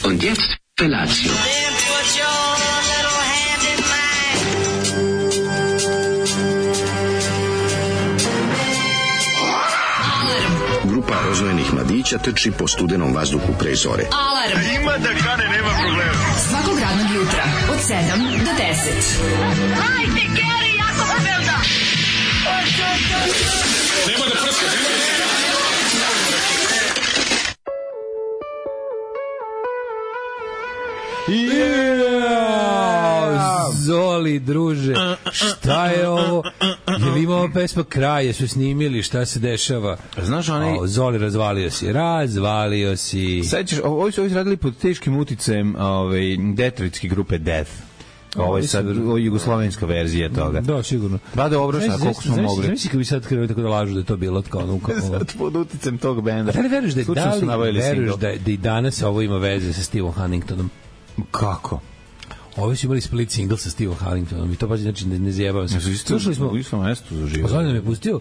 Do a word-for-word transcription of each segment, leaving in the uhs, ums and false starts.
Und jetzt Felatio. Grupa rozvojenih mladića trči po studenom vazduhu pre zore. Alarm! Ima da kane, nema problema. Svakog radnog jutra, od sedam do deset. Hajde, Geri, jako se velda! Nema da prska, nema da prska. Yeah! Zoli, druže, šta je ovo? Je li imao pesma Kraje, su snimili, šta se dešava? Znaš, onaj... O, Zoli, razvalio si, razvalio si. Sećaš, ovo su radili pod teškim uticajem ovaj, detroitske grupe Death. Ovo je sad ovo je jugoslovenska verzija toga. Da, sigurno. Ba dobro, šta, koliko smo mogli. Znači, kako bi sad krenuo tako da lažu da je to bilo tako ono kao... Sad pod uticajem tog benda. Da li veruješ da je, da li veruješ da, da i danas ovo ima veze sa Stevom Huntingtonom? Kako? Ovi su imali split single sa Stevom Huntingtonom i to pa znači ne, ne zjebavam se. Slušali smo u istom mestu za život. Pozvali nam je pustio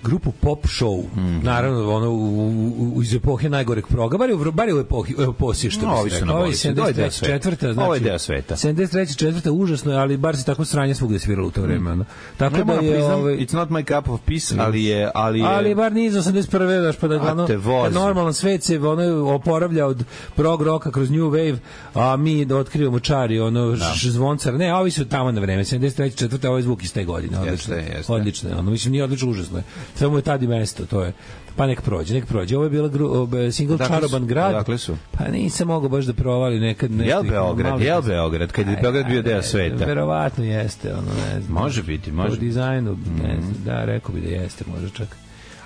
grupu Pop Show. Mm. Naravno, ono, u, u, iz epohe najgoreg proga, bar je u, bar je u epohi, u epohi, što no, bi se rekao. Ovo je sedamdeset treća četvrta znači, ovo je deo sveta. sedamdeset treća četvrta užasno je, ali bar se tako sranje svugde sviralo u to vreme. Mm. Tako ne da je... Priznam, ovaj, it's not my cup of peace, ali je... Ali, je, ali bar nije iz osamdeset prve daš pa da ono, normalan svet se ono, oporavlja od prog roka kroz new wave, a mi da otkrivamo čari, ono, da. Zvoncar. Ne, ovi su tamo na vreme, sedamdeset treća četvrta ovaj zvuk iz te godine. Odlično, jeste, jeste. Odlično, ono, mislim, nije odlično, užasno je. Samo je tad i mesto, to je. Pa nek prođe, nek prođe. Ovo je bila gru, single dakle Čaroban grad. Dakle su. Pa nisam mogao baš da provali nekad. Jel Beograd, jel Beograd, kad je Beograd bio deo sveta? Verovatno jeste, ono, ne znam. Može biti, može. Po dizajnu, ne znam, da, rekao bi da jeste, može čak.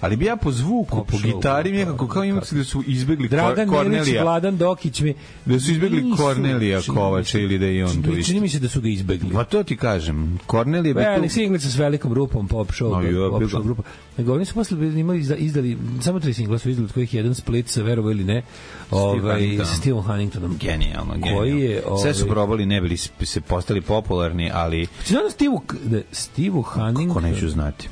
Ali bi ja po zvuku, Pop po show, gitari, nekako kao imam da su izbegli Dragan Kornelija. Milić, Vladan Dokić mi... Da su izbegli nisu, Kornelija Kovača ili da je on tu isto. Čini mi se da su ga izbegli. Pa to ti kažem. Kornelija bi tu... Velik singlica s velikom grupom, Pop Show, no, Pop Show grupa. Nego oni su posle imali, izdali, samo tri singla su izdali, od kojih jedan split sa verovo ili ne, ovaj, sa Steven Huntingtonom. Genijalno, genijalno. Koji je, ovaj, sve su probali, ne bili se postali popularni, ali... Znači, Steve, Steve Huntington... Kako neću znati?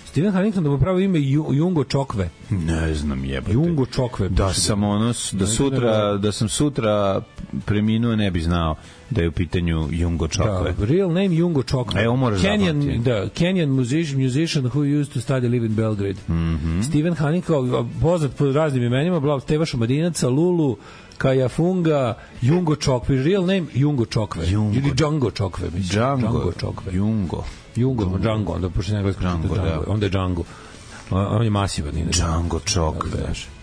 Steven Huntington da mu pravo ime Jungo Čokve. Ne znam, jebote. Jungo Čokve. Da sam ono, da sutra, da sam sutra preminuo, ne bi znao da je u pitanju Jungo Čokve. Da, real name Jungo Čokve. Evo moraš zapamtiti. Da, Kenyan musician, musician who used to study live in Belgrade. Mm -hmm. Steven Huntington, poznat po raznim imenima, Blav Teva Šumadinaca, Lulu, Kajafunga, Jungo Čokve. Real name Jungo Čokve. Jungo. Ili Django Čokve, mislim. Django, Django Čokve. Jungo. Jungo, Django, onda pošto ne gleda Django, da. Onda je Django. On je masivan. Django Čokve.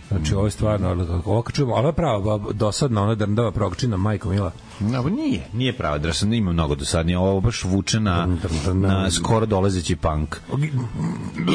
Znači, ovo je stvarno, ovo kad čujemo, ovo je prava dosadna, ona drndava progčina, majko mila. No, nije, nije prava dosadna, ima mnogo dosadnije, ovo baš vuče na, na skoro dolazeći punk.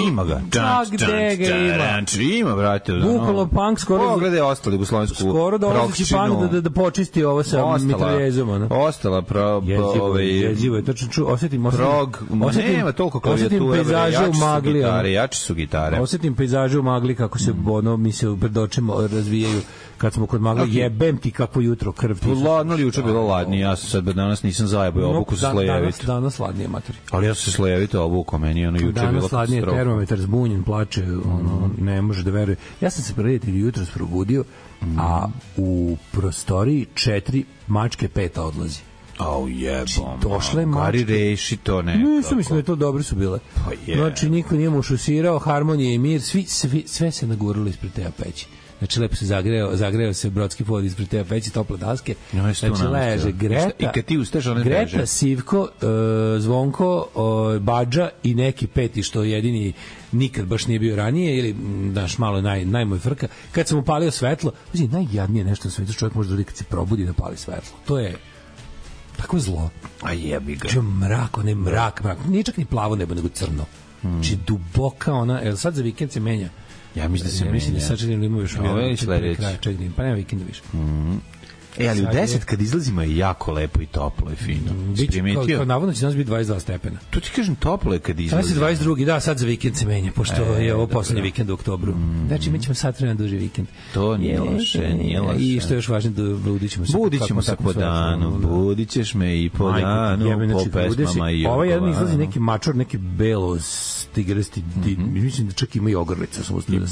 Ima ga. Čak gde ga ima. Ima, brate. Bukvalno punk skoro... Pogledaj ostali jugoslovensku progčinu. Skoro dolazeći punk da, da počisti ovo sa mitraljezom. Ostala pro... Jezivo je, jezivo je, tačno ču, osjetim... Prog, nema toliko klavijatura, jači su gitare, jači su gitare. Osjetim pejzaže u magli kako se, ono, mi se pred očima razvijaju kad smo kod magla, okay. Jebem ti kako jutro krv ti. Ladno li juče bilo ladnije, ja sam sad danas nisam zajebao obuku sa slojevito. Danas, danas ladnije, materi. Ali ja sam se slojevito obuku, meni ono juče bilo danas ladnije, termometar zbunjen, plače, ono, ne može da veruje. Ja sam se prijatelj jutros probudio, mm. a u prostoriji četiri mačke peta odlazi. Au jebom. Došle mačke. Gari reši to nekako. Nisu, mislim da je to dobro su bile. Pa je. Znači, niko nije mu šusirao, harmonija i mir, svi, svi, sve se naguralo ispred te peći. Znači, lepo se zagreo, zagreo se brodski pod ispred te peći, tople daske. No, znači, leže Greta, i kad ti ustaš, one Greta, leže. Sivko, uh, Zvonko, uh, Badža i neki peti, što jedini nikad baš nije bio ranije, ili, daš, malo naj, najmoj frka. Kad sam upalio svetlo, znači, najjadnije nešto na svetu čovjek može da kad se probudi da pali svetlo. To je tako zlo. A jebi ga. Če mrak, onaj mrak, mrak. Nije čak ni plavo nebo, nego crno. Hmm. Či duboka ona, jel sad za vikend se menja? Ja mislim da se ja, menja. Mislim da sad čekaj da ima još ovo je sledeći. Pa nema vikenda više. Mm. E, ali u deset kad izlazimo je jako lepo i toplo i fino. Biće, kao, kao navodno će danas biti dvadeset dva stepena. Tu ti kažem toplo je kad izlazimo. Sad se dvadeset drugi, da, sad za vikend se menja, pošto e, je ovo poslednji vikend u oktobru. Mm. Znači, mi ćemo sad vremena duži vikend. To nije loše, nije loše. I što je još važno, da budit ćemo se. Budit ćemo se po danu, budit ćeš me i po danu, po pesmama i ovo. Ovo jedan izlazi neki mačor, neki belo tigrasti, mislim da čak ima i ogrlica.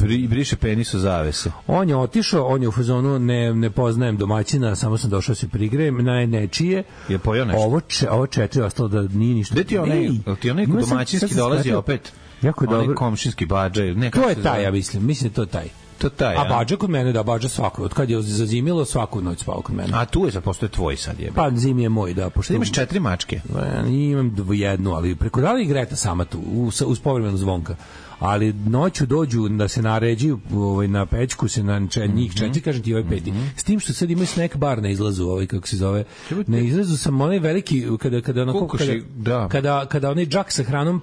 I briše penis u zavese. On je otišao, on je u fazonu, ne, ne poznajem domaćina, samo sam došao se prigrejem na nečije. Je pojao nešto? Ovo, če, ovo četiri ostalo da nije ništa. Gde ti onaj, ti onaj domaćinski dolazi opet? Jako je dobro. Onaj komšinski Badža. Ne, to je taj, ja mislim. Mislim da to je taj. To taj, a Badža kod mene, da, Badža svako. Od kad je zazimilo, svaku noć spao kod mene. A tu je, sad postoje tvoj sad jebe. Pa zim je moj, da. Pošto imaš četiri mačke? Imam jednu, ali preko da li Greta sama tu, uz, uz povremenu Zvonka. Ali noću dođu da se naređuju ovaj, na pećku se na če, njih četiri, kažem ti ovaj peti. Mm-hmm. S tim što sad imaju snack bar na izlazu, ovaj, kako se zove. Na izlazu sam onaj veliki, kada, kada, onako, kada, da. kada, kada onaj džak sa hranom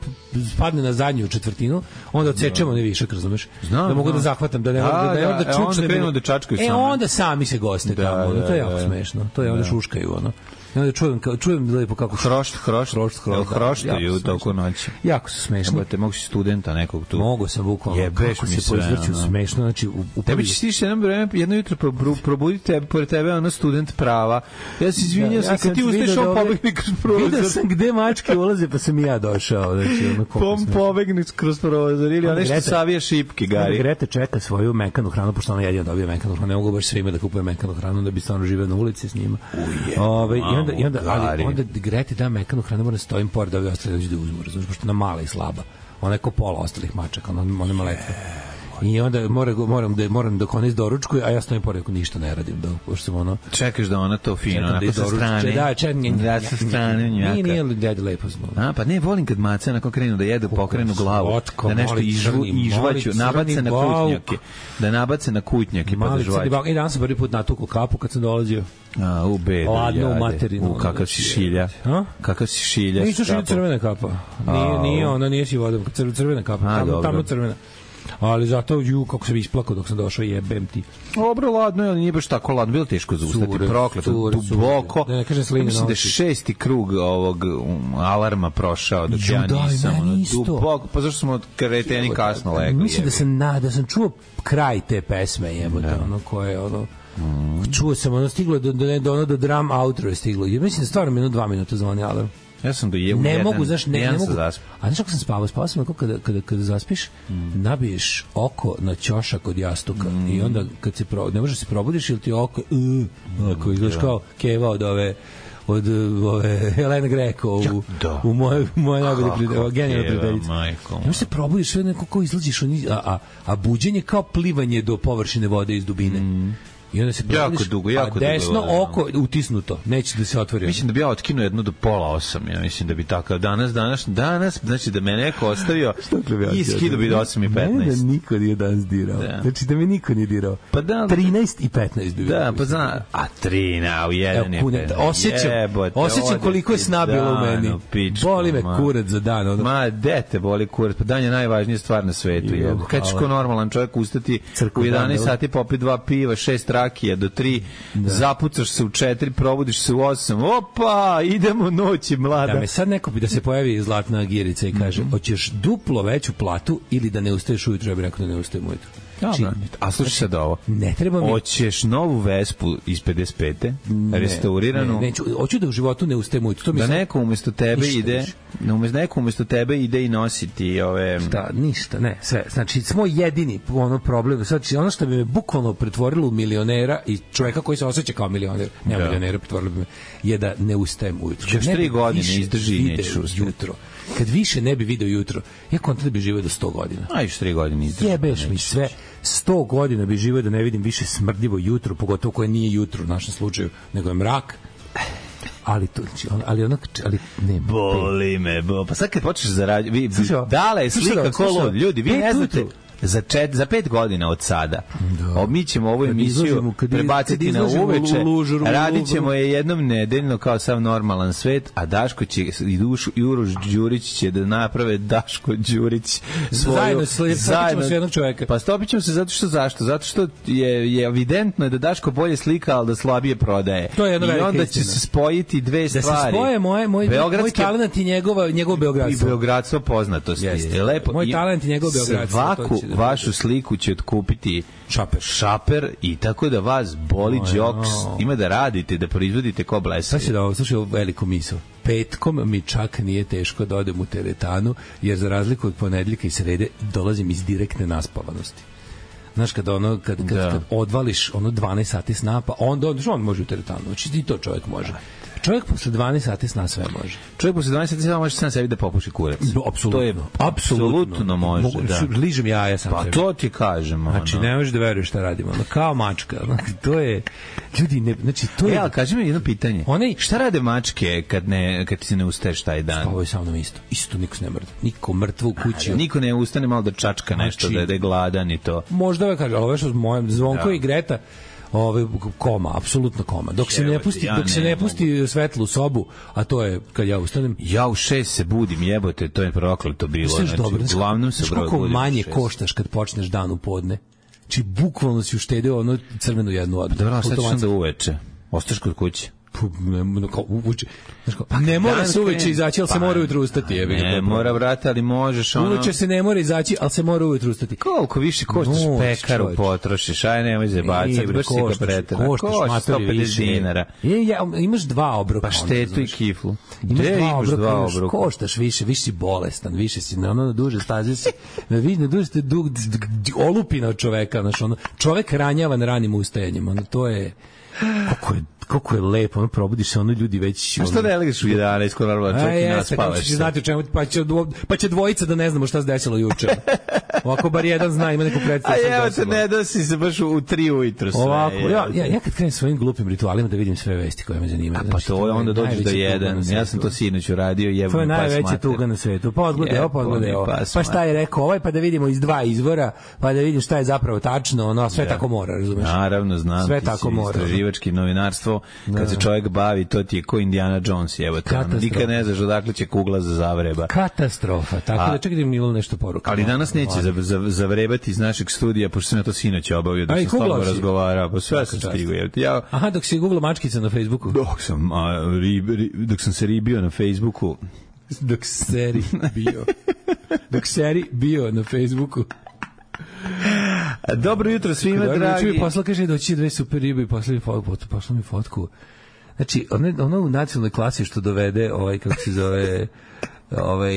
spadne na zadnju četvrtinu, onda odsečemo onaj višak, razumeš? Znam, da mogu da zahvatam, da ne da, da, da, da čučne. Onda krenu da čačkaju e, same. onda sami se goste da, tamo, da, to je jako da, smešno. To je onda da. Šuškaju, ono. I onda čujem, kao, čujem lepo kako... Hrošt, hrošt, hrošt, hrošt. hroštaju toliko noći. Jako su smešni. Jebote, mogu si studenta nekog tu. Mogu sam bukvalno. Jebeš kako mi se poizvrću sve, smešno. Znači, u, u tebi će stići jedno vreme, jedno jutro probuditi tebe, pored tebe ono student prava. Ja se izvinjam, ja, ja kad ti ustaješ on pobegni kroz prozor. Vidio sam gde mačke ulaze, pa sam i ja došao. Znači, ono Pom pobegni kroz prozor ili ono što savija šipke, Gari. Grete čeka svoju mekanu hranu, pošto ona jedina dobija mekanu hranu. Ne mogu baš svima da kupujem mekanu hranu, da bi stvarno živeo na ulici s njima. Uje, Ove, i onda, i onda, ali, onda Grete da mekanu hranu, moram stojim pored da ovi ostali dođu da uzmu, razumiješ, pošto ona mala i slaba. Ona je ko pola ostalih mačaka, ona, ona je maletva. I onda moram, moram da moram dok ona izdoručkuje, a ja stojim pored ako ništa ne radim, da pošto sam ono. Čekaš da ona to fino, onako da sa strane. Da, čekaj, da sa strane njaka. Nije, nije dede lepo smo. A, pa ne, volim kad mace onako krenu da jedu, pokrenu glavu, da nešto izžu, izžvaću, nabace na kutnjake, da nabace na kutnjake, pa da žvaću. I danas sam prvi put natukao kapu kad sam dolazio. A, u bedu, ladno u materinu. U, kakav si šilja. A? Kakav si šilja. Nisu šilja crvena kapa. Nije, nije ona, nije si vodom. Crvena kapa. A, tamo, tamo crvena. Ali zato, ju, kako sam isplakao dok sam došao, jebem ti. Dobro, ladno je, ali nije baš tako ladno. Bilo teško zaustati, prokleto, duboko. Da ne kažem slinu. Mislim da je šesti krug ovog um, alarma prošao, dok ju, ja nisam. Daj, ono, isto. Duboko, pa zašto smo kreteni kasno legli? Mislim da sam, na, da sam čuo kraj te pesme, jebote, da. Ono koje, ono... Mm. Čuo sam, ono stiglo do, do, do, ono do drum outro je stiglo. Ja mislim da stvarno minut, dva minuta zvoni alarm. Ja sam do jevu ne jedan, mogu, znaš, ne, ne mogu. A znaš kako sam spavao? Spavao sam kada, kada, kada zaspiš, mm. nabiješ oko na ćošak od jastuka mm. i onda kad se pro, ne možeš se probudiš ili ti oko, uh, ako izgledaš kao Keva od ove od ove Helena Greko u, da. u moje, moje najbolje prijateljice, genijalne prijateljice. Ne možeš se probudiš, sve neko kao izlaziš, a, a, a buđenje kao plivanje do površine vode iz dubine. Mm. I onda se jako dugo, jako a desno dugo, oko utisnuto, neće da se otvori. Mislim da bi ja otkinuo jednu do pola osam, ja mislim da bi takav danas, danas, danas, znači da me neko ostavio i skido bi do osam i petnaest. Mene da niko nije danas dirao. Da. Znači da me niko nije dirao. Pa da, trinaest i petnaest bi da, pa zna, a trina u jedan je. Osjećam, osjećam koliko je sna bilo u meni. Boli me kurac za dan. Ono. Ma, dete boli kurac, pa dan je najvažnija stvar na svetu. Kad ćeš ko normalan čovjek ustati u jedanaest sati, popiti dva piva, šest rakija do tri, da. Zapucaš se u četiri, probudiš se u osam, opa, idemo noći, mlada. Da me sad neko bi da se pojavi zlatna girica i kaže, mm-hmm. hoćeš duplo veću platu ili da ne ustaješ ujutro, ja bih rekao da ne ustajem ujutro. Znači, a slušaj sad ovo. Ne treba mi. Hoćeš novu Vespu iz pedeset pete, ne, restauriranu. Ne, neću, hoću da u životu ne ustajem ujutro. To mi da sam... neko umesto tebe ništa ide, da umesto neko umesto tebe ide i nositi ove. Šta, ništa, ne, sve. Znači, smo jedini ono problem. Znači, ono što bi me bukvalno pretvorilo u milionera i čoveka koji se osjeća kao milioner, ne da. milionera, pretvorilo bi me, je da ne ustajem ujutro. Još tri godine izdrži neću jutro. Kad više ne bi video jutro, ja kontam da bi živio do sto godina. A još tri godine izdrži. Jebeš mi sve. sto godina bi živio da ne vidim više smrdljivo jutro, pogotovo koje nije jutro u našem slučaju, nego je mrak. Ali to, ali onak, ali ne. Boli me, bo. Pa sad kad počneš zarađivati, dale je slika ko ljudi, vi ne znate. Za, čet, za pet godina od sada da. Mi ćemo ovu emisiju prebaciti na uveče, radit ćemo je jednom nedeljno kao sav normalan svet, a Daško će i Dušu i Uroš Đurić će da naprave Daško Đurić svoju, zajedno, zajedno s jednog čoveka. Pa stopit ćemo se zato što zašto? Zato što je, je evidentno da Daško bolje slika, ali da slabije prodaje. To je i onda će se spojiti dve da stvari. Da se spoje moje, moj, moj talent i njegova, njegov beogradstvo. I beogradstvo poznatosti. Jeste. Lepo. Moj talent i njegov beogradstvo. Vašu sliku će otkupiti šaper. šaper i tako da vas boli džoks, ima da radite, da proizvodite ko blesavi. Slušaj, da, slušaj ovu veliku misao. Petkom mi čak nije teško da odem u teretanu, jer za razliku od ponedeljka i srede dolazim iz direktne naspavanosti. Znaš, kad, ono, kad, kad, da. kad odvališ ono dvanaest sati sna, pa onda, onda on može u teretanu. Znači, i to čovjek može. Čovjek posle dvanaest sati sna sve može. Čovjek posle dvanaest sati sna može sam sebi da popuši kurac. Apsolutno. To je apsolutno može, mogu, da. Ližem jaja sam pa sebi. To ti kažem. Znači, ono. ne možeš da veruješ šta radimo. Ono, kao mačka. Ono, to je... Ljudi, ne, znači, to je... E, ali kaži mi jedno pitanje. Onaj, šta rade mačke kad, ne, kad ti se ne ustaješ taj dan? Spavaju sa mnom isto. Isto niko se ne mrda. Niko mrtvo u kući. A, niko ne ustane malo da čačka nešto, znači, da je gladan i to. Možda ove kaže, ali ove što s mojem Zvonko da. I Greta, ove koma, apsolutno koma. Dok se ne pusti, ja dok se ne, ne pusti svetlu sobu, a to je kad ja ustanem. Ja u šest se budim, jebote, to je prokleto bilo. Znači, dobro, uglavnom se broj budim. Manje koštaš kad počneš dan u podne. Či bukvalno si uštedeo ono crvenu jednu odbu. Dobro, sad ćeš onda uveče. Ostaš kod kuće. Pa ne mora se uveče izaći, ali se mora ujutru ustati. Je, ne mora, brate, ali možeš ono... Uveče se ne mora izaći, ali se mora ujutru ustati. Koliko više koštaš pekaru potrošiš, aj nemoj zebacati, baš si ga pretera. Koštaš sto pedeset dinara. Je, ja, imaš dva obroka. Pa štetu i kiflu. Imaš dva obroka, dva obroka. Koštaš više, više si bolestan, više si na ono na duže staze si, na vidne duže ste dug, olupina od čoveka, znaš, ono, čovek ranjavan ranim ustajanjem, ono, to je... Kako je, kako je lepo, ono probudiš se, ono ljudi već... A što ne legiš u jedanaest, ko normalno čovjek i naspavaš se? Znate o čemu, pa će, pa će dvojica da ne znamo šta se desilo juče. Ovako bar jedan zna, ima neku predstavu. A evo te, ne dosi se baš u tri ujutru sve. Ovako, ja, ja, ja kad krenem svojim glupim ritualima da vidim sve vesti koje me zanimaju. A pa to je, onda dođeš do jedan. Ja sam to sinoć uradio, jevo mi pas mater. To je najveća tuga na svetu. Pa odgledaj ovo, pa odgledaj ovo. Pa šta je rekao ovaj, pa da vidimo iz dva izvora, pa da vidim šta je zapravo tačno, ono, sve tako mora, razumeš? Naravno, znam. Sve tako mora. Istraživački novinarstvo, kad se čovjek bavi, to ti je ko Indiana Jones, evo te. Nikad ne znaš odakle će kugla za zavreba. Katastrofa. Tako da čekaj mi bilo nešto poruka. Ali danas neće zavrebati iz našeg studija, pošto sam ja to sinoć obavio, dok sam stvarno razgovarao, pa sve sam stigao. Ja... Aha, dok si googlao mačkica na Facebooku. Dok sam, a, ri, ri, dok sam se ribio na Facebooku. Dok seri bio. Dok seri bio na Facebooku. Dobro jutro svima, dragi. Čuj, posla kaže doći dve super ribe i posla, posla mi fotku. Znači, ono, ono u nacionalnoj klasi što dovede, ovaj, kako se zove... ovaj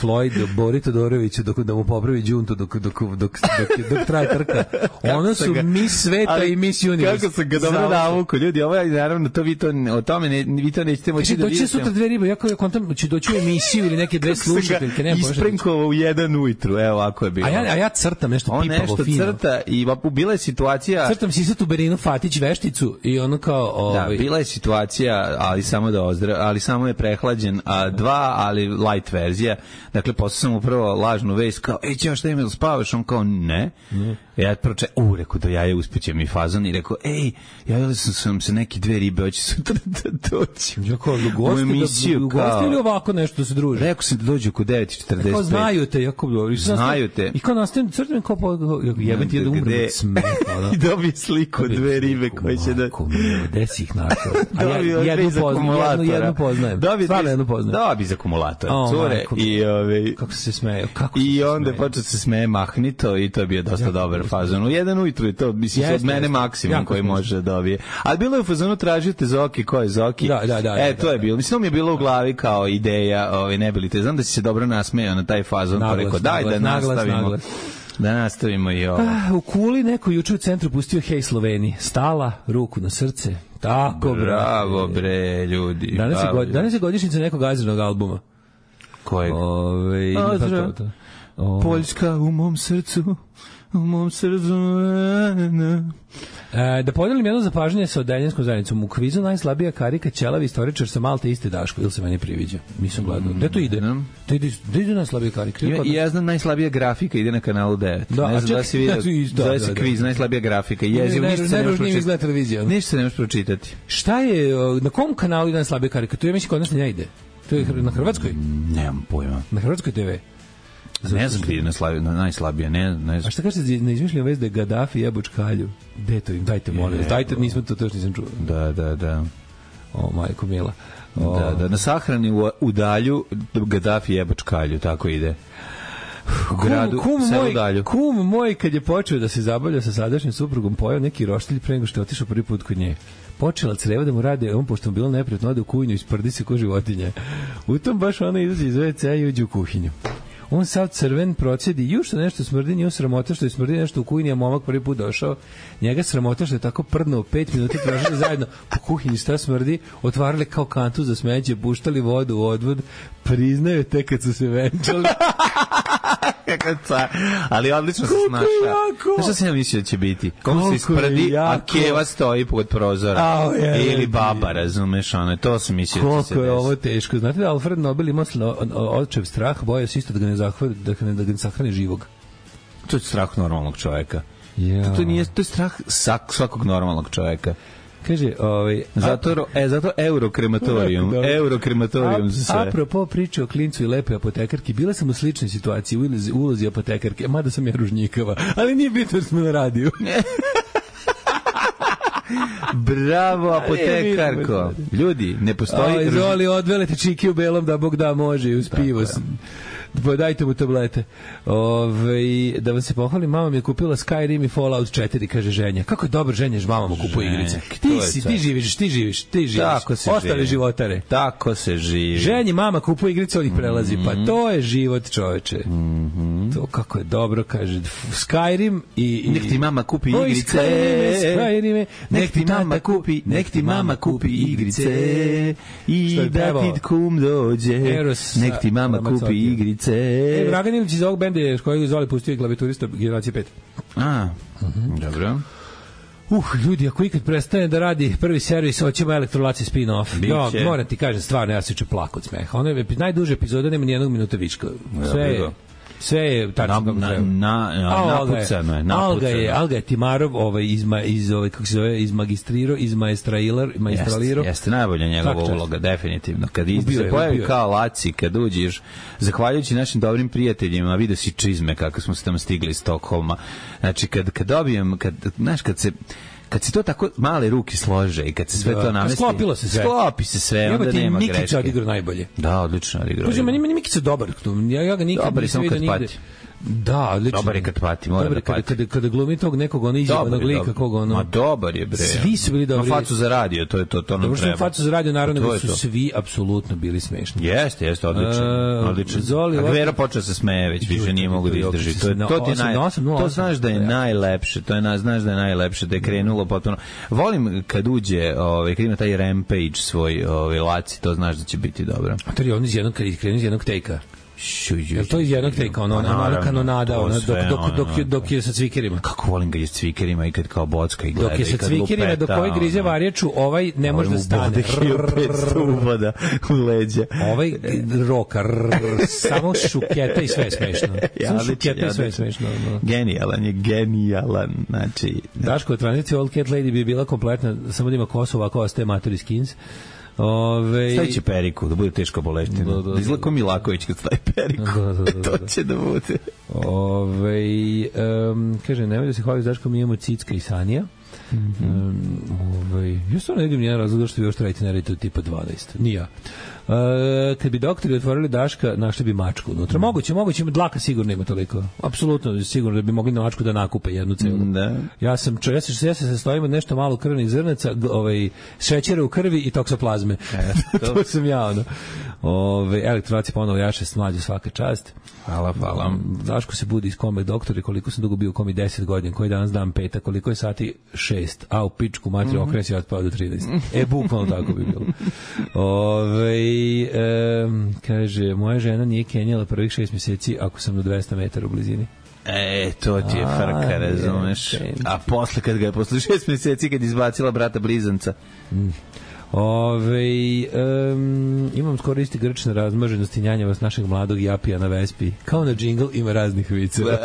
Floyd Bori Todorović dok da mu popravi đuntu dok dok dok dok, dok traje trka. Ono su Miss Sveta i Miss Universe. Kako se ga dobro navuku ljudi, ovo je naravno to vi to o tome ne vi to nećete moći da vidite. Doći sutra dve ribe, ja kao kontam će doći u emisiju ili neke dve slušateljke, ne može. Isprenkovao u jedan ujutru, evo ovako je bilo. A ja a ja crtam nešto pipavo fino. On nešto crta i bila je situacija. Crtam si tu Berinu Fatić vešticu i ono kao ovaj. Da, bila je situacija, ali samo da ozdrav, ali samo je prehlađen, a dva, ali light verzija. Dakle, poslao sam upravo lažnu vest kao, ej, ćemo šta ima da spavaš? On kao, ne. Mm. Ja proče, u, rekao, do jaje uspeće mi fazon i rekao, ej, javili sam, sam se neke dve ribe, hoće sutra da doći. Ja kao, u gosti, da, u gosti ili ovako nešto se druži? Rekao sam da dođu oko devet i četrdeset pet. Kao, znaju te, jako dobro. Znaju te. I kao nastavim, crtam kao, jebem ti da umrem od smeha. I dobije sliku od dve ribe koje će da... Ovako, gde si ih našao? Jednu poznajem. Stvarno jednu poznajem. Dobi iz akumulatora. Cure i ove... Kako se smeje? I onda počeo se smeje mahnito i to je bio dosta dobar fazon. U jedan ujutru je to, mislim, od mene maksimum koji može da dobije. Ali bilo je u fazonu tražite Zoki, ko je Zoki? Da, da, da. E, to je bilo. Mislim, mi je bilo u glavi kao ideja, ovaj, ne bili te. Znam da si se dobro nasmejao na taj fazon, pa rekao, daj da nastavimo. Da nastavimo i ovo. U Kuli neko juče u centru pustio Hej Sloveni. Stala, ruku na srce. Tako, bravo, bre, ljudi. Danas je, god, danas je godišnjica nekog Azrinog albuma. Kojeg? Ove, Azra, o... Poljska u mom srcu, u mom srcu. E, da podelim jedno zapažanje sa odeljenskom zajednicom. U kvizu najslabija karika ćelavi istoričar sa Malte iste Daško, ili se meni priviđa. Nisam gledao. Gde to ide? Mm. To ide, gde ide najslabija karika? Ja, ja znam najslabija grafika, ide na kanalu devet. Da, ne znam da si vidio, zove se kviz, najslabija grafika. Jezivo, ne, ništa se ne može pročitati. Ništa se ne može pročitati. Šta je, na kom kanalu ide najslabija karika? To je mislim kod nas ne ide. To je na Hrvatskoj? Nemam pojma. Na Hrvatskoj te ve. Ne znam gdje je najslabija, najslabija, ne, ne znam. A šta kažete na izmišljenu vest da je Gaddafi jebo čkalju? Gde to im? Dajte, molim. Dajte, nismo to, to još nisam čuo. Da, da, da. O, majko mila. O. Da, da, na sahrani u, u dalju Gaddafi jebo čkalju, tako ide. U gradu, kum, kum, moj, dalju. kum moj, kad je počeo da se zabavlja sa sadašnjim suprugom, pojao neki roštilj pre nego što je otišao prvi put kod nje. Počela creva da mu rade, on pošto mu bilo neprijatno, ode u kuhinju i sprdi se ko životinja. U tom baš ona izađe iz ve ce i uđe u kuhinju. On sav crven procedi, ju što nešto smrdi, nju sramota što je smrdi nešto u kuhinji, a momak prvi put došao, njega sramota što je tako prdnuo, pet minuta tražili zajedno po kuhinji šta smrdi, otvarali kao kantu za smeće, puštali vodu u odvod, priznaju te kad su se venčali. Ali odlično se snaša. Znaš što sam ja mislio da će biti? Kom se isprdi, a keva stoji pod prozora. A, je, ili baba, razumeš, ono, to sam mislio da će se desiti. Koliko je ovo teško. Znate da Alfred Nobel ima očev strah, boja se isto da ga ne zahvali, da ga ne, da ga ne sahrani živog. To je strah normalnog čoveka. Ja. To, to, nije, to je strah svakog normalnog čoveka. Kaže, ovaj, zato, e, zato eurokrematorijum, eurokrematorijum za sve. Apropo priče o klincu i lepoj apotekarki, bila sam u sličnoj situaciji u ulozi, ulozi apotekarke, mada sam ja ružnjikava, ali nije bitno da smo na radiju. Bravo, apotekarko. Ljudi, ne postoji... O, izvoli, odvelite čiki u belom da Bog da može i uz pivo. Dajte mu tablete. Ove, da vam se pohvalim, mama mi je kupila Skyrim i Fallout četiri, kaže ženja. Kako je dobro ženja, mama mu kupuje igrice. Ti si, ti živiš, ti živiš, ti živiš. Tako se Ostali živi. životare. Tako se živi. Ženji mama kupuje igrice, on ih prelazi. Mm-hmm. Pa to je život, čoveče. Mm-hmm. To kako je dobro, kaže. Skyrim i... i... Nek ti mama kupi Oj, igrice. Skyrime, Skyrime, nek ti mama kupi, nek ti mama kupi igrice. I da ti kum dođe. Eros, nek ti mama kupi igrice. E, Dragan Ilić iz ovog benda je koji zvali pustio klavijaturista generacije pet. A, uh-huh. Dobro. Uh, ljudi, ako ikad prestane da radi prvi servis, hoćemo Elektrolaci spin-off. Ja, moram ti kažem, stvarno, ja se ću plako od smeha. Ono je najduže epizode, nema nijednog minuta vička. Sve je... Sve je tačno kako na, treba. Na, na, napucano je. Alga je, Alga je Timarov, ovaj, iz, iz, ovaj, kako se zove, iz magistrirao, iz maestralirao. Jeste, jeste najbolja njegova uloga, definitivno. Kad iz, se pojavi kao Laci, kad uđeš, zahvaljujući našim dobrim prijateljima, vidio si čizme kako smo se tamo stigli iz Stokholma. Znači, kad, kad dobijem, kad, znaš, kad se... kad se to tako male ruke slože i kad se sve da, to namesti... Sklopilo se sve. Sklopi se sve, onda nema greške. Mikića odigrao najbolje. Da, odlično odigrao. Uđe, meni Mikića dobar. Ja, ja ga nikad dobar nisam vidio nigde. Da, odlično. Dobar je kad pati, mora dobar, da pati. Kada, kada glumi tog nekog, ono izjebanog lika, kog ono... Ma dobar je, bre. Svi su bili dobri. Ma facu za radio, to je to, to nam dobro treba. Dobro što facu za radio, naravno, da su svi apsolutno bili smešni. Jeste, jeste, odlično. Uh, odlično. Zoli, a Gvero počeo se smeje, već više nije mogu da izdrži. To, to, ti naj, to znaš da je najlepše, to je, znaš da je najlepše, da je krenulo potpuno. Volim kad uđe, ovaj, kad ima taj rampage svoj, ovaj, Laci, to znaš da će biti dobro. A to je on iz jednog, kad krenu iz jednog tejka. Jel to iz jednog tejka, ono, ono, ono kanonada, ono, dok, dok, dok, dok, dok je sa cvikerima. Kako volim ga je s cvikerima i kad kao bocka i gleda. Dok je sa cvikerima, dok ovaj grize varječu, ovaj ne može da stane. Uvoda u leđa. Ovaj roka, samo šuketa i sve je smešno. Samo šuketa i sve je smešno. Genijalan je, genijalan. Znači... Daško, od tranzicije Old Cat Lady bi bila kompletna, samo da ima kosu, ovako ostaje Maturi Skins. Ove... Stavit će periku, da bude teško boleština. Da, da, da. Izgleda ko Milaković kad stavi periku. Da, da, da, da. To će da bude. Ove, um, kaže, nemoj da se hvali s Daškom, mi imamo Cicka i Sanija. Mm-hmm. Um, ove, ja stvarno ne vidim nijedan razlog što vi još trajite na redu tipa dvanaest. Nija. Uh, kad bi doktori otvorili Daška, našli bi mačku unutra. Moguće, moguće, dlaka sigurno ima toliko. Apsolutno sigurno da bi mogli na mačku da nakupe jednu celu. Da. Ja sam, čo, ja se ja se sastojim od nešto malo krvnih zrnaca, ovaj šećera u krvi i toksoplazme. E, to. to sam ja, ono. Ove, elektronaci ponovo jaše s mlađe svaka čast. Hvala, hvala. Daško se budi iz kome doktori, koliko sam dugo bio u komi deset godina, koji danas dan peta, koliko je sati šest, a u pičku matri okren si otpao do trinaest. E, bukvalno tako bi bilo. Ove, e, kaže, moja žena nije kenjala prvih šest mjeseci ako sam do dvesta metara u blizini. E, to ti je frka, razumeš? A posle, kad ga je posle šest mjeseci, kad izbacila brata blizanca. Mm. Ove, um, imam skoro isti grč na razmaženosti njanjava s našeg mladog Japija na Vespi. Kao na džingl ima raznih viceva.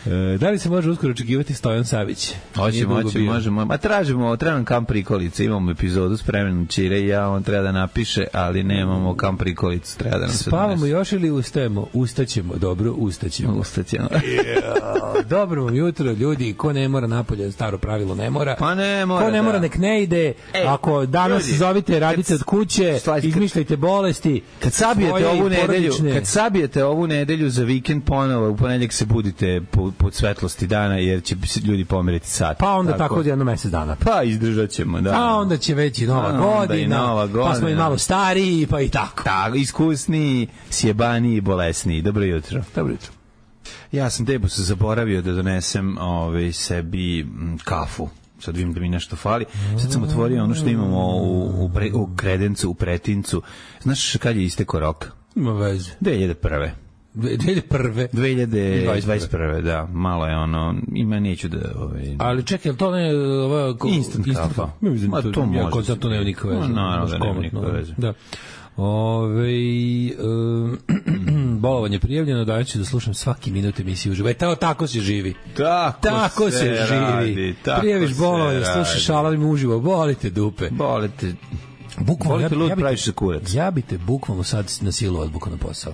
E, da li se može uskoro očekivati Stojan Savić? Hoće, moće, možemo. Ma tražimo, trebam kam prikolice, imamo epizodu spremljenu Čire i ja, on treba da napiše, ali nemamo kam prikolicu, treba da nam se spavamo donese. Još ili ustajemo? Ustaćemo, dobro, ustaćemo. Ustaćemo. Yeah. Dobro vam jutro, ljudi, ko ne mora napolje, staro pravilo ne mora. Pa ne mora, ko ne mora, da. Nek ne ide. Ej, ako danas ljudi, zovite, radite od kuće, slajka, izmišljajte bolesti. Kad sabijete ovu nedelju, kad sabijete ovu nedelju za vikend ponovo, u ponedjeljak se budite po pod svetlosti dana, jer će ljudi pomeriti sat. Pa onda tako, tako jedno mesec dana. Pa izdržat ćemo, da. A onda će već i nova, godina, i nova godina, pa smo i malo stariji, pa i tako. Tako, iskusniji, sjebaniji, bolesniji. Dobro jutro. Dobro jutro. Ja sam tebu se zaboravio da donesem ovaj, sebi m, kafu. Sad vidim da mi nešto fali. Sad sam otvorio ono što imamo u, u, pre, u kredencu, u pretincu. Znaš kad je istekao rok? Ima veze. dve hiljade prve. dve hiljade prve dve hiljade dvadeset prve da, malo je ono, ima neću da... Ovaj, ali čekaj, to ne ova, ko, instant, instant kafa. Ma to, to može. Ja, to nema nikakve veze. Naravno da nema nikakve veze. Da. Ove, um, bolovanje prijavljeno, da ću da slušam svaki minut emisiju uživo. E, tako, tako se živi. Tako, tako se, se živi. Radi, tako prijaviš bolovanje, slušaš alarm uživo, bolite dupe. Bolite... Bukvalno, ja, lud, ja, bi praviš kurac. ja bi te bukvalno sad na silu odbukao na posao.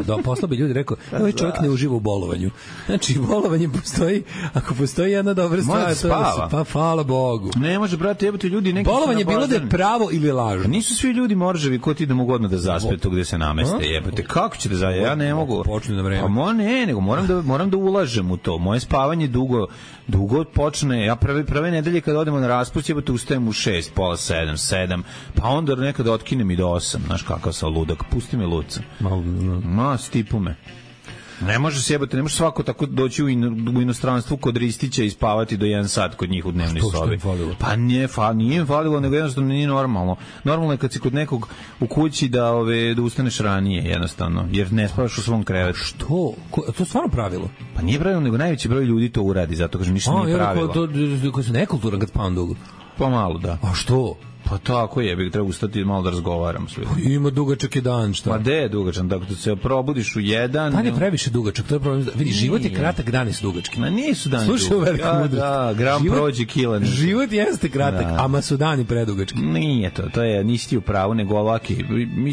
Da, posla bi ljudi rekao, ovaj čovjek ne uživa u bolovanju. Znači, bolovanje postoji, ako postoji jedna dobra stvar, to spava. Pa hvala Bogu. Ne može, brate, jebote, ljudi neki bolovanje bilo da je pravo ili lažno. Nisu svi ljudi morževi ko ti da mogu odmah da zaspe tu gde se nameste, jebote. Kako će da za ja ne mogu. Počne na vreme. Pa mo ne, nego moram da moram da ulažem u to. Moje spavanje dugo dugo počne. Ja prve prve nedelje kad odemo na raspust, jebote, ustajem u šest, pola sedam, sedam, pa onda nekada otkinem i do osam, znaš kakav sam ludak. Pusti me luca. Malo, ma stipu me. Ne može se jebote, ne može svako tako doći u, in, u inostranstvu kod Ristića i spavati do jedan sat kod njih u dnevnoj sobi. Pa nije, fa, nije im falilo, nego jednostavno nije normalno. Normalno je kad si kod nekog u kući da ove da ustaneš ranije, jednostavno, jer ne spavaš u svom krevetu. Što? Ko, to je stvarno pravilo? Pa nije pravilo, nego najveći broj ljudi to uradi, zato kažem ništa nije pravilo. A, to, to su nekulturan kad spavam dugo. Pa malo, da. A što? Pa tako je, bih treba ustati malo da razgovaram s ljudima. Ima dugačak je dan, šta? Ma de je dugačak, tako da se probudiš u jedan. Dan je previše dugačak, to je problem. Vidi, život je kratak, dani su dugački. Ma nisu dani dugački. Slušaj, velika da, mudrost. Da, gram život, prođe kilan. Život jeste kratak, da. Ama su dani predugački. Nije to, to je, nisi ti u pravu, nego ovaki.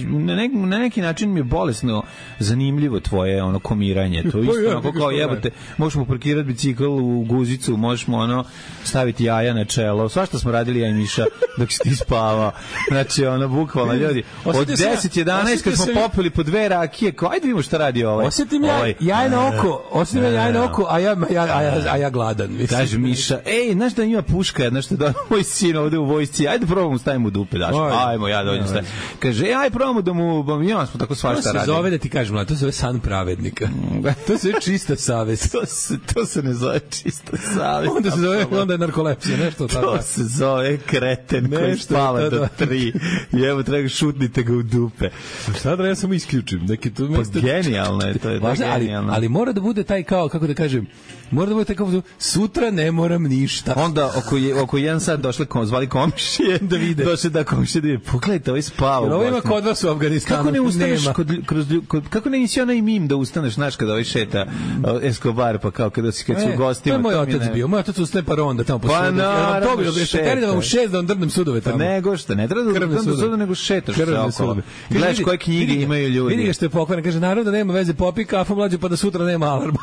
Na, nek, na neki način mi je bolesno zanimljivo tvoje ono komiranje. To isto, onako kao jebote, možeš mu parkirati bicikl u guzicu, možeš mu ono staviti jaja na čelo. Svašta smo radili ja i Miša dok si ti spavao. Znači, ono, bukvalno, ljudi, od deset jedanaest kad smo popili po dve rakije, kao, ajde vidimo šta radi ovaj. Osjetim ja, ovaj, jajno oko, osjetim ja jajno oko, a ja, ja, a ja, a ja gladan. Mislim. Kaže Miša, ej, znaš da ima puška jedna što da moj sin ovde u vojsci, ajde probamo stavimo u dupe, daš, ajmo, ja dođem stavim. Kaže, ej, aj probamo da mu, ja smo tako svašta radili. To se zove, da ti kažem, to se zove san pravednika. To se zove čista savest. To se, to se ne zove čista savest. Onda se zove, onda je narkolepsija, nešto tako. To se zove kreten koji spava do tri. I evo, treba šutnite ga u dupe. Šta da ja samo isključim? Neki to mesto... Pa genijalno je, to je da genijalno. Ali, ali mora da bude taj kao, kako da kažem, mora da bude taj kao, sutra ne moram ništa. Onda oko, je, oko jedan sat došle, kom, zvali komšije, da vide. Došle da komšije da vide, pogledajte, ovaj spava. Jer ovo ima kod vas u Afganistanu. Kako ne ustaneš, kod, kroz, kod, kako ne nisi onaj mim da ustaneš, znaš, kada ovaj šeta uh, Escobar, pa kao kada si, kad si e, u gostima. To je moj otac ne... bio, moj otac ustane pa ronda tamo po pa sudu. Pa naravno, šeta. Da vam u šest da vam drnem sudove tamo. Nego šta, ne treba da drnem sudove, nego šetaš se okolo. Gledaš koje knjige imaju ljudi. Vidi ga što je pokvaran, kaže, naravno da nema veze, popi kafu mlađu pa da sutra nema alarma.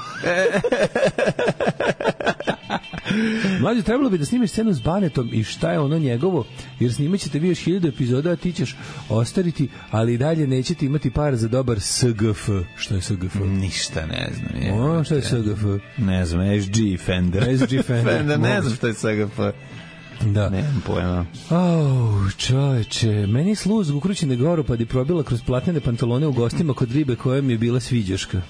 Mlađe, trebalo bi da snimiš scenu s Banetom i šta je ono njegovo, jer snimat ćete vi još hiljadu epizoda, a ti ćeš ostariti, ali i dalje nećete imati par za dobar S G F. Što je S G F? Ništa ne znam. Je. O, što je S G F? Ne znam, S G Fender. S G Fender. Fender, ne znam što je S G F. Da. Nemam pojma. Oh, čoveče, meni sluz ukrućene goropadi probila kroz platnene pantalone u gostima kod ribe koja mi je bila sviđaška.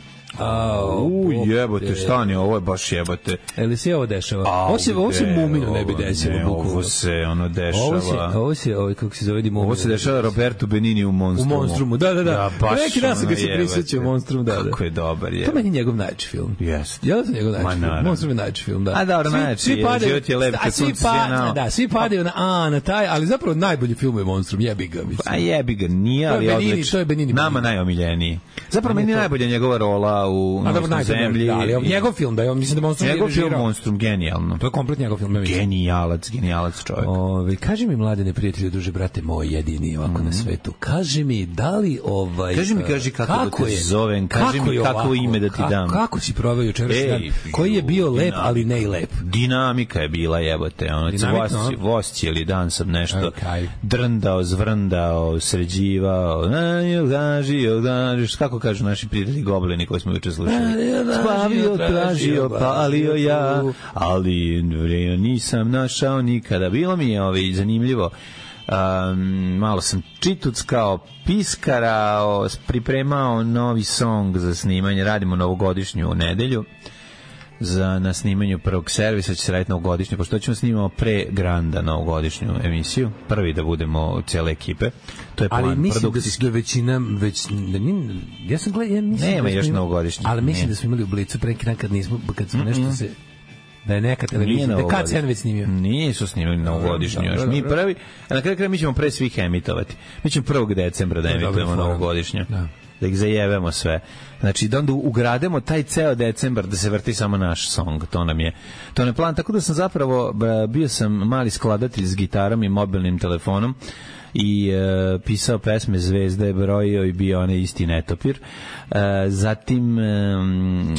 U, jebote, stani, ovo je baš jebote. Eli se ovo dešava? Ovo se, ovo se Muminu ne bi desilo. Ne, ovo se ono dešava. Ovo se, ovo se, ovo, kako se zove, di Muminu. Ovo se dešava Roberto Benini u Monstrumu. U Monstrumu, da, da, da. Ja, baš neki dan sam ga se prisjećao u Monstrumu, da, da. Kako je dobar, je. To meni je njegov najjači film. Jeste. Ja sam njegov najjači film. Monstrum je najjači film, da. A dobro, najjači je, život je lep kad svi pa, da, svi padaju na, a, na taj, ali zapravo najbolji film je Monstrum, jebi ga, mislim. A jebi ga, nije, ali odlično. To je Benini. Nama najomiljeniji. Zapravo meni najbolja njegova rola u Zemlji. Da, ali njegov film, da je, mislim da Monstrum njegov film Monstrum, genijalno. To je komplet njegov film. Genijalac, genijalac čovjek. Ove, kaži mi, mladene prijatelju, duže brate moj jedini ovako mm. na svetu, kaži mi, da li ovaj... Kaži mi, kaži kako, kako da te zovem, kaži mi kako ovako, ime da ti ka, dam. Kako si proveo jučerašnji dan? Koji je bio lep, dinamika, ali ne i lep? Dinamika je bila, jebote. Ono, voz cijeli dan sam nešto okay. drndao, zvrndao, sređivao, kako kažu naši prijatelji goblini koji smo juče slušali. Spavio, tražio, palio ja, ali nisam našao nikada. Bilo mi je ovaj, zanimljivo. Um, malo sam čituckao, piskarao, pripremao novi song za snimanje. Radimo novogodišnju nedelju za, na snimanju prvog servisa, će se raditi novogodišnju, pošto ćemo snimamo pre Granda novogodišnju emisiju, prvi da budemo cijele ekipe. To je plan. Ali mislim da je većina, već, da nije, ja sam gledao, ja mislim nema da još novogodišnji. Ali mislim ne. da smo imali u Blicu pre dan kad nismo, kad smo mm-hmm. nešto se, da je neka televizija, da je kad se već snimio. Nisu snimili novogodišnju još. Mi prvi, a na kraju kraja mi ćemo pre svih emitovati. Mi ćemo prvog decembra da emitujemo novogodišnju. Da. Da ih zajevemo sve. Znači, da onda ugrademo taj ceo decembar da se vrti samo naš song. To nam je, to nam je plan. Tako da sam zapravo, bio sam mali skladatelj s gitarom i mobilnim telefonom i uh, pisao pesme Zvezda je brojio i bio onaj isti netopir. Uh, zatim um,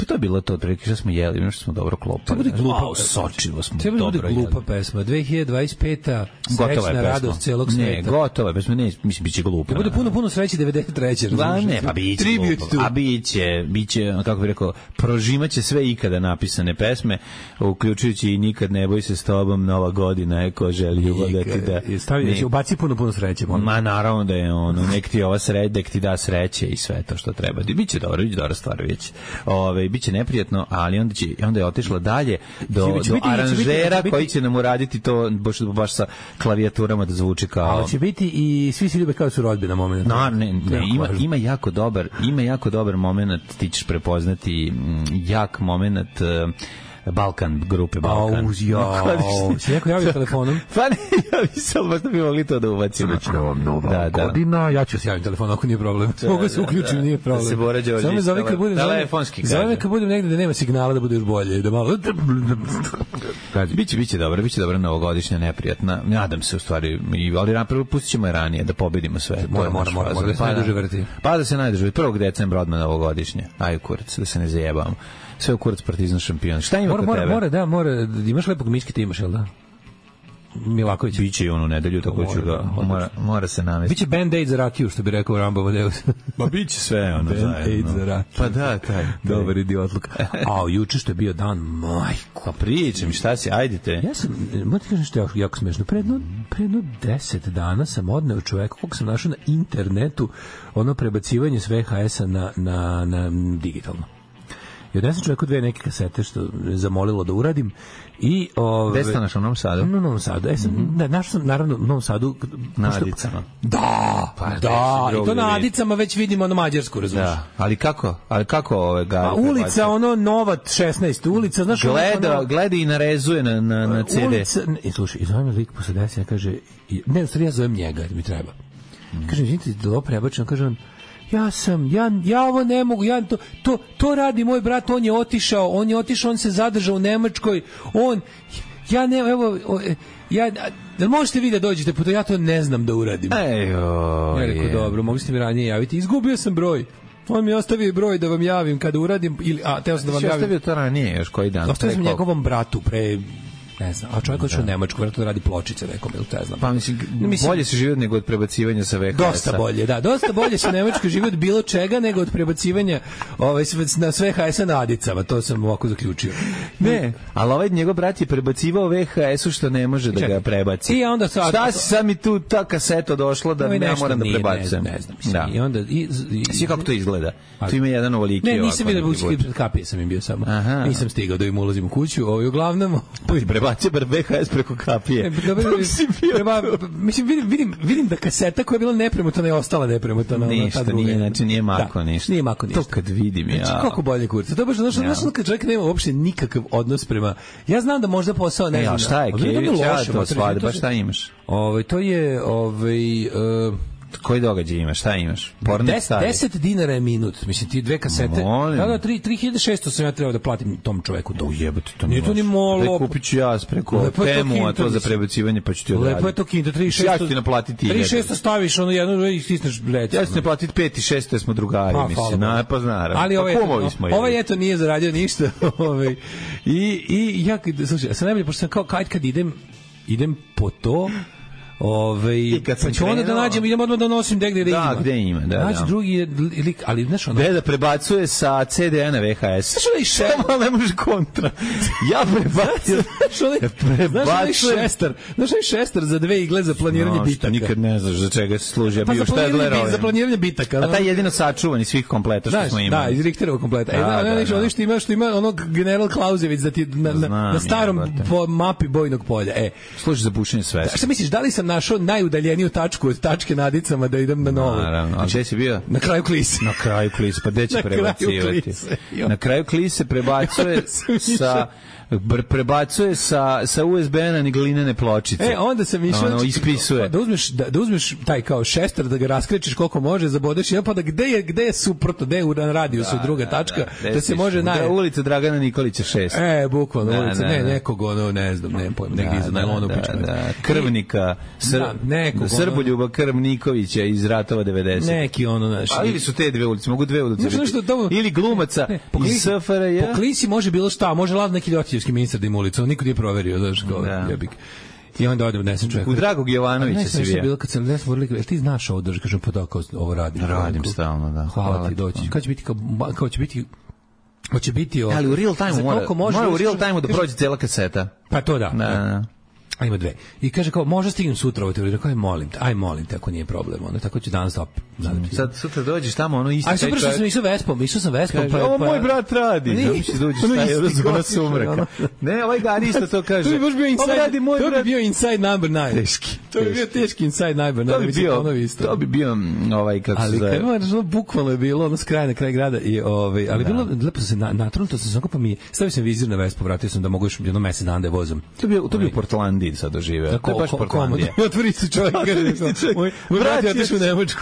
to je bilo to otprilike što smo jeli, nešto smo dobro klopali. To bude glupa, wow, sočivo smo dobro jeli. To bude glupa pesma. dve hiljade dvadeset peta srećna radost celog sveta. Ne, gotova je pesma, ne, mislim biće glupa. To bude puno puno sreće devedeset treće Da, ne, pa biće glupa. A biće, biće, kako bih rekao, prožimaće sve ikada napisane pesme, uključujući i Nikad ne boj se s tobom, Nova godina je ko želi ljubav da ti da. Stavi, ubaci puno puno sreće. Ma naravno da je ono, nek ti ova sreća, nek ti da sreće i sve to što treba. Biće dobro, biće dobra stvar već. Ove, biće neprijatno, ali onda će onda je otišla dalje do, do biti, aranžera biti, koji će nam uraditi to baš, baš sa klavijaturama da zvuči kao. Ali će biti i svi se ljube kao su rodbina moment. No, ne, ne, ima, ima jako dobar, ima jako dobar moment, ti ćeš prepoznati jak moment Balkan, grupe Balkan. Au, jao. Si neko javio telefonom? Pa ne, javi se, ali možda bi mogli to da uvacimo. Znači, vam nova da, godina, da. Ja ću se javiti telefonom, ako nije problem. Mogu se uključiti, da, nije problem. Da se Bora Đorđević. Samo me zove kad budem, telefonski kaže. Zove me kad budem negde da nema signala da bude još bolje. Da malo... Biće, biće dobro, biće dobro novogodišnja, neprijatna. Nadam se u stvari, ali prvo pustit ćemo je ranije, da pobedimo sve. Mora, mora, mora, mora da se najduže vrti. Pa da se najduže vrti. prvog decembra odmah novogodišnje. Aj kurac, da se ne zajebamo. Sve u kurac Partizan šampion. Šta ima mora, kod mora, tebe? Mora, da, mora. Imaš lepog miške, ti imaš, jel da? Milaković. Biće i onu nedelju, tako ću ga, mora, mora se navesti. Biće Band-Aid za rakiju, što bi rekao Rambo Vadeus. Ma biće sve ono zajedno. Band-Aid za rakiju. Pa da, taj. Dobar idiotluk. A, juče što je bio dan, majko. Pa pričam, šta si, ajdite. Ja sam, moram ti kažem što je jako smešno, predno, predno deset dana sam odneo čoveka, kog sam našao na internetu, ono prebacivanje s V H S-a na, na, na digitalno. I odnesem čovjeku dve neke kasete što je zamolilo da uradim. I ove, gde ste našao u Novom Sadu? U Novom Sadu. E, sam, mm-hmm. našao sam naravno u Novom Sadu. Na Adicama. Da, pa da. I to na Adicama već vidimo ono Mađarsku, razumiješ? Da, ali kako? Ali kako ove ga? A ulica, ono Nova šesnaest ulica, znaš, gleda, ono, gleda i narezuje na, na, na C D. Ulica, i slušaj, i zovem me lik posle deset, ja kaže, ne, u stvari ja zovem njega, mi treba. Mm. Kažem, izvinite, da ovo prebačeno, kaže on, ja sam, ja, ja ovo ne mogu, ja to, to, to radi moj brat, on je otišao, on je otišao, on se zadržao u Nemačkoj, on, ja ne, evo, ja, da možete vi da dođete, puto ja to ne znam da uradim. Ejo, ja rekao, dobro, mogli ste mi ranije javiti, izgubio sam broj. On mi ostavio broj da vam javim kada uradim, ili, a, teo sam da vam javim. Ostavio to ranije, još koji dan? Ostavio sam njegovom bratu pre... ne znam, a čovjek odšao u Nemačku, vjerojatno radi pločice nekom, ili te znam. Pa mislim, mislim, bolje se živi nego od prebacivanja sa V H S-a. Dosta bolje, da, dosta bolje se u Nemačkoj živi od bilo čega nego od prebacivanja ovaj, na sve V H S-a na Adicama, to sam ovako zaključio. Ne, ali ovaj njegov brat je prebacivao V H S-u što ne može da ga prebaci. I onda sad... Šta si sam mi tu ta kaseta došla da ne moram da prebacujem? Ne znam, mislim. I onda... I, i, svi kako to izgleda? Tu ima jedan ovoliki ovako. Ne, nisam vidio buski pred kapije sam im bio samo. Nisam stigao da im ulazim u kuću, ovaj uglavnom... Prebacio bar V H S preko kapije. E, prema, mislim, vidim, vidim, vidim da kaseta koja je bila nepremotana je ostala nepremotana. Ništa, nije, znači nije mako da, ništa. Nije mako ništa. To kad vidim ja. Znači, kako bolje kurca. To baš, znaš, ja. znaš, kad čovjek nema uopšte nikakav odnos prema... Ja znam da možda posao ne znam. Ja, šta je, Kević, ja to svade, baš šta imaš? Ovaj, to je, ovaj... Uh, koji događaj imaš, šta imaš? Des, deset dinara je minut, mislim ti dve kasete. Da, da, tri hiljade šesto sam ja trebao da platim tom čoveku to. Ujebate, to nije to ni malo. Kupit ću ja preko Temu, a to za prebacivanje pa ću ti odraditi. Lepo je to kinta, tri hiljade šesto. Ja ću ti naplatiti. tri hiljade šesto staviš ono jedno i stisneš lec. Ja ću ti naplatiti pet i šest, smo drugari, pa, mislim. Na, pa znaram. Ali ovaj, ovaj eto nije zaradio ništa. ovaj. I, i ja, slušaj, ja sam najbolje, pošto sam kao kad, kad idem, idem po to, Ove, pa ću onda da nađem, idem odmah da nosim gde gde da, ima. Da, gde ima, da, Naći da. drugi lik, ali znaš ono... Gde da prebacuje sa C D a na V H S. Znaš onaj šester... Samo ne može kontra. Ja prebacujem... Znaš onaj, znaš onaj šester, znaš onaj šester za dve igle za planiranje no, bitaka. Nikad ne znaš za čega se služi. Pa za planiranje, za planiranje bitaka. A taj jedino sačuvan iz svih kompleta što smo imali. Da, iz Richterovog kompleta. E, da, ono što ima, što ima onog general Klauzević da ti na, na, na starom po mapi bojnog polja. E, služi za bušenje svesna. Šta misliš, da li sam našao najudaljeniju tačku od tačke na Adicama da idem na novo? Naravno. A gde si bio? Na kraju klise. Na kraju klise, pa gde će prebacivati? Na kraju klise prebacuje sa prebacuje sa, sa U S B na glinene pločice. E, onda sam išao... Ono, ispisuje. Da uzmeš, da, da uzmeš taj kao šester, da ga raskrečiš koliko može, zabodeš jedan, pa da gde je, gde je suprotno, gde je u radijusu da, druga da, tačka, da, da, da se može... Da, ulica Dragana Nikolića šest. E, bukvalno, da, ulica, da, ne, da. nekog, ono, ne znam, ne pojma, da, negdje iza najlonu da, pičme. Da, Krvnika, Sr, da, nekog, Srboljuba Krvnikovića iz Ratova devedeset. Neki, ono, naš... Pa ili su te dve ulice, mogu dve ulice nešto, biti. Nešto, to, ili glumaca ne, iz S F R J. Po klisi može bilo šta, može lav neki ljotićevski ministar da ima ulicu, niko nije proverio, znaš, kao da. jebik. I onda odem desem čovjek. U Dragog Jovanovića se vije. Bilo kad sam desem morali, ti znaš ovo da kažem pa da kao ovo radim. Radim stalno, da. Hvala, Hvala ti doći. Kad će biti kao kao će biti hoće biti ali u real time mora, mora u real time da prođe cela kaseta. Pa to da. Da, da. A ima dve. I kaže kao, može stignem sutra ovo teoriju. Rekao je, molim te, aj molim te, ako nije problem. Onda tako ću danas da mm. Sad sutra dođeš tamo, ono isti taj čovjek. A super što sam išao Vespom, išao sam Vespom. Kaže, pa, ovo pa, moj brat radi. Da mi se dođeš taj razgovor sumraka. Ne, ovaj Gari isto to kaže. To bi baš bio inside, radi moj to brat. bi bio inside number nine. Teški. To bi bio teški inside number nine. To bi bio, to bi bio ovaj, kako se zove. Ali kad bukvalno je bilo, ono s kraja na kraj grada. I, ovaj, ali bilo, lepo se natrunto sam samo pa mi, stavio sam vizir na Vespu, vratio sam da mogu još jedno mesec dana da je vozom. To bi to bi u Portlandiji sad doživeo. To je baš Portlandija. Otvori se čovjek, moj brat je otišao u Nemačku.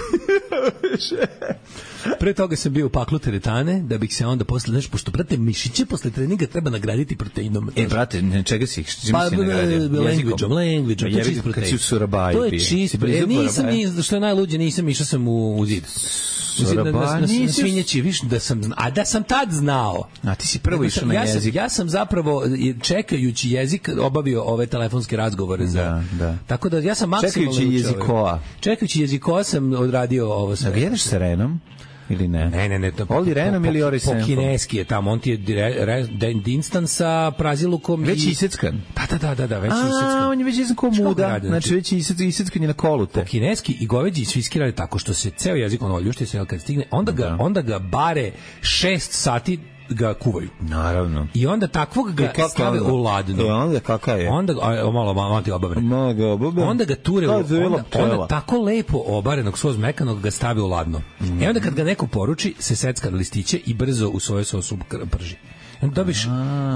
Pre toga sam bio u paklu teretane, da bih se onda posle, znaš, pošto, brate, mišiće posle treninga treba nagraditi proteinom. E, brate, ne, čega si ih, čim pa, si nagradio? Language-om, language-om, to je čist protein. Kad si u Surabaju. To je čist protein. Nisam, ni, što je najluđe, nisam, išao sam u, u zid. Na svinjeći, viš, da sam, a da sam tad znao. A ti si prvo išao na ja jezik. Sam, ja sam zapravo, čekajući jezik, obavio ove telefonske razgovore. Za, da, da. Tako da ja sam maksimalno... Čekajući jezikoa. Čekajući jezikoa sam odradio ovo sve. Da ga jedeš sa Renom? Ili ne? Ne, ne, ne. To, Oli Renom ili Ori Senfom? Po kineski je tamo, on ti je dire, re, dinstan sa prazilukom. Već i... iseckan? Da, da, da, da, već je iseckan. A, on je već iseckan ko muda, znači već je iseckan je na kolute. Po kineski i goveđi i svinjski radi tako što se ceo jezik ono ljušti se, kad stigne, onda ga, onda ga bare šest sati ga kuvaju. Naravno. I onda takvog ga stave u ladnu. E, onda kakav je? Onda, a, malo, malo ti obavre. Malo ga obavre. Onda ga ture, u, onda, onda tako lepo obarenog, svoz mekanog ga stavi u ladno. Mm. E onda kad ga neko poruči, se secka na listiće i brzo u svoju sosu prži. Onda dobiš,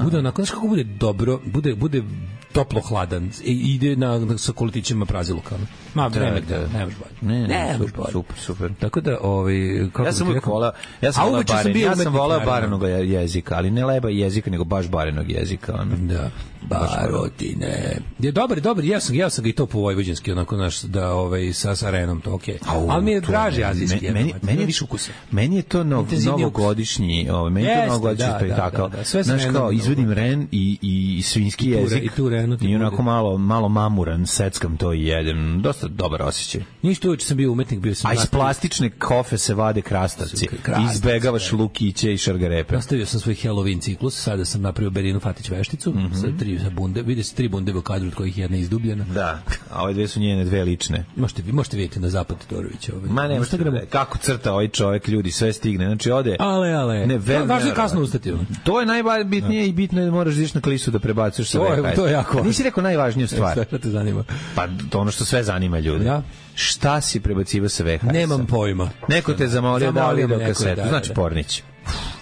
bude onako, znaš kako bude dobro, bude, bude toplo hladan i ide na, na sa kolitićima praziluka. Ma, da, vreme, da, da, ne može bolje. Ne, ne, ne super, super, super, super. Tako da, ovaj, kako ja sam uvijek volao, ja sam volao baren, ja sam volao barenog jezika, ali ne leba jezika, nego baš barenog jezika. Ono. Da, barotine. Je dobar, dobar, ja sam, ja sam ga i to po vojvođanski, onako, naš, da, ovaj, sa, sa Renom, to okej. Okay. Ali mi je draži azijski. Meni, meni, meni, više ukusa. Meni je to nov, novogodišnji, ovaj, meni je to novogodišnji spektakl. Znaš, kao, izvedim Ren i, i svinjski jezik. I tu Renu. I onako malo, malo mamuran, seckam to i jedem. Dosta dobar osjećaj. Ništa uveče sam bio umetnik, bio sam... A iz plastične kofe se vade krastavci. Izbegavaš lukiće i šargarepe. Nastavio sam svoj Halloween ciklus, sada sam napravio Berinu Fatić vešticu, mm -hmm. sa tri bunde. Vide se tri bunde u kadru, od kojih jedna izdubljena. Da, a ove dve su njene dve lične. Možete, možete vidjeti na Zapad Todorovića. Ovaj. Ma ne, možete, kako crta ovaj čovjek, ljudi, sve stigne. Znači, ode... Ale, ale. Ne, vel, važno je kasno ustati. To je najbitnije i bitno je da moraš ići na klisu da prebacuješ sa V H S. To je jako. Nisi rekao najvažniju stvar. Šta te zanima? Pa to ono što sve zanima ljudi. Ja? Šta si prebacivao sa V H S? Nemam pojma. Neko te zamolio da video kasetu. Da, znači Pornić.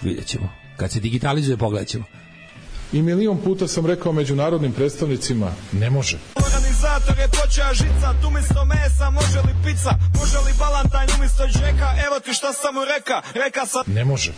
Vidjet ćemo. Kad se digitalizuje, pogledat ćemo. I milion puta sam rekao međunarodnim predstavnicima, ne može. Organizator je počeo žicat, umjesto mesa može li pizza, može li balantajn umjesto džeka, evo ti šta sam mu reka, reka sam... Ne može.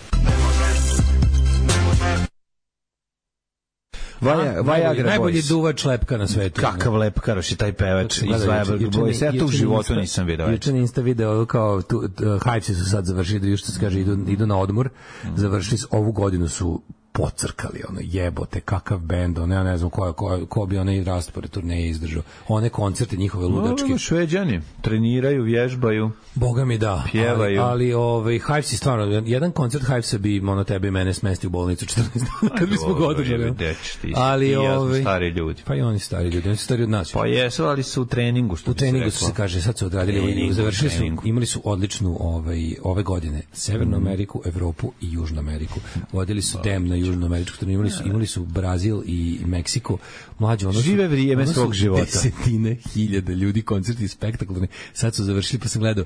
Vaja, Vajagra najbolji duvač lepka na svetu. Kakav lepkaroš je taj pevač iz Vajagra Boys. Ja to u životu nisam video. Juče na Insta video kao Hypesi su sad završili, još što se kaže, idu, idu na odmor, završili su, ovu godinu su pocrkali, ono, jebote, kakav bend, ono, ja ne znam ko, ko, ko bi onaj raspored turneje izdržao. One koncerte njihove ludačke. No, Šveđani, treniraju, vježbaju. Boga mi da. Pjevaju. Ali, ali ovaj, Hypesi stvarno, jedan koncert Hypesa bi ono tebe i mene smesti u bolnicu četrnaest dana, kad bismo ga održali. Ali, i ja ovaj, stari ljudi. Pa i oni stari ljudi, oni su stari od nas. Pa jesu, ali su u treningu, što u treningu su se kaže, sad su odradili, treningu, završili su, imali su odličnu ovaj, ove godine Severnu Ameriku, Evropu i Južnu Ameriku. Vodili su dem na južnoameričku turneju, imali su, imali su Brazil i Meksiko. Mlađe, ono su, žive vrijeme ono svog života. Desetine hiljada ljudi, koncerti spektakularni. Sad su završili, pa sam gledao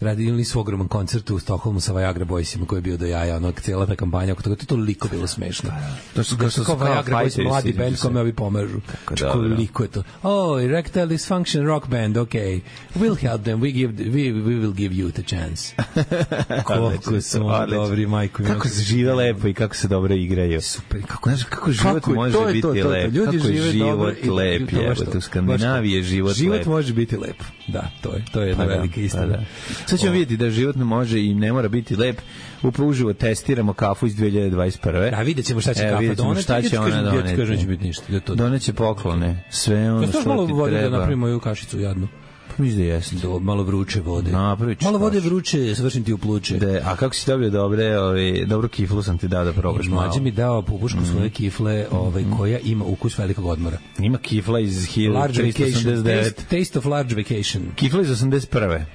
radili su ogroman koncert u Stokholmu sa Viagra Boysima koji je bio do jaja, onog cijela ta kampanja oko toga, to je toliko bilo smešno. To su kao, kao Viagra Boys, mladi band kome ovi pomažu. Koliko je to? Oh, erectile dysfunction rock band, okay. We'll help them, we, give, we, we will give you the chance. Koliko su dobri, majko. Kako se žive lepo i kako se dobro igraju. Super, kako, znaš, kako život kako, može to biti to, to, to. lep. Ljudi kako žive je život dobro, lep, jebote, u Skandinaviji je život, život lep. Život može biti lep, da, to je, to je jedna pa velika da, istina. Pa da. Sad ćemo vidjeti da život ne može i ne mora biti lep. Upravo uživo testiramo kafu iz dve hiljade dvadeset prve. A vidjet ćemo šta će e, kafa doneti. Šta će ona doneti. Kažem, neće biti ništa. Doneće poklone. Sve ono što ti treba. Malo vode da napravimo moju kašicu jadnu. Mislim da jeste. Do, malo vruće vode. Napravić. Malo vode vruće, svršim ti u pluće. De, a kako si dobio dobre, ovaj, dobro kiflu sam ti dao da probaš malo. Mlađe mi dao pupušku mm. svoje kifle, ovaj, koja ima ukus velikog odmora. Ima kifla iz hiljadu tristo osamdeset devet. Taste, taste of Large Vacation. Kifla iz osamdeset prve.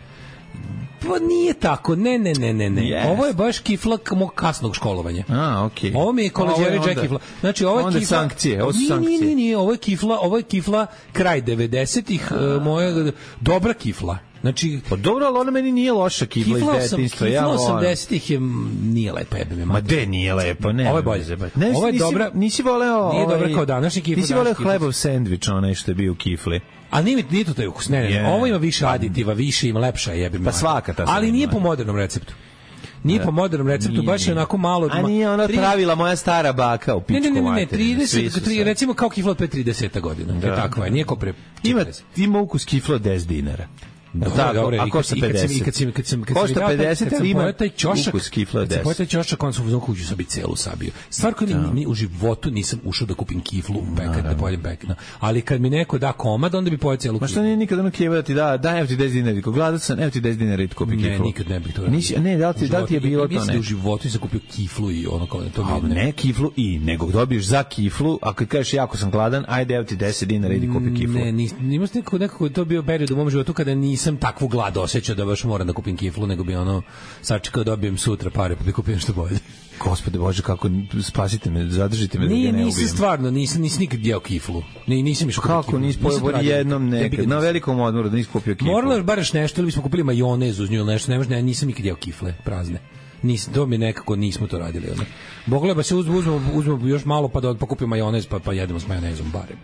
Pa nije tako, ne, ne, ne, ne, ne. Yes. Ovo je baš kifla mog kasnog školovanja. A, okej. Okay. Ovo mi je koleđeri Jack kifla. Znači, ovo je onda kifla... sankcije, ovo su nije, sankcije. Nije, nije, nije, ovo je kifla, ovo je kifla kraj devedesetih, uh, moja dobra kifla. Znači, pa dobro, ali ona meni nije loša kifla, kifla iz detinjstva. Kifla osamdesetih je nije lepa, jebe me. Ma de nije lepa, ne. Ovo je bolje. Ne, ovo je nisi, dobra. Nisi voleo... Nije ovaj, dobra kao današnji kifla. Nisi voleo hlebov sendvič, onaj što je bio u kifli. A nije, nije to taj ukus, ne, ne, yeah. Ovo ima više aditiva, više ima lepša jebe me. Pa svaka ta. Ali nije po modernom receptu. Nije po modernom receptu, nije, baš je onako malo... A nije ona tri... pravila moja stara baka u pičku materinu. Ne, ne, ne, trideset, tri, recimo kao kifla od pre trideset godina. Da. Je takva je, nije kao pre... Ima, ima ukus kifla od deset dinara. Da, dobro, a košta pedeset. I kad sam kad sam kad sam pedeset, ali ima taj ćošak kifla deset. Kad sam taj ćošak on sam uzeo kuću sa bicelu sabio. Stvar koju ni u životu nisam ušao da kupim kiflu u pekat da pojedem pekna. Ali kad mi neko da komad, onda bi pojeo celu. Ma što nije nikad ono klijeva da ti da, daj evo ti deset dinara, ko gladan sam, evo ti deset dinara i kupi kiflu. Ne, nikad ne bih to. Nisi, ne, da li ti da li ti je bilo to ne? U životu sam kupio kiflu i ono kao to mi ne kiflu i nego dobiješ za kiflu, a kad kažeš jako sam gladan, ajde evo ti deset dinara idi kupi kiflu. Ne, nisam nekako nekako to bio period u mom životu kada nisam takvu glad osjećao da baš moram da kupim kiflu, nego bi ono sačekao da dobijem sutra pare pa bi kupio nešto bolje. Gospode Bože, kako spasite me, zadržite me da nije, ga ne ubijem. Nisam stvarno, nisam, nisam nikad jeo kiflu. Ni, nisam išao kupio kiflu. Kako nisi pojeo jednom nekad, na velikom odmoru da nisi kupio kiflu? Moralo je bareš nešto, ili bismo kupili majonez uz nju ili nešto, ne možda, nisam nikad jeo kifle, prazne. Nisam, to mi nekako nismo to radili. Ono. Bogole, ba se uzmemo, uzmemo, uzmemo još malo pa da pa kupimo majonez, pa, pa jedemo s majonezom barem.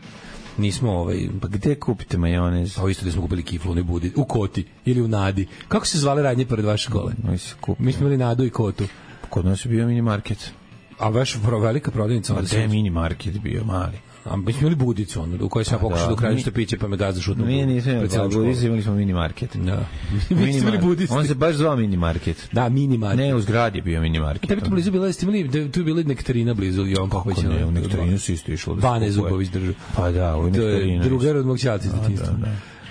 Nismo ovaj pa gde kupite majonez? Pa isto da smo kupili kiflu u Budi, u Koti ili u Nadi. Kako se zvale radnje pored vaše škole? Mi se kupili. Mi smo imali Nadu i Kotu. Kod nas je bio mini market. A baš velika prodavnica. Pa gde mini market bio mali? A mi smo imali Budicu, ono, u kojoj sam ja pokušao da ukradem što piće, pa me gazda šutno. Mi nismo imali Budicu, imali smo mini market. Da. Mi smo imali Budicu. On se baš zvao mini market. Da, mini market. Ne, u zgradi je bio mini market. Tebi tu blizu bila, ste imali, tu je bila nektarina blizu, Jovan Popović. Kako ne, u nektarinu si isto išlo. Bane Zubović držao. Pa da, u nektarinu. Drugar od mog ćalca iz detinjstva.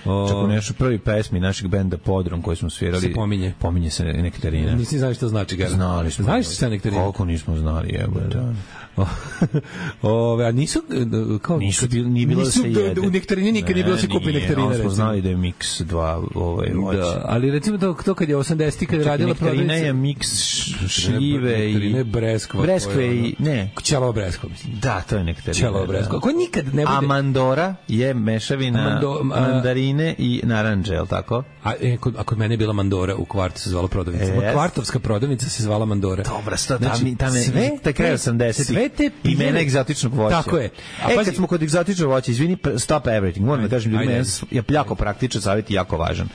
O... Čak u nešto prvi pesmi našeg benda Podrum koji smo svirali se pominje. Pominje se nektarina. Nisi znali što znači ga. Znali smo. Znaš šta je nektarina? Koliko nismo znali, evo. Da. Ove, a nisu kao nisu bili ni bilo se jede. U nektarini nikad nije bilo se kupi nektarina. Ne, smo znali da je miks dva ovaj voće. Da, ali recimo to, to kad je osamdesetih kad je radila prodavnica. Nektarina je miks šljive i nektarine breskva. Breskve i ne. Ćelava breskva, mislim. Da, to je nektarina. Ćelava breskva. Ko nikad ne bude. Amandora je mešavina mandarine i narandže, el tako? A e, kod, a kod mene je bila Mandora u kvartu se zvala prodavnica. Yes. Kvartovska prodavnica se zvala Mandora. Dobro, sto znači, tam je sve taj kraj osamdesetih. Sve te imena egzotičnog voća. Tako je. A e, pazi, kad smo kod egzotičnog voća, izvini, stop everything. Moram da kažem ljudima, je jako praktičan savjet i jako važan.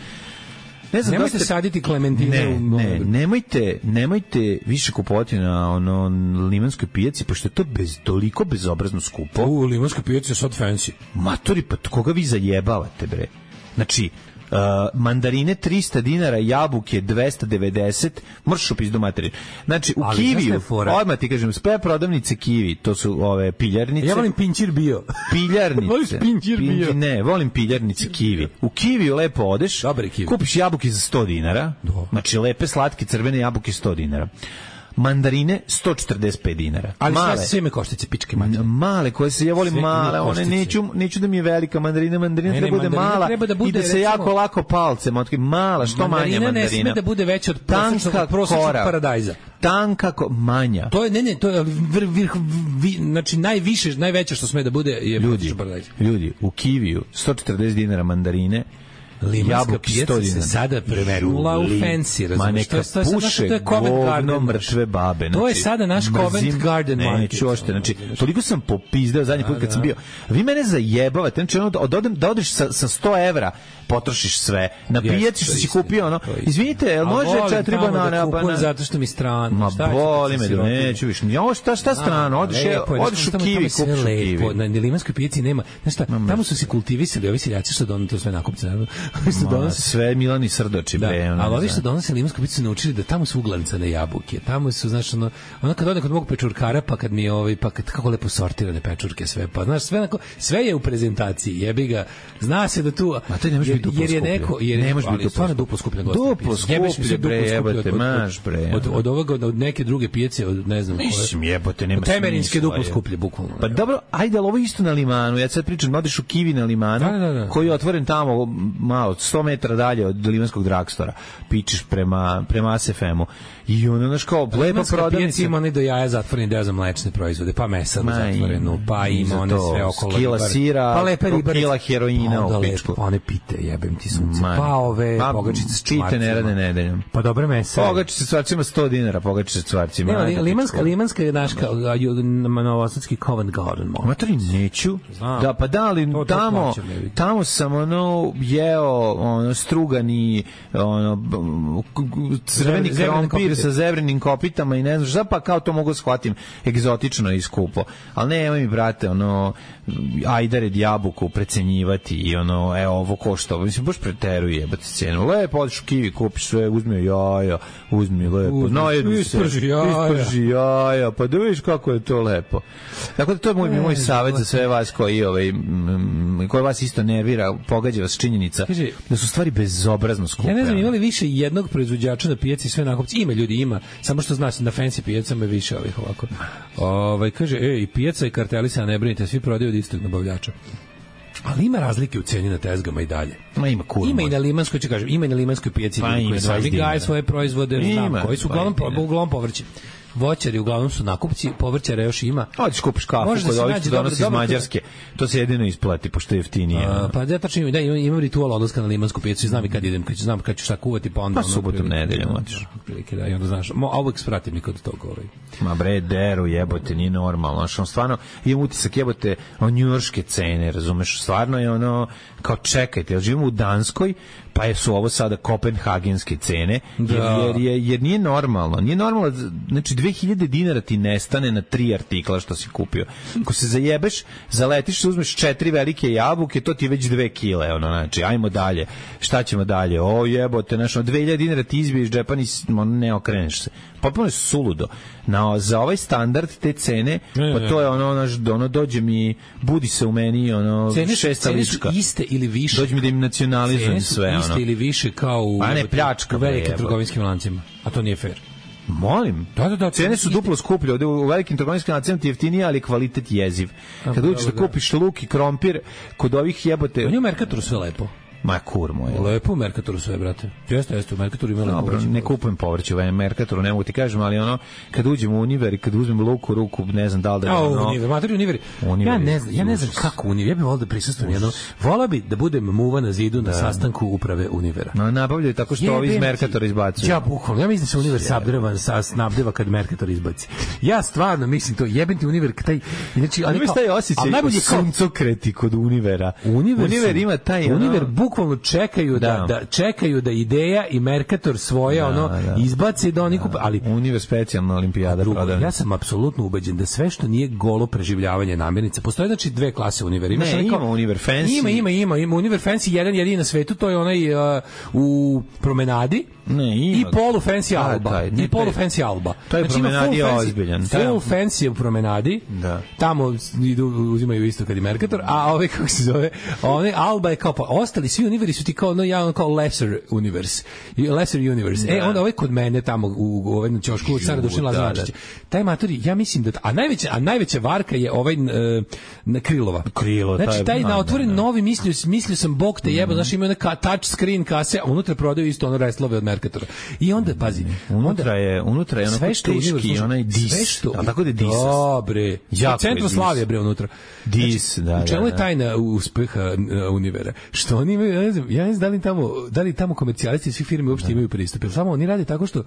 Ne znam, nemojte ste... saditi klementine ne, u... ne, nemojte, nemojte više kupovati na ono limanskoj pijaci, pošto je to bez, toliko bezobrazno skupo. U limanskoj pijaci je sad fancy. Matori, pa koga vi zajebavate, bre? Znači, Uh, mandarine tristo dinara, jabuke dvesta devedeset, možeš upis do materije. Znači, u ali Kiviju, odmah ti kažem, sve prodavnice Kivi, to su ove piljarnice. Ja volim pinčir bio. Piljarnice. Voliš pinčir bio? Pinči, ne, volim piljarnice Kivi. U Kiviju lepo odeš, kupiš jabuke za sto dinara, do. Znači lepe, slatke, crvene jabuke sto dinara. Mandarine sto četrdeset pet dinara. Ali male, sve me koštice pičke matere. Male koje se ja volim sve male, one neću neću da mi je velika mandarina, mandarina ne, treba, ne, bude mala treba da bude i da se recimo, jako lako palcem otkri mala, što manja mandarina. Ne sme da bude veća od prosječnog prosječnog paradajza. Tanka ko, manja. To je ne ne, to je vir, vir, vir, znači najviše, najveće što sme da bude je ljudi, paradajz. Ljudi, u Kiviju sto četrdeset dinara mandarine Limanska pijaca se sada premetnula u fancy, razumiješ? To je, to je, puše to je Covent Garden mrtve babe. Znači, to je sada naš Covent Garden market. Neću ošte, znači, toliko sam popizdeo zadnji put kad sam bio. Vi mene zajebavate, znači, ono, da, da odeš sa, sa sto evra, potrošiš sve. Na pijaci što si kupio, ono, izvinite, jel može četiri banane? A volim tamo da zato što mi strano. Ma boli me, neću više. Ja, šta, šta strano? Odeš, odeš u Kiwi, kupiš u Kiwi. Na Limanskoj pijaci nema, znaš šta, tamo su se kultivisali, ovi seljaci što donose to sve nakupce. Sve Milani Srdoči, da, bre. Ali ovi što donose Limansku pijacu su naučili da tamo su uglancane jabuke. Tamo su, znaš, ono, ono kad odem kod mog pečurkara, pa kad mi ovaj, pa kad kako lepo sortirane pečurke sve, pa znaš, sve onako, sve je u prezentaciji, jebi ga. Zna se da tu, a to ne može biti duplo jer je neko, jer ne može biti stvarno duplo skuplje nego duplo skuplje, bre, jebote, maš, bre. Od od ovoga od neke druge pijace, od ne znam koje. Mislim, jebote, nema smisla. Temerinske duplo skuplje, bukvalno. Pa dobro, ajde, ali ovo isto na Limanu. Ja sad pričam, odeš u Kiwi na Limanu, da, da, da. koji je otvoren tamo malo sto metara dalje od Limanskog dragstora. Pičeš prema prema A S F M-u. I ono naš kao lepa prodavnica. Ima oni do jaja zatvoreni deo za mlečne proizvode, pa mesa do zatvorenu, pa ima one sve okolo. Kila sira, pa lepe ribare, kila heroina u pičku. Pa one pite, jebem ti sunce. Pa ove pogačice s čvarcima. Pite ne rade nedeljom. Pa dobre mesa. Pogačice s čvarcima sto dinara, pogačice s čvarcima. Ne, limanska, limanska je naš kao novosadski Covent Garden. Matori, neću. Da, pa da, ali tamo, tamo sam ono jeo ono strugani, ono crveni krompir sa zebrenim kopitama i ne znam šta, pa kao to mogu shvatim egzotično i skupo. Ali nemoj mi, brate, ono ajdare jabuku precenjivati i ono, evo, ovo košta, mislim, baš preteruje jebate cenu. Lepo, odeš u Kiwi, kupiš sve, uzmi jaja, uzmi lepo, najednu se, isprži jaja. isprži jaja, pa da vidiš kako je to lepo. Tako da to je moj, moj savjet za sve vas koji, ovaj, koji vas isto nervira, pogađa vas činjenica da su stvari bezobrazno skupe. Ja ne znam, imali više jednog proizvođača na pijaci sve nakupci? Ima ljudi, ima, samo što znaš, na fancy pijacama je više ovih ovako. Ovaj, kaže, ej, i pijaca i karteli se, ne brinite, svi prodaju od istog nabavljača. Ali ima razlike u ceni na tezgama i dalje. Ma ima kurma. Ima i na limanskoj, ću kažem, ima i na limanskoj pijaci pa koji sami gaje svoje proizvode, znam, koji su uglavnom, uglavnom povrće. Voćari uglavnom su nakupci, povrćara još ima. Hoćeš kupiš kafu kod ovih što donosi iz Mađarske. To se jedino isplati, pošto je jeftinije. A, pa ja tačno da, imam, imam ritual odlaska na limansku pijacu, znam i kad idem, kad ću znam kad ću šta kuvati, pa onda... Pa subotom, nedeljom hoćeš. Prilike, da, i onda znaš, a uvijek spratim mi kod toga. Ovaj. Ma bre, deru, jebote, nije normalno. Znaš, on stvarno, imam utisak, jebote, o njujorške cene, razumeš, stvarno je ono, kao čekajte, ja živim u Danskoj, pa su ovo sada kopenhagenske cene, jer, jer, jer, jer nije normalno. Nije normalno, znači dve hiljade dinara ti nestane na tri artikla što si kupio. Ako se zajebeš, zaletiš, uzmeš četiri velike jabuke, to ti je već dve kile, ono, znači, ajmo dalje. Šta ćemo dalje? O jebote, znači, dve hiljade dinara ti izbiješ džepa, ne okreneš se. Potpuno je suludo. Na, za ovaj standard te cene, pa to je ono, ono, ono dođe mi, budi se u meni, ono, cene, šesta cene lička. Cene su iste ili više. Dođe mi da im nacionalizujem sve, ono. Cene su iste ili više kao u, pa ne, pljačka, u velikim trgovinskim lancima. A to nije fair. Molim. Da, da, da, cene su duplo skuplje. Ovde u velikim trgovinskim lancima ti jeftinije, ali kvalitet jeziv. Kad uđeš da kupiš luk i krompir, kod ovih jebote... On je u Mercatoru sve lepo. Ma kur moj. Lepo u Mercatoru sve, brate. Jeste, jeste, u Mercatoru ima lepo. Dobro, ne kupujem povrće u Mercatoru, ne mogu ti kažem, ali ono, kad uđem u Univer i kad uzmem luk u ruku, ne znam da li da je ono... A, Univer, materi Univer. Ja ne znam, ja ne znam kako Univer, ja bih volao da prisustvujem jedno. Vola bi da budem muva na zidu na sastanku uprave Univera. No, nabavljaju tako što ovi iz Mercatora izbacuju. Ja bukvalno, ja mislim da se Univer sabdreva, snabdeva kad Mercator izbaci. Ja stvarno mislim to, jebem ti Univer, taj... Znači, ali imaš taj osjećaj suncokreti kod Univera. Univer ima taj... Univer bukvalno čekaju Da, da. da čekaju da Ideja i Mercator svoje da, ono da. izbace da oni kupe, ali Univer specijalna olimpijada prodavnica. Ja sam apsolutno ubeđen da sve što nije golo preživljavanje namirnica, postoje znači dve klase Univera. Ima ne, ima Univer Fancy. Ima, ima, ima, ima Univer Fancy jedan jedini na svetu, to je onaj uh, u promenadi. Ne, ima. I polu fancy Alba. Taj, I polu fancy Alba. To je znači, promenadi ozbiljan. Full fancy u promenadi. Da. Tamo idu, uzimaju isto kad i Mercator, a ove kako se zove, one Alba je kao pa ostali svi Univeri su ti kao no ja kao lesser universe. Lesser universe. Da. E onda ovaj kod mene tamo u u ovaj na ćošku u Cara Dušan Lazarević. Taj matori, ja mislim da a najveća a najveća varka je ovaj na Krilova. Krilo, znači taj na otvoren novi mislio mislio sam bog te jebo, mm. znači ima neka touch screen kase, a unutra prodaju isto ono restlove od Merkatora. I onda, pazi, unutra je, unutra je ono teški, onaj dis, a tako da je dis. Dobre, Centroslavije, bre, unutra. Dis, znači, da, da. U čemu je tajna uspeha Univera? Što oni imaju, ja ne znam, ja ne znam da li tamo, da li tamo komercijalisti svih firmi uopšte imaju pristup, jer samo oni rade tako što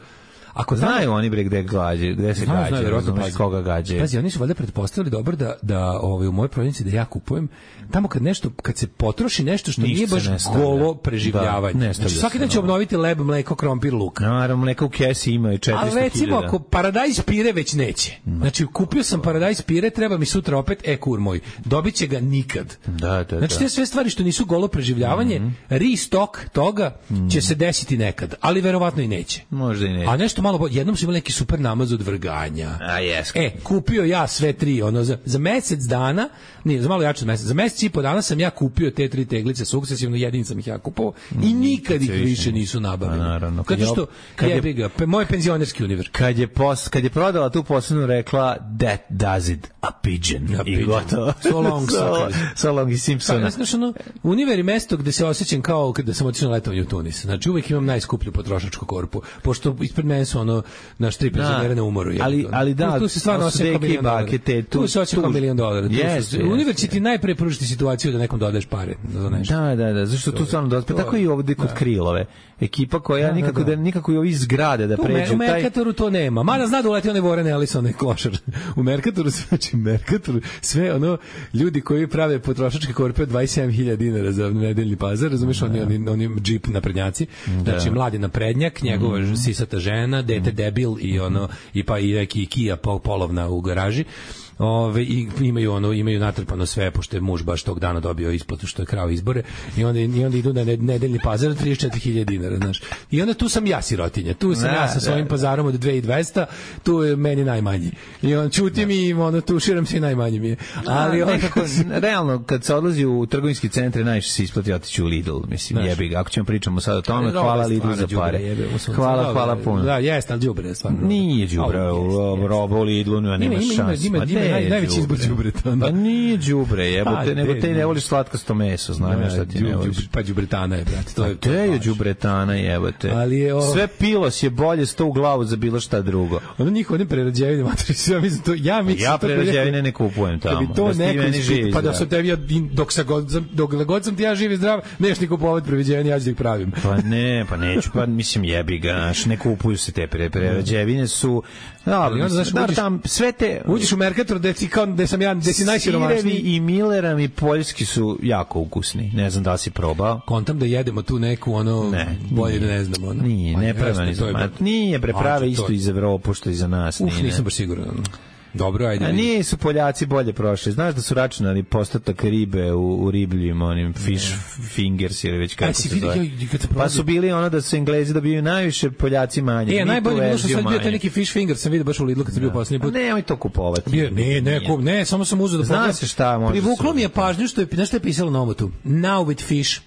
ako znaju tamo, oni bre gde gađe, gde se znaju, gađe, znaju, koga gađe. Pazi, oni su valjda pretpostavili dobro da da ovaj u mojoj prodavnici da ja kupujem tamo kad nešto kad se potroši nešto što nije baš golo preživljavanje. Da, znači, svaki dan će obnoviti leb, mleko, krompir, luk. Naravno, mleko u kesi ima i četiristo hiljada. Ali recimo ako paradajz pire već neće. Znači kupio sam paradajz pire, treba mi sutra opet e kur moj. Dobiće ga nikad. Da, da, znači te sve stvari što nisu golo preživljavanje, mm-hmm. restock toga mm-hmm. će se desiti nekad, ali verovatno i neće. Možda i neće. A nešto malo bolje. Jednom su imali neki super namaz od vrganja. A jes. E, kupio ja sve tri, ono za, za mesec dana, nije, za malo jače od mesec, za mesec i po dana sam ja kupio te tri teglice sukcesivno, jedin sam ih ja kupovao mm, i nikad ih više nisu nabavili. Naravno. Zato što jebi ga, moj penzionerski univer. Kad je pos, kad je prodala tu posebnu rekla that does it a pigeon. A I pigeon. gotovo. So long, so, so long i Simpsona. Pa, znači, ono, univer je mesto gde se osjećam kao kada sam otišao na letovanje u Tunis. Znači uvek imam najskuplju potrošačku korpu, pošto ispred mene su ono naš tri penzionera na umoru. Je, ali, ali da, tu, tu se stvarno osjeća kao milion dolara. Tu, tu se osjeća kao milion dolara. Yes, univer će ti najpre pružiti situaciju da nekom dodaješ pare za nešto. Da, da, da, zašto tu stvarno dosta. Tako i ovde kod Krilove. Ekipa koja da, nikako da, da nikako i ovi zgrade da pređu. U Merkatoru to nema. Mada zna da uleti one Warren Ellison i klošar. U Merkatoru, znači Merkatoru, sve ono ljudi koji prave potrošačke korpe od dvadeset sedam hiljada dinara za nedeljni pazar, razumeš, oni, oni, oni džip naprednjaci, znači mladi naprednjak, njegova mm. sisata žena, dete debil i ono, i pa i neki Kia polovna u garaži. Ove, i imaju ono imaju natrpano sve pošto je muž baš tog dana dobio isplatu što je krao izbore i onda i onda idu na nedeljni pazar trideset četiri hiljade dinara, znaš. I onda tu sam ja sirotinja. Tu sam da, ja sa svojim da, pazarom od dve hiljade dvesta, tu je meni najmanji. I on čuti mi i ono tuširam se i najmanji mi je. Ali on nekako realno kad se odlazi u trgovinski centre najviše se isplati otići u Lidl, mislim, jebi ga. Ako ćemo pričamo sad o tome, hvala Lidlu za pare. Hvala, hvala puno. Da, jeste, al đubre stvarno. Nije đubre, robo Lidlu nema šanse. Naj, najveći izbor đubreta. Pa nije đubre, jebote, nego te ne voliš slatkasto meso, znam ja šta ti ne voliš. Pa đubretana je, brate, to je. To je đubretana, jebote. Ali je o... sve pilos je bolje sto u glavu za bilo šta drugo. Ono njih one prerađevine, matrice, ja mislim to, ja mislim ja prerađevine ne kupujem tamo. Da to neko živi, pa da se tebi dok sa god dok god sam ti ja živ i zdrav, neš ni kupovati prerađevine, ja ih pravim. Pa ne, pa neću, pa mislim jebi ga, naš, ne kupuju se te prerađevine su da, znaš, tam sve te uđeš u Merkator da ti kao da sam ja da si najsiromašniji. Sirevi i Millerami poljski su jako ukusni. Ne znam da li si probao. Kontam da jedemo tu neku ono ne, bolje ne znam ono. Nije, ne prava ni za nije preprave isto iz Evrope što i za nas. Uf, nisam baš siguran. Dobro, ajde. A nisu Poljaci bolje prošli. Znaš da su računali postotak ribe u, u ribljim, onim fish fingers ili već kako se zove. Pa su bili ono da su Englezi dobiju najviše, Poljaci manje. E, najbolje bilo što sad bio taj neki fish finger, sam vidio baš u Lidlu kad sam bio posljednji put. Ne, nemoj to kupovati. Bio, ne, ne, kup, ne, samo sam uzeo da pogledam. Zna se šta može. Privuklo mi je pažnju što je, znaš što je pisalo na omotu? Now with fish.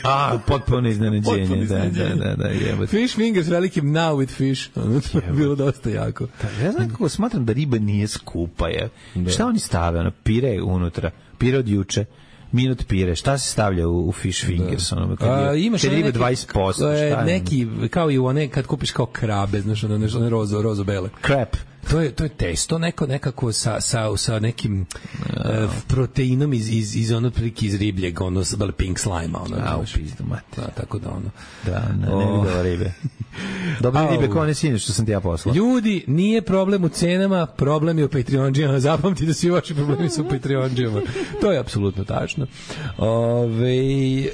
A, potpuno iznenađenje, da, da, da, da, jebate. Fish fingers velikim now with fish, ono to je bilo dosta jako. Da, ja znam kako smatram da riba nije skupa, je. Da. Šta oni stave, ono, pire unutra, pire od juče, minut pire, šta se stavlja u, u fish fingers, ono, kad je, A, imaš kad je riba dvadeset posto, šta je? Neki, kao i u one, kad kupiš kao krabe, znaš, ono, nešto, one rozo, rozo bele. Crap. To je to je testo neko nekako sa sa sa nekim no. uh, proteinom iz iz iz onog prilike iz ribljeg, ono sa bele pink slime, ono. A, u pizdu, mate. Da, tako da ono. Da, ne, ne oh. vidio ribe. Dobre ribe koje ne sine što sam ti ja poslao. Ljudi, nije problem u cenama, problem je u Patreonđijama. Zapamti da svi vaši problemi su u Patreonđijama. To je apsolutno tačno. Ove, e,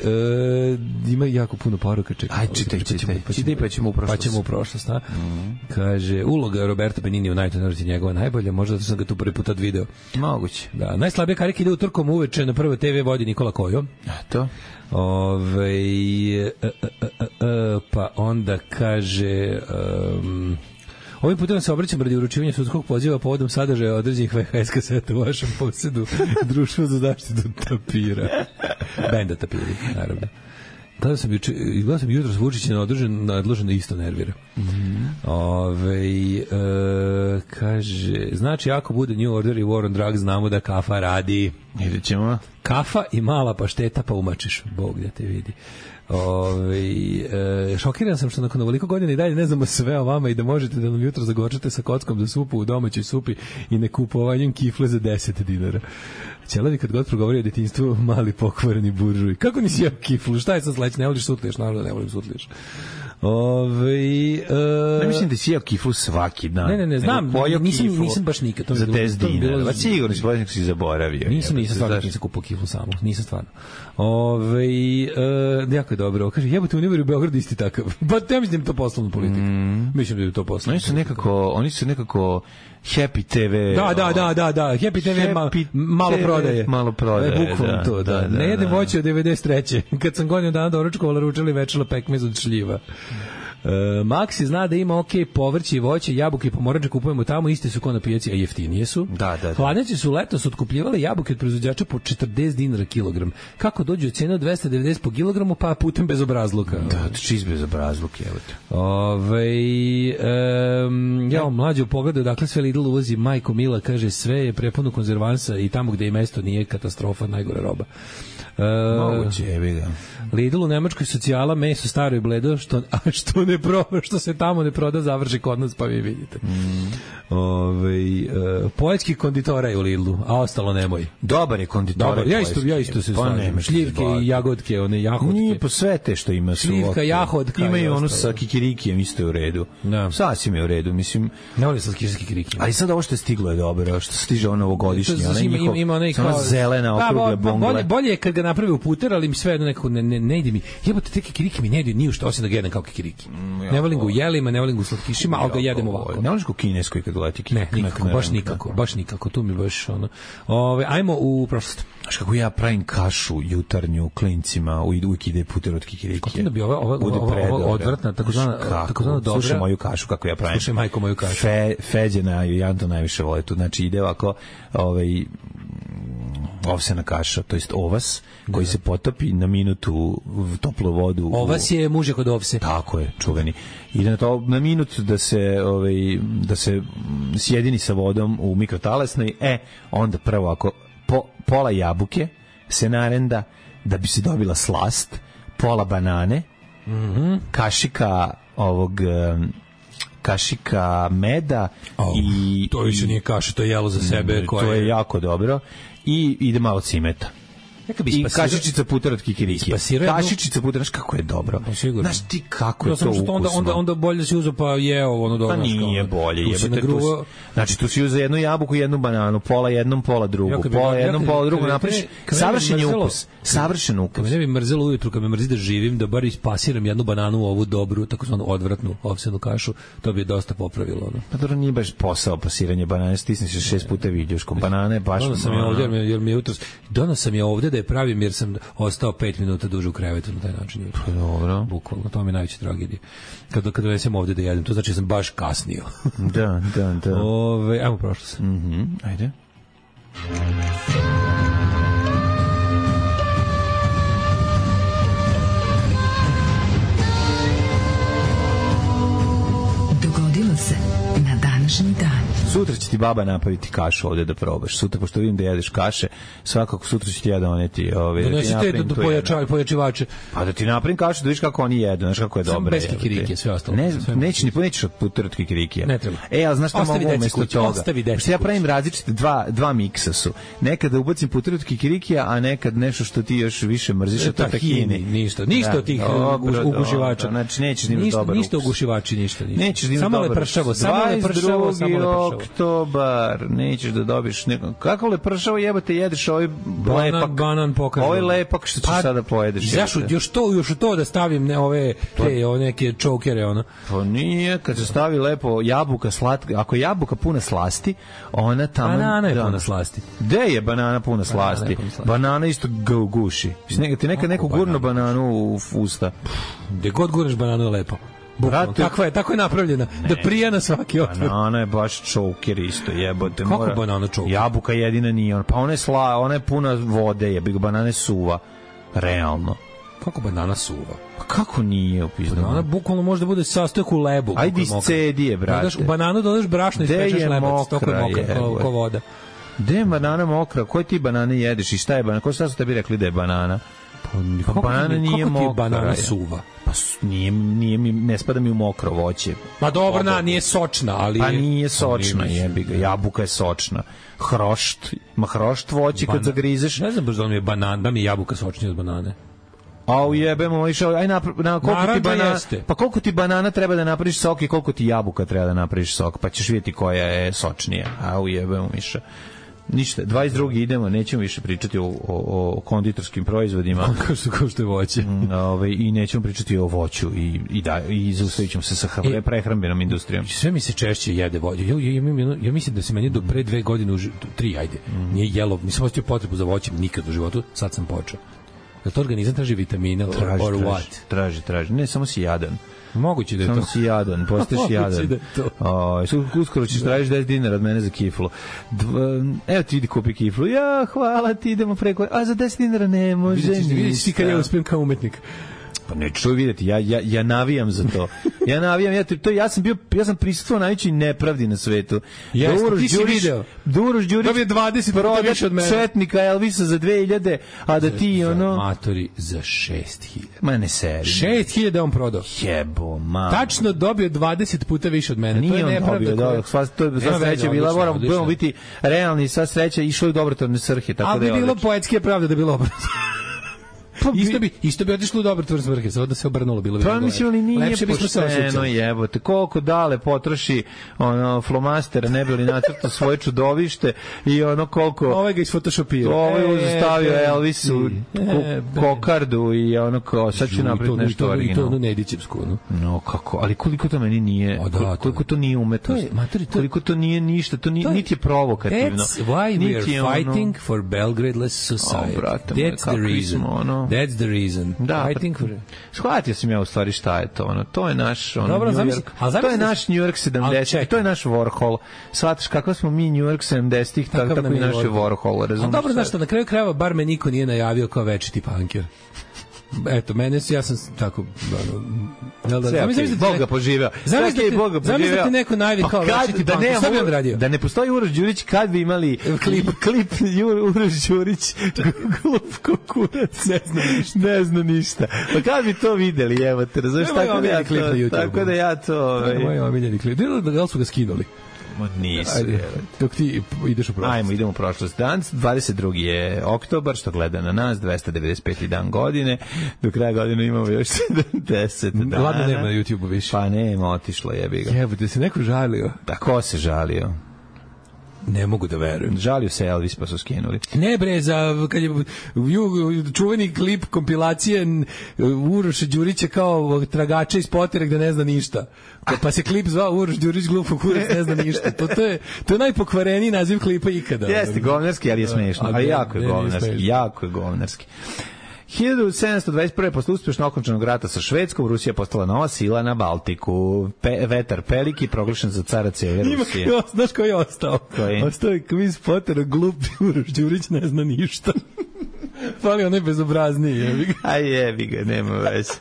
ima jako puno poruka. Čekaj, aj, čitaj, čitaj. Čitaj, pa ćemo u prošlost. Pa ćemo u prošlost, a? Mm. Kaže, uloga Roberto Benigni u najtenoriti njegova najbolja, možda da sam ga tu prvi put video. Moguće. Da, najslabije karike ide u Trkom uveče na Prvoj te ve vodi Nikola Kojo. To. Ove, e, e, e, e, pa onda kaže um, ovim putem se obraćam radi uručivanja sudskog poziva povodom sadržaja određenih ve ha es kaseta u vašem posjedu Društvo za zaštitu tapira. Benda tapiri, naravno. Gledao sam, gledao sam jutro s Vučićem nadložen, nadložen da isto nervira. Mm-hmm. Ove, e, kaže, znači ako bude New Order i War on Drugs, znamo da kafa radi. Vidjet ćemo. Kafa i mala pašteta pa umačiš. Bog da te vidi. Ove, e, šokiran sam što nakon ovoliko godina i dalje ne znamo sve o vama i da možete da nam jutro zagorčate sa kockom za supu u domaćoj supi i nekupovanjem kifle za deset dinara. Ćelavi kad god progovori o detinjstvu, mali pokvareni buržuj. Kako nisi jeo kiflu? Šta je sad sledeće? Ne voliš sutliješ? Naravno ne volim sutliješ. Ove, e, ne mislim da si jeo kiflu svaki dan. Ne, ne, ne, znam, nisam, nisam baš nikad. To za deset dinara. Va sigurno si bolje si zaboravio. Nisam, nisam stvarno nisam kupao kiflu samo. Nisam stvarno. Ove, e, jako je dobro. Kaže, jebote, Univer u Beogradu isti takav. Pa ja mislim da je to poslovna politika. Mm. Mislim da je to poslovna. Oni su nekako, oni su nekako Happy te ve. Da, da, da, da, da. Happy te ve ma, malo prodaje. Malo prodaje. Bukvalno da, to, da. da, da ne jedem da. voće od devedeset treće Kad sam godinu dana doručkovala, ručali večela pekmez od šljiva. Uh, Maxi zna da ima ok povrće i voće, jabuke i pomoranče kupujemo tamo, iste su kao na pijaci, a jeftinije su. Da, da, da. Hladnjače su letos otkupljivale jabuke od proizvođača po četrdeset dinara kilogram. Kako dođu od cene od dvesta devedeset po kilogramu, pa putem bezobrazluka. Da, čist bezobrazluk, evo te. Ove, um, ja vam mlađe u pogledu, dakle sve Lidl uvozi, majko Mila kaže sve je prepuno konzervansa i tamo gde je mesto nije katastrofa, najgore roba. Uh, Moguće, jebi ga. Lidl u Nemačkoj socijala, meso staro i bledo, što, a što ne proba, što se tamo ne proda, završi kod nas, pa vi vidite. Mm. Ove, uh, poetski konditora je u Lidlu, a ostalo nemoj. Dobar je konditora. Dobar, ja isto, ja isto se slažem. Šljivke i jagodke, one jahodke. Nije po sve te što ima su. Šljivka, jahodka. Ima i ono sa kikirikijem isto je u redu. Da. Sasvim je u redu, mislim. Ne volim sa kikirikijem. Ali sad ovo što je stiglo je dobro, što stiže ono ovogodišnje. Ona ima, ima, ima onaj kao zelena okrugle bongle. Bolje, bolje je kad ga napravi u puter, ali mi sve jedno nekako ne, ne, ne ide mi. Jebote, te kikiriki mi ne ide ni u što, osim da ga jedem kao kikiriki. Mm, ne volim ga u jelima, ne volim ga u slatkišima, ali ga jedem ovako. Ne voliš ga u kineskoj kad leti kikiriki? Ne, nikako, baš nikako, baš nikako. Tu mi baš ono. Ove, ajmo u prošlost. Znaš kako ja pravim kašu jutarnju klincima, uvijek ide puter od kikiriki. Kako da bi ova, ova, ova, ova odvratna, takozvana, takozvana dobra. Slušaj moju kašu, kako ja pravim. Slušaj majko moju kašu. Fe, Feđena i Janto najviše vole tu. Znači ide ovako, ovaj, ovsena kaša, to jest ovas, koji da. se potopi na minutu u toplu vodu. Ovas je muže kod ovse. Tako je, čuveni. Ide na to na minut da se ovaj da se sjedini sa vodom u mikrotalasnoj, e onda prvo ako po, pola jabuke se narenda da bi se dobila slast, pola banane, mm-hmm. kašika ovog kašika meda oh, i to više nije kaša, to je jelo za sebe, koje to je jako dobro i ide malo cimeta. Neka bi i kašičica puter od kikirikija. Kašičica puter, znaš kako je dobro. Znaš ti kako je to ukusno. Onda, onda, onda bolje si uzeo pa jeo ono dobro. Pa nije bolje. Jebate, tu si, znači tu si uzeo jednu jabuku i jednu bananu, pola jednom, pola drugu, pola jednom, pola drugu, napraviš savršen ukus. Savršen ukus. Kad me ne bi mrzelo ujutru, kad me mrzi da živim, da bar ispasiram jednu bananu u ovu dobru, takozvanu odvratnu ovsenu kašu, to bi dosta popravilo. Ono. Pa dobro, nije baš posao pasiranje banane, stisneš se šest puta viljuškom. Banane baš... Dono sam je ovdje, jer mi je jutros... Dono sam je ovdje da je pravim jer sam ostao pet minuta duže u krevetu na taj način. Dobro. Bukvalno, to mi je najveća tragedija. Kad, kad donesem ovdje da jedem, to znači da sam baš kasnio. Da, da, da. Ove, ajmo prošlo se. Mhm, ajde. Dogodilo se na današnji dan. Sutra će ti baba napraviti kašu ovde da probaš. Sutra, pošto vidim da jedeš kaše, svakako sutra će ti ja doneti ove, da ti napravim do pojačavaj, pojačivače. Pa da ti napravim kašu, da vidiš kako oni jedu, znaš kako je dobro. Bez kikirike, sve ostalo. Ne, neće ni ponećeš od puter od kikirikija. Ne treba. E, ali znaš šta mogu umesto toga? Ostavi deci. Ja pravim različite, dva, dva miksa su. Nekada ubacim puter od kikirikija, a nekad nešto što ti još više mrziš, a to tahini. Ništa, ništa od tih ugušivača. Znači, nećeš ni dobar ništa ugušivači, ništa. Nećeš ni samo lepršavo, samo lepršavo, samo lepršavo. Oktobar, nećeš da dobiš neko. Kako lepršavo jebate, jedeš ovaj lepak. Banan pokaže. Ovaj lepak što ćeš pa, sada pojedeš. Zašto još to, još to da stavim ne ove te o neke čokere ona. Pa nije, kad se stavi lepo jabuka slatka, ako je jabuka puna slasti, ona tamo banana je puna slasti. Gde je banana puna slasti? Banana, banana isto guši. Neka ti neka neku gurnu bananu u usta. Gde god gurneš bananu je lepo. Brate, takva je, tako je napravljena, ne, da prija na svaki otvor. Banana je baš čoker isto, jebote. Kako mora, banana čoker? Jabuka jedina nije, on, pa ona je sla, ona je puna vode, jebi ga, banana je suva, realno. Kako banana suva? Pa kako nije upisano? Banana bukvalno može da bude sastojak u lebu. Ajde iz cedije, brate. Dodaš, u bananu dodaš brašno i spečeš lebac, toko je mokra, kao, kao voda. Gde je banana mokra? Koje ti banane jedeš i šta je banana? Ko šta su tebi rekli da je banana? Pa, pa banana nije mokra. Kako ti je banana suva? Pa nije, nije mi, ne spada mi u mokro voće. Pa dobro, na, nije sočna, ali... Pa nije sočna, jebi ga. Jabuka je sočna. Hrošt, ima hrošt voće kad zagrizeš. Ne znam baš da mi je banan, da mi je jabuka sočnija od banane. A ujebemo, išao, aj na, na koliko ti banana, pa koliko ti banana treba da napraviš sok i koliko ti jabuka treba da napraviš sok, pa ćeš vidjeti koja je sočnija. A ujebemo, Miša. Ništa, dvadeset drugi idemo, nećemo više pričati o, o, o konditorskim proizvodima. Kao što, kao što je voće. Ove, I nećemo pričati o voću i, i, da, i zaustavit ćemo se sa e, prehrambenom industrijom. Sve mi se češće jede voće. Ja, ja, ja, ja mislim da se meni do pre dve godine, tri, ajde, mm. nije jelo, nisam ostio potrebu za voćem nikad u životu, sad sam počeo. Da to organizam traži vitamine or, traži, or traži, what? Traži, traži. Ne, samo si jadan. Moguće da je samo to. Samo si jadan, postaješ jadan. Da o, uskoro ćeš tražiš deset dinara od mene za kiflu. Dva, evo ti idi kupi kiflu. Ja, hvala ti, idemo preko. A za deset dinara ne može ništa. Vidiš ti kad ja uspijem kao umetnik. Pa ne čuj vidjeti, ja, ja, ja navijam za to. Ja navijam, ja, to, ja sam bio, ja sam prisutvovao najvećoj nepravdi na svetu. Jeste, ti si video. Da Uroš Đurić dobije dvadeset puta više od mene. Četnika Elvisa za dve hiljade, a da ti za, ono... Matori za šest hiljada. Ma ne seri. šest hiljada on prodao. Jebo, ma. Tačno dobio dvadeset puta više od mene. Nije to je nepravda. Dobio, koja... sva, to je sva sreća bila, moramo budemo biti realni, sva sreća išlo u dobrotvorne svrhe. Tako ali da je bi bilo odlično. poetske pravde da bilo obratno. Pa isto bi isto bi otišlo u dobrotvorne svrhe, samo da se obrnulo bilo bi. Pa mislim ali nije lepše bismo se pošteno, jebote. Koliko dale potroši ono flomastera, ne bi li nacrtao svoje čudovište i ono koliko ovaj ga isfotošopirao. Ovaj e, stavio e, Elvisu e, kokardu i ono kao sad će napraviti nešto originalno. I to Nedićevsku, no. No kako, ali koliko to meni nije, o, da, koliko to nije umetnost. To je, materi, to, koliko to nije ništa, to ni, niti je provokativno. That's why we are fighting for Belgrade-less society. Oh, brate, that's the reason. Ono, that's the reason. Da, I think for... shvatio sam ja u stvari šta je to. Ono, to je naš ono, dobro, New zamisli, York. To je naš New York sedamdesetih. To je naš Warhol. Shvataš kako smo mi New York sedamdesetih, tako, tako i naš Warhol. Razumiješ? Dobro, znaš što, na kraju krajeva bar me niko nije najavio kao večiti punker. Eto, mene ja sam tako da da da mi Boga poživeo. Zamislite Boga poživeo. Zamislite neko najavi kao večiti da ne bi radio. Da ne postoji Uroš Đurić, kad bi imali klip klip Uroš Đurić glup kokurac, ne zna ništa. Ne zna ništa. Pa kad bi to videli, evo te, razumeš tako da ja klip na YouTube. Tako da ja to, moj omiljeni klip. Da li su ga skinuli? Ma nisu. Dok ti ideš u prošlost. Ajmo, idemo u prošlost. Danas, dvadeset drugi je oktobar, što gleda na nas, dvesta devedeset peti dan godine. Do kraja godine imamo još sedamdeset dana. Ladno nema na YouTube-u više. Pa nema, otišlo, jebi ga. Jebo, da se neko žalio. Da, ko se žalio? Ne mogu da verujem. Žalio se Elvis, pa su skinuli. Ne bre, za kad je čuveni klip kompilacije Uroša Đurića kao tragača iz Potera gde ne zna ništa. Pa se klip zvao Uroš Đurić glupo kurac ne zna ništa. To, to je to je najpokvareniji naziv klipa ikada. Jeste govnarski, ali je smešno. Ali jako je govnarski, jako je govnarski. hiljadu sedamsto dvadeset prve posle uspešno okončanog rata sa Švedskom, Rusija postala nova sila na Baltiku. Pe, vetar Peliki proglašen za cara cele Rusije. Ima, znaš koji je ostao? Koji? Ostao je kviz Potera, glup Uroš Đurić ne zna ništa. Fali onaj bezobrazniji. Jebi ga. A jebi ga, nema veze.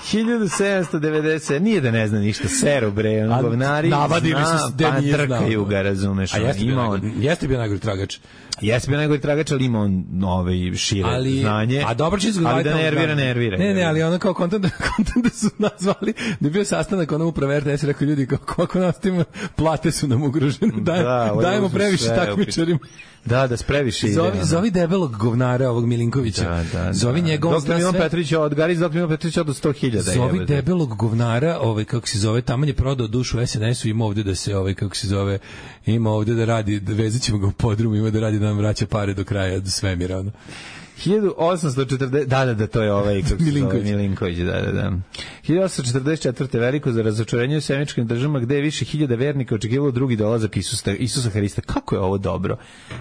hiljadu sedamsto devedeset nije da ne zna ništa, seru bre, on govnari navadi mi se da nije znao. Trkaju ga, razumeš. A jeste bio, on, jeste bio najgori tragač. Jeste bio najgori tragač, ali ima on ovaj šire ali, znanje. A dobro će izgledati. Ali da nervira, nervira. Ne, ne, ali ono kao kontent, kontent da su nazvali, da je bio sastanak ono uprave R T S, rekao ljudi, kako nastavimo, plate su nam ugrožene, Daj, da, dajemo previše takmičarima. Da, da spreviše ide. Zovi, zovi debelog govnara ovog Milinkovića. Da, da, zovi da. njegov doktor Milan Petrović od Garis, doktor Milan Petrović od sto hiljada. Zovi jebe, debelog govnara, ovaj kako se zove, tamo je prodao dušu S N S-u, ima ovde da se ovaj kako se zove, ima ovde da radi, da vezaćemo ga u podrumu, ima da radi da nam vraća pare do kraja do svemira, ono. hiljadu osamsto četrdeset da, da, da, to je ovaj kako se zove Milinković, da, da, da. hiljadu osamsto četrdeset četvrte veliko za razočarenje u semičkim državama gde je više hiljada vernika očekivalo drugi dolazak Isusa, Isusa Hrista. Kako je ovo dobro?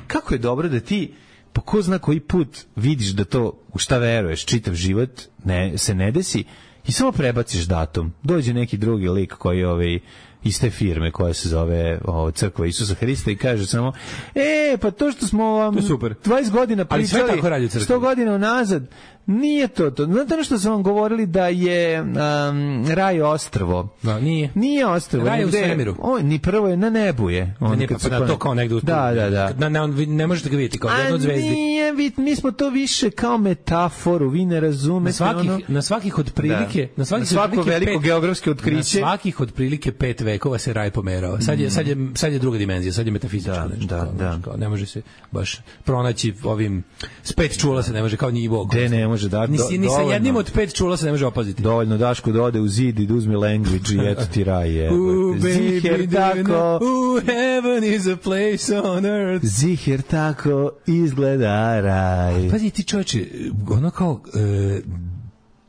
Kako je dobro da ti po ko zna koji put vidiš da to u šta veruješ čitav život ne, se ne desi i samo prebaciš datum. Dođe neki drugi lik koji ovaj iz te firme koja se zove o, Crkva Isusa Hrista i kaže samo, e, pa to što smo vam dvadeset godina pričali, sto godina unazad, nije to to. Znate ono što sam vam govorili da je um, raj ostrvo? Da, nije. Nije ostrvo. Raj u svemiru. On, ni prvo je na nebu je. On, ne, pa, pa na to kao negde uspod. Da, da, da. Na, na, ne, ne možete ga vidjeti kao jedno od zvezdi. Nije, vi, mi smo to više kao metaforu, vi ne razumete. Na svakih, ono... na svakih otprilike, da. na svakih na svako veliko pet, geografsko otkriće. Na svakih otprilike pet vekova se raj pomerao. Sad je, sad je, sad je druga dimenzija, sad je metafizička. Da, nešto, da, kao, da. Kao, ne može se baš pronaći ovim s pet čula se ne može kao nivo. De ne može da ni, ni sa jednim od pet čula se ne može opaziti. Dovoljno Daško da ode u zid i da uzme language i eto ti raj je. Ziher tako. Uh, heaven is a place on earth. Ziher tako izgleda raj. Pazi ti čovječe, ono kao... E,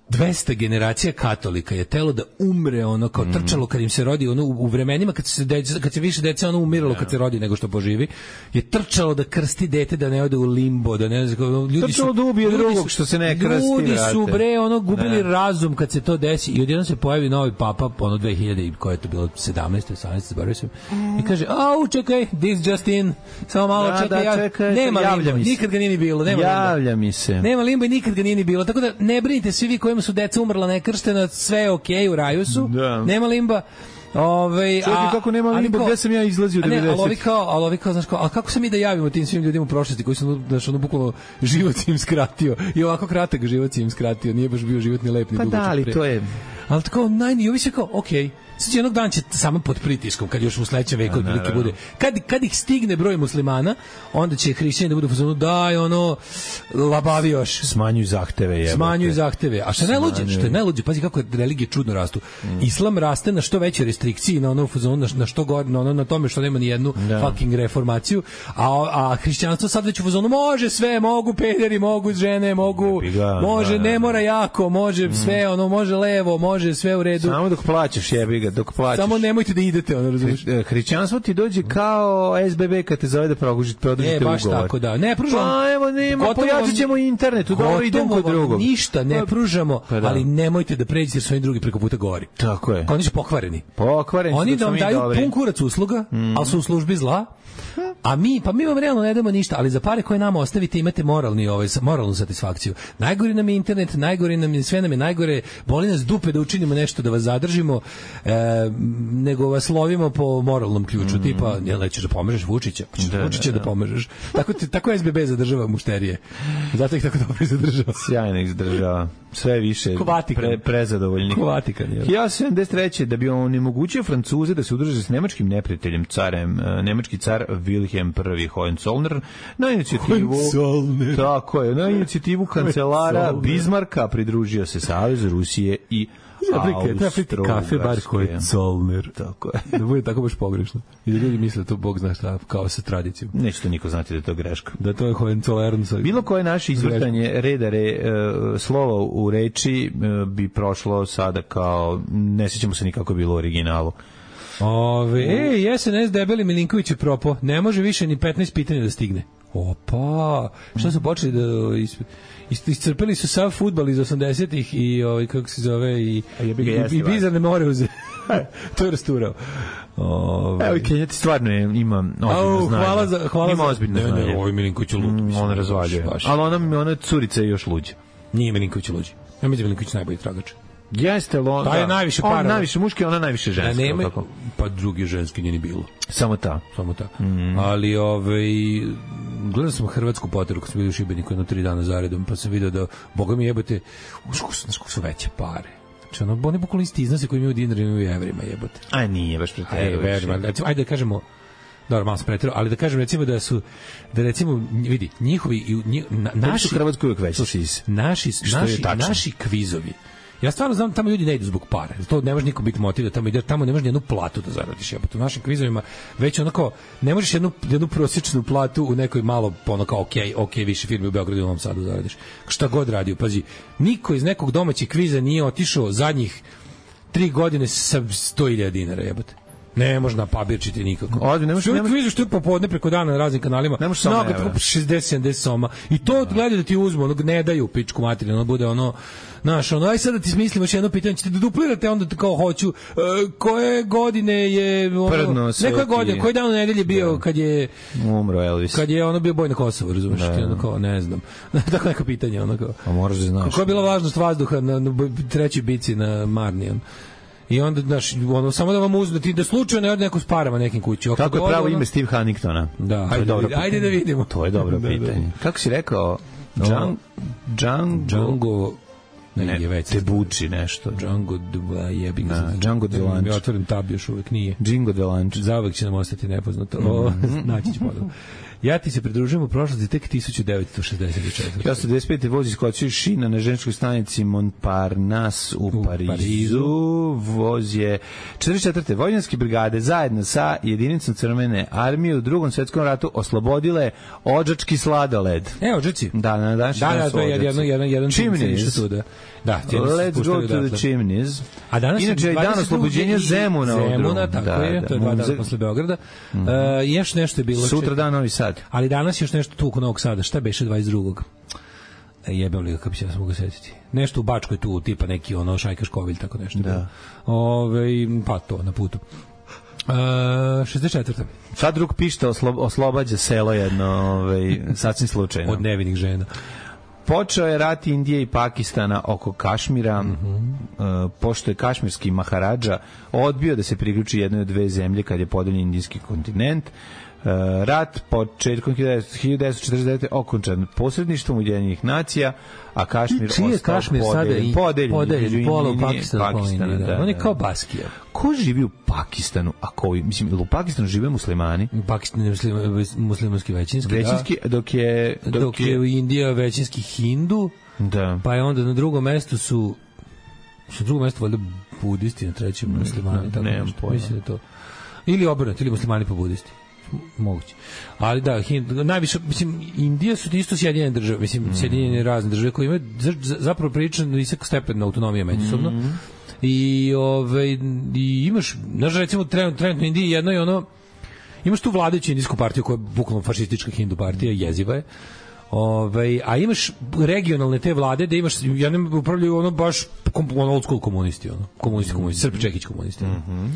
dvesta generacija katolika je telo da umre ono kao mm. trčalo kad im se rodi ono u, u vremenima kad se deca, kad se više dece ono umiralo yeah. kad se rodi nego što poživi je trčalo da krsti dete da ne ode u limbo da ne znam ljudi trčalo su da ubije drugog što se ne krsti ljudi vrate. Su bre ono gubili ne. razum kad se to desi i odjednom se pojavi novi papa ono dve hiljade i koje je to bilo sedamnaeste osamnaeste zaboravio sam mm. i kaže au čekaj this just in samo malo da, čekaj, da, ja, čekaj nema limbo nikad ga nije ni bilo nema javlja limba. mi se Nema limba i nikad ga nije ni bilo tako da ne brinite svi vi kojima su deca umrla nekrštena, sve je okej, okay, u raju su, da. Nema limba. Ovaj a kako nema limba, gde sam ja izlazio u devedesetih? Ne, ali kao, ali ovi kao, znaš kao, a kako se mi da javimo tim svim ljudima u prošlosti koji su, znaš, ono bukvalno život im skratio i ovako kratak život im skratio, nije baš bio život ni lep ni pa dugačak. Pa da, ali to je... Ali tako, najni, ovi se kao, okej, okay, sad jednog dana će samo pod pritiskom, kad još u sledećem veku otprilike bude. Kad, kad ih stigne broj muslimana, onda će hrišćani da budu u fazonu, daj, ono, labavi još. Smanjuju zahteve. Jebate. Smanjuju zahteve. A što je najluđe? Što je najluđe? Pazi kako religije čudno rastu. Mm. Islam raste na što veće restrikcije, na ono fazonu, na, na što gore, na, ono, na tome što nema ni jednu da. fucking reformaciju, a, a hrišćanstvo sad već u fazonu, može sve, mogu pederi, mogu žene, mogu, ga, može, da, ne mora jako, može mm. sve, ono, može levo, može sve u redu. Samo dok plaćaš, jebi ga. Dok plaćaš. Samo nemojte da idete, ono razumiješ. Hrišćanstvo ti dođe kao S B B kad te zove da produžite produžite ugovor. E, baš tako, da. Ne pružamo. Pa evo, nema, pojačat ćemo internetu, dobro idem kod drugog. Ništa ne pružamo, pa, da. Ali nemojte da pređete jer su oni drugi preko puta gori. Tako je. Oni su pokvareni. Pokvareni oni da vam daju dobri. Pun kurac usluga, mm. ali su u službi zla. A mi, pa mi vam realno ne damo ništa, ali za pare koje nama ostavite imate moralni, ovaj, moralnu satisfakciju. Najgori nam je internet, najgori nam je, sve nam je najgore, boli nas dupe da učinimo nešto, da vas zadržimo, e, nego vas lovimo po moralnom ključu, mm. tipa, jel nećeš da pomažeš Vučića? Da, Vučića da, da. da pomažeš. Tako, tako S B B zadržava mušterije. Zato ih tako dobro zadržava. Sjajno ih zadržava. Sve više pre, prezadovoljnih. Ko Vatikan, jel? hiljadu sedamdeset treće da bi onemogućio Francuze da se udruže s nemačkim neprijateljem, carem, nemački car Wilhelm I Hohenzollern, na inicijativu tako je, na inicijativu kancelara Bismarcka pridružio se Savezu Rusije i Austro-Ugarske. Kafe bar Hohenzollner. Tako je. Da bude tako baš pogrešno. I da ljudi misle da to Bog zna šta, kao sa tradicijom. Neće to niko znati da je to greška. Da to je Hohenzollern. Bilo koje naše izvrtanje reda re, uh, slova u reči uh, bi prošlo sada kao, ne sjećamo se nikako bilo u originalu. Ove, ej, S N S debeli Milinković je propo. Ne može više ni petnaest pitanja da stigne. Opa, šta su počeli da is, iscrpili su sav fudbal iz osamdesetih i ovaj kako se zove i i, i, i bizarne moreuze. To je rasturao. Ove... Evo i Kenjati stvarno je, ima ozbiljno znanje. Hvala za, hvala ima ozbiljno za... znanje. Ne, ne, ovo je Milinković lud. Mm, on razvaljuje. Ali ona, ona curica je još luđa. Nije Milinković luđi. Ja mislim Milinković najbolji tragač. Jeste, on, ta je najviše para. On najviše muški, ona najviše ženski. Nema, pa drugi ženski nije ni bilo. Samo ta. Samo ta. Mm. Ali ovaj, gledao sam hrvatsku poteru kad sam bio u Šibeniku jedno tri dana zaredom, pa sam vidio da, boga mi jebote, uško su, su veće pare. Znači, ono, oni bukvalno isti iznose koji imaju dinari imaju evrima, jebote. A nije, baš pretjerano. Ajde da kažemo, dobro, malo sam pretjerao, ali da kažem recimo da su, da recimo, vidi, njihovi, njih, na, naši, su Hrvatskoj uvijek veći. Naši, naši, naši kvizovi, ja stvarno znam tamo ljudi ne idu zbog para. To ne može niko biti motiv da tamo ide, tamo ne možeš ni jednu platu da zaradiš. Jebote, u našim kvizovima već onako ne možeš jednu jednu prosječnu platu u nekoj malo ono kao okej, okej više firmi u Beogradu i u Novom Sadu zaradiš. Šta god radio, pazi, niko iz nekog domaćeg kviza nije otišao zadnjih tri godine sa sto hiljada dinara, jebote. Ne može na pabirčiti nikako. Ovdje ne možeš, što ne možeš... vidiš što je popodne preko dana na raznim kanalima. Ne možeš samo no, šezdeset sedamdeset soma. I to gledaju da ti uzmu, ono ne daju pičku materiju, ono bude ono znaš, ono, aj sad da ti smislim još jedno pitanje, ćete da duplirate, onda kao hoću, uh, koje godine je, ono, neko godine, koji dan u nedelji bio da. Kad je umro Elvis, kad je ono bio boj na Kosovu, razumiješ, da. Ono kao, ne znam, tako neko pitanje, ono kao, a moraš da znaš, koja je bila važnost vazduha na, na trećoj bici na Marnijan. I onda, znaš, ono, samo da vam uzme, da ti da slučajno ne ode neko s parama nekim kući. Kako je pravo ono... ime Steve Huntingtona? Da, ajde, da, vidi, ajde da vidimo. To je dobro pitanje. Kako si rekao? Django... Django... Ne, ne, ne Tebuči nešto. Django jebi ga. Da, Django Delanč. Ja otvorim tab još uvek nije. Django Delanč. Zavek će nam ostati nepoznato. O, naći ću ponovno. Ja ti se pridružujem u prošlosti tek tisuću devetsto šezdeset četvrte. Ja sam devedeset pete voz iskočio šina na ženičkoj stanici Montparnasse u, u Parizu. Parizu. Voz je četrdeset četvrte Vojvođanske brigade zajedno sa jedinicom Crvene armije u Drugom svetskom ratu oslobodile Odžački sladoled. E, Odžaci? Da, na današnji da, da, to je jedan, jedan, jedan Chimneys. Da, let's go to the Chimneys. A danas inače je dan oslobođenja Zemuna. Zemuna, tako da, je, to je dva dana posle Beograda. Mm -hmm. uh, još nešto je bilo. Sutra dan Novi Sad. Ali danas još nešto tu oko Novog Sada. Šta beše dvadeset drugog? E, jebem li ga, kako bi se ja mogu setiti. Nešto u Bačkoj tu, tipa neki ono Šajka Škovilj, tako nešto. Da. Ove, pa to, na putu. Uh, šezdeset četvrte Sad drug pišta oslo, oslobađa selo jedno, ovaj, sasvim slučajno. Od nevinih žena. Počeo je rat Indije i Pakistana oko Kašmira, mm-hmm. uh, pošto je kašmirski maharadža odbio da se priključi jednoj od dve zemlje kad je podeljen indijski kontinent. Uh, rat početkom hiljadu devetsto četrdeset devete okončan posredništvom Ujedinjenih nacija, a Kašmir ostao Kašmir podeljen, podeljen, podeljen pola Pakistana, Pakistana da, da, on je kao Baskija. Ko živi u Pakistanu, a koji, mislim, u Pakistanu žive muslimani? Pakistan je muslim, muslimanski većinski, većinski da. dok je dok, dok je u Indija većinski Hindu, da. Pa je onda na drugom mestu su na drugom mestu valjda budisti, na trećem muslimani, ne, tako ne, nešto, mislim da to. Ili obrnuto, ili muslimani pa budisti. Moguće. Ali da, Hind, najviše, mislim, Indija su isto Sjedinjene države, mislim, mm. Sjedinjene razne države koje imaju zapravo prilično visok stepen autonomije međusobno. Mm. I, ove, i imaš, znaš, recimo, trenutno, trenutno Indiji jedno je ono, imaš tu vladajuću indijsku partiju koja je bukvalno fašistička hindu partija, jeziva je. Ove, a imaš regionalne te vlade da imaš, ja ne upravljaju ono baš ono old school komunisti, ono, komunisti, komunisti, Srp Čekić komunisti. Mm -hmm.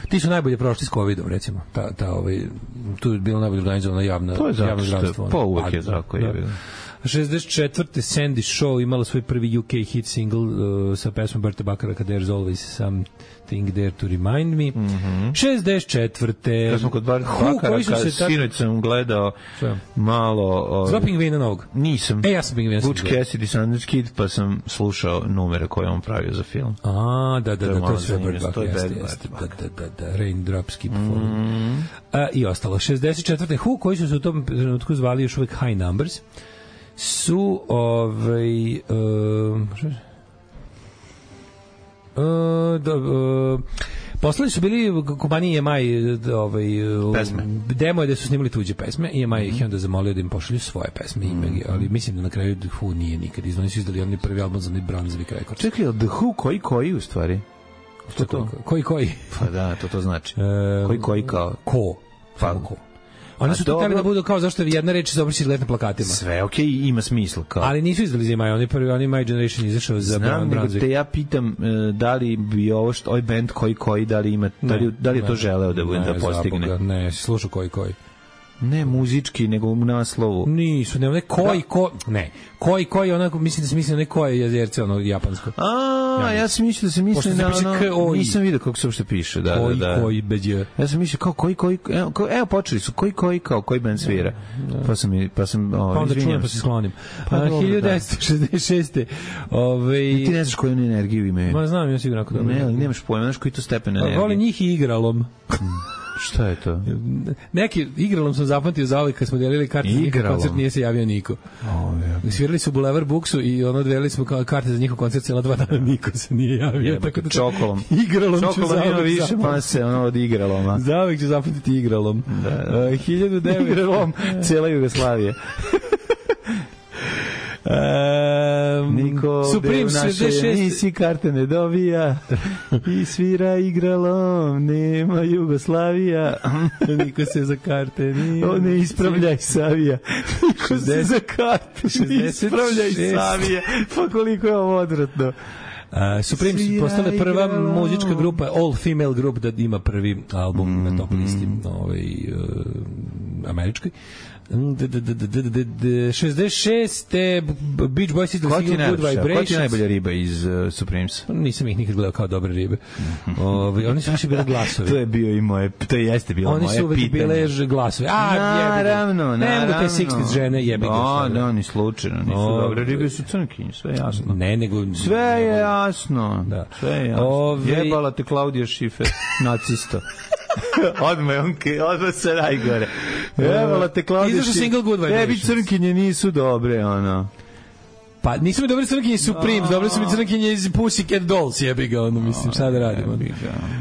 Ti su najbolje prošli s covidom, recimo. Ta, ta, ovaj, tu je bilo najbolje organizovana javna, to je javno zdravstvo. Pa uvek je tako. Da, da. šezdeset četvrte Sandy Shaw imala svoj prvi U K hit single uh, sa pesmom Berta Bakaraka There's Always Something There to Remind Me. Mm -hmm. šezdeset četvrte Kad smo kod Berta Bakaraka, sinoć sam gledao Sve. malo... Uh, Zla Pingvina novog? Nisam. E, ja sam Pingvina. Butch Cassidy, Sundance Kid, pa sam slušao numere koje on pravio za film. A, da, da, da, to je sve Berta Bakaraka. Da, da, da, da, Raindrops Keep Falling. Mm. Uh, I ostalo. šezdeset četvrte Who, koji su se u tom trenutku zvali još uvijek High Numbers, su ovaj uh, uh, da, uh, poslali su bili kompaniji E M I ovaj, pesme. Demo je da su snimali tuđe pesme i E M I ih mm -hmm. onda zamolio da im pošalju svoje pesme, mm -hmm. ali mislim da na kraju The Who nije nikad izvani su izdali oni prvi album za onaj Brunswick Records. Čekaj, The Who koji koji u stvari? Što to? Koji koji? Pa da, to to znači. Uh, koji koji kao? Ko? Pa ko? Oni su to hteli da budu kao zašto je jedna reč završi izgled na plakatima. Sve okej, okay, ima smisla kao. Ali nisu izdali za Maj, oni prvi, oni My Generation izašao za Znam, nego te ja pitam da li bi ovo što, ovaj band koji koji, da li ima, da li, da li je to želeo da bude, da postigne? Zaboga, ne, slušao koji koji. Ne muzički, nego u naslovu. Nisu, ne, ne, koji, da. ko, ne, koji, koji, onako, mislim da se misli na ne koje jezerce, ono, japansko. A, ja, ja sam mislio da se misli na ono, nisam vidio kako se uopšte piše, da, koji, da, da. Koji, beđe. Ja sam mislio kao koji, koji, evo, evo počeli su, koji, koji, kao, koji band svira. Da, da. Pa sam, pa sam, o, pa onda čujem, pa se sklonim. Pa, A, hiljadu devetsto šezdeset šeste Ove... Ti ne znaš koju oni energiju imaju. Ma znam, ja sigurno ako dobro. Ne, ali nemaš pojma, znaš koji to stepen energije. Voli njih i igralom. Šta je to? Neki igralom sam zapamtio za ovaj kad smo delili karte za njihov koncert, nije se javio niko. Oh, ja. Svirali su u Boulevard Booksu i ono delili smo karte za njihov koncert cijela dva dana, niko se nije javio. Je, tako da čokolom. Igralom ću čokolom više, pa se ono od igraloma. Zavijek ću zapamtiti igralom. Da. Uh, hiljadu devetsto Igralom cijela Jugoslavije. Um, Um, Niko Supreme u naše emisiji karte ne dobija i svira igralo, nema Jugoslavija. Niko se za karte nije. O, ne ispravljaj Savija. Niko se za karte ne ispravljaj Savija. Pa koliko je ovo odvratno. Uh, Supreme su postale prva muzička grupa, all female group da ima prvi album mm, na top listi mm. ovaj, uh, američkoj. šezdeset šeste Beach Boys izdali single Good Vibrations. Koja ti je najbolja riba iz uh, Supremes? Nisam ih nikad gledao kao dobre ribe. Ovi, oni su više bile glasovi. To je bio i moje, to jeste bilo moje pitanje. Oni su uvek bile glasovi. A, naravno, naravno. Ne mogu te šezdeset žene jebi ga. A, da, ni slučajno, nisu o, dobre ribe, su crnkinje, sve je jasno. Ne, nego... Sve je jasno. Da. Sve je jasno. Ove... Jebala te Klaudija Šifer, nacista. odmah, on, odmah se najgore. Jebala te Klaudija Šifer. Tebi crnkinje nisu dobre, ono. Pa nisu mi dobre crnkinje Supreme, dobre su mi crnkinje iz Pussycat Dolls, jebi ga, ono, mislim, šta da radim. Ono.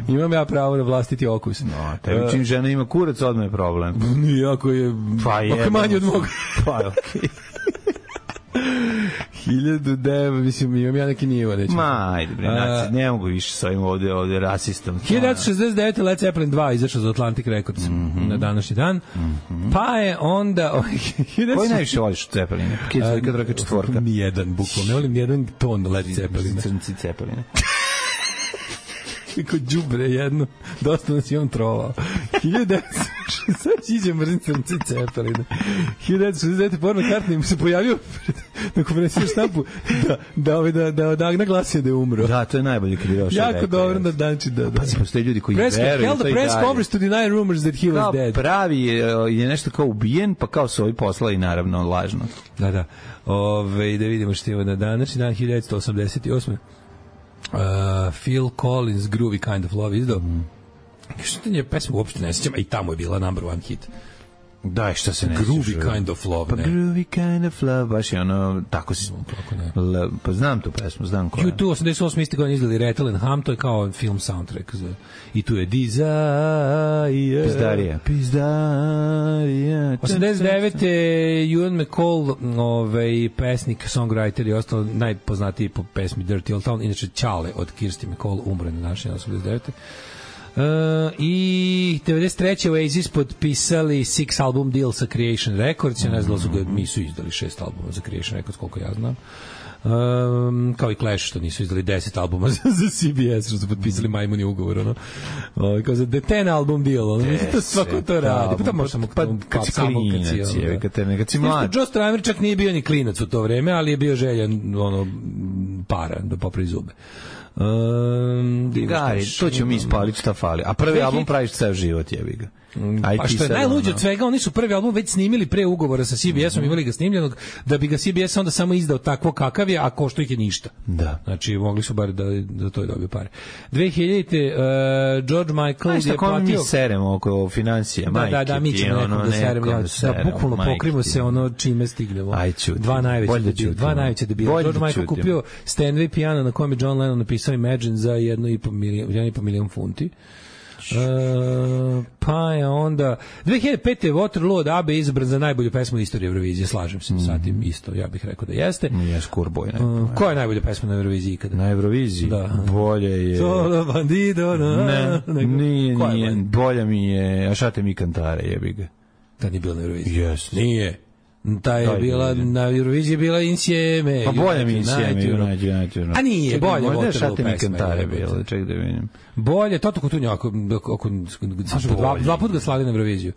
Imam ja pravo na vlastiti okus. No, tebi čim žena ima kurac, odmah je problem. Nije, ako je, pa ako je manje od moga. Pa, okej. Okay. hiljadu devet, mislim, imam ja neki nivo, neću. Ma, ajde, bre, naci, ne mogu više sa ovim ovde, ovde rasistom. hiljadu devetsto šezdeset devete Led Zeppelin dva izašao za Atlantic Records mm -hmm. na današnji dan. Mm -hmm. Pa je onda... Koji najviše voliš Zeppeline? Kad raka četvorka? Nijedan, bukvalno. Ne volim nijedan ton Led Zeppelina. Crnci Zeppeline. Kako đubre jedno, dosta nas je on trovao. hiljadu devetsto šezdeset iđe mrzim crnci Zeppelina. hiljadu devetsto šezdeset devete Paul McCartney se pojavio na konferenciji štampu da da ovaj da da odagna glasio da je umro. Da, to je najbolje kad je došao. Jako dobro da danči da. Pa si postoje ljudi koji veruju. Held the press conference to deny rumors that he was dead. Pravi je nešto kao ubijen, pa kao su ovi poslali naravno lažno. Da, da. Ove, da vidimo što je na današnji dan hiljadu devetsto osamdeset osme Uh, Phil Collins Groovy Kind of Love izdao. Mm. Što je pesma uopšte ne sjećam, a i tamo je bila number one hit. Da, šta se ne Groovy Kind of Love, pa ne. Groovy Kind of Love, baš je ono, tako si... Kako ne. Le, pa znam tu pesmu, znam koja. U dva osamdeset osme isti godine izdali Rattle and Hum, to je kao film soundtrack. Za, i tu je Desire. Pizdarija. Pizdarija. osamdeset devete Ewan McCall, ovaj, pesnik, songwriter i ostalo najpoznatiji po pesmi Dirty Old Town, inače Ćale od Kirsty McCall, umre na našem osamdeset devete Uh, i devedeset treće Oasis potpisali six album deal sa Creation Records. Ja ne znam da su ga, nisu izdali šest albuma za Creation Records, koliko ja znam. Um, kao i Clash što nisu izdali deset albuma za, za C B S, što su potpisali majmuni ugovor, ono. O, kao za ten album deal, ono. Mislim, to svako to radi. Pa to može samo pa, kad si klinac, je, kad te nekad si mlad. Joe Strummer čak nije bio ni klinac u to vreme, ali je bio željan, ono, para da popravi zube. Um, Gari, to ćemo mi ispaliti šta fali. A prvi album praviš ceo život, jebi ga. Aj, pa što je najluđe od svega, oni su prvi album već snimili pre ugovora sa C B S-om, mm -hmm. imali ga snimljenog, da bi ga C B S onda samo izdao takvo kakav je, a košto ih je ništa. Da. Znači, mogli su bar da, da to je dobio pare. dve hiljadite Uh, George Michael je platio... mi seremo oko financija, da, majke. Da, da, mi ćemo nekom da seremo, ja, da bukvalno pokrimo se ono čime stignemo. Aj, čuti. Dva najveće debila. Dva najveće debila. George Michael kupio Steinway piano na kojem je John Lennon napisao Imagine za jednu i po milion, jedan i po milion funti. Uh, pa je onda dve hiljade pete Waterloo od A B B izabran za najbolju pesmu u istoriji Eurovizije, slažem se mm -hmm. sa tim isto, ja bih rekao da jeste. Nije Skurboj. Uh, koja je najbolja pesma na Euroviziji ikada? Na Euroviziji? Da. Bolje je... Solo bandido, na... Ne, nego... nije, nije. Bolja mi je Ašate mi kantare, jebi ga. Da nije bila na Euroviziji? Yes. Nije. Ta je bila, na Euroviziji bila Insieme. Pa bolje mi Insieme, United, United. A nije, bolje Waterloo pesma. Kantare bilo, ček da vidim. Bolje, Toto Cutugno, ako, ako, dva, dva put ga slali na Euroviziju.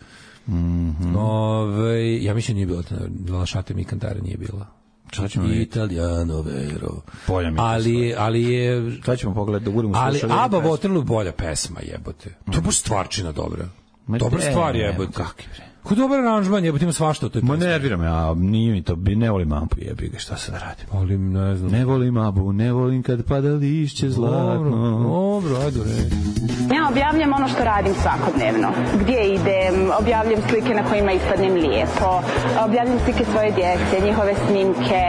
Mm -hmm. Ove, ja mislim nije bilo, na Šate mi kantare nije bila. Šta ćemo Italiano vero. Bolja mi ali, ali je... Šta ćemo pogledati da budemo slušali? Ali ABBA Waterloo bolja pesma, jebote. To je baš stvarčina dobra. Dobra stvar jebote. Kakvi bre. Ko dobar aranžman, jebote, ima svašta u toj pesmi. Ma nervira me, a nije mi to, ne volim Ambu, jebi ga, šta se da radim. Volim, ne znam. Ne volim Ambu, ne volim kad pada lišće zlatno. Dobro, ajde, re. Ja objavljam ono što radim svakodnevno. Gdje idem, objavljam slike na kojima ispadnem lijepo, objavljam slike svoje djece, njihove snimke,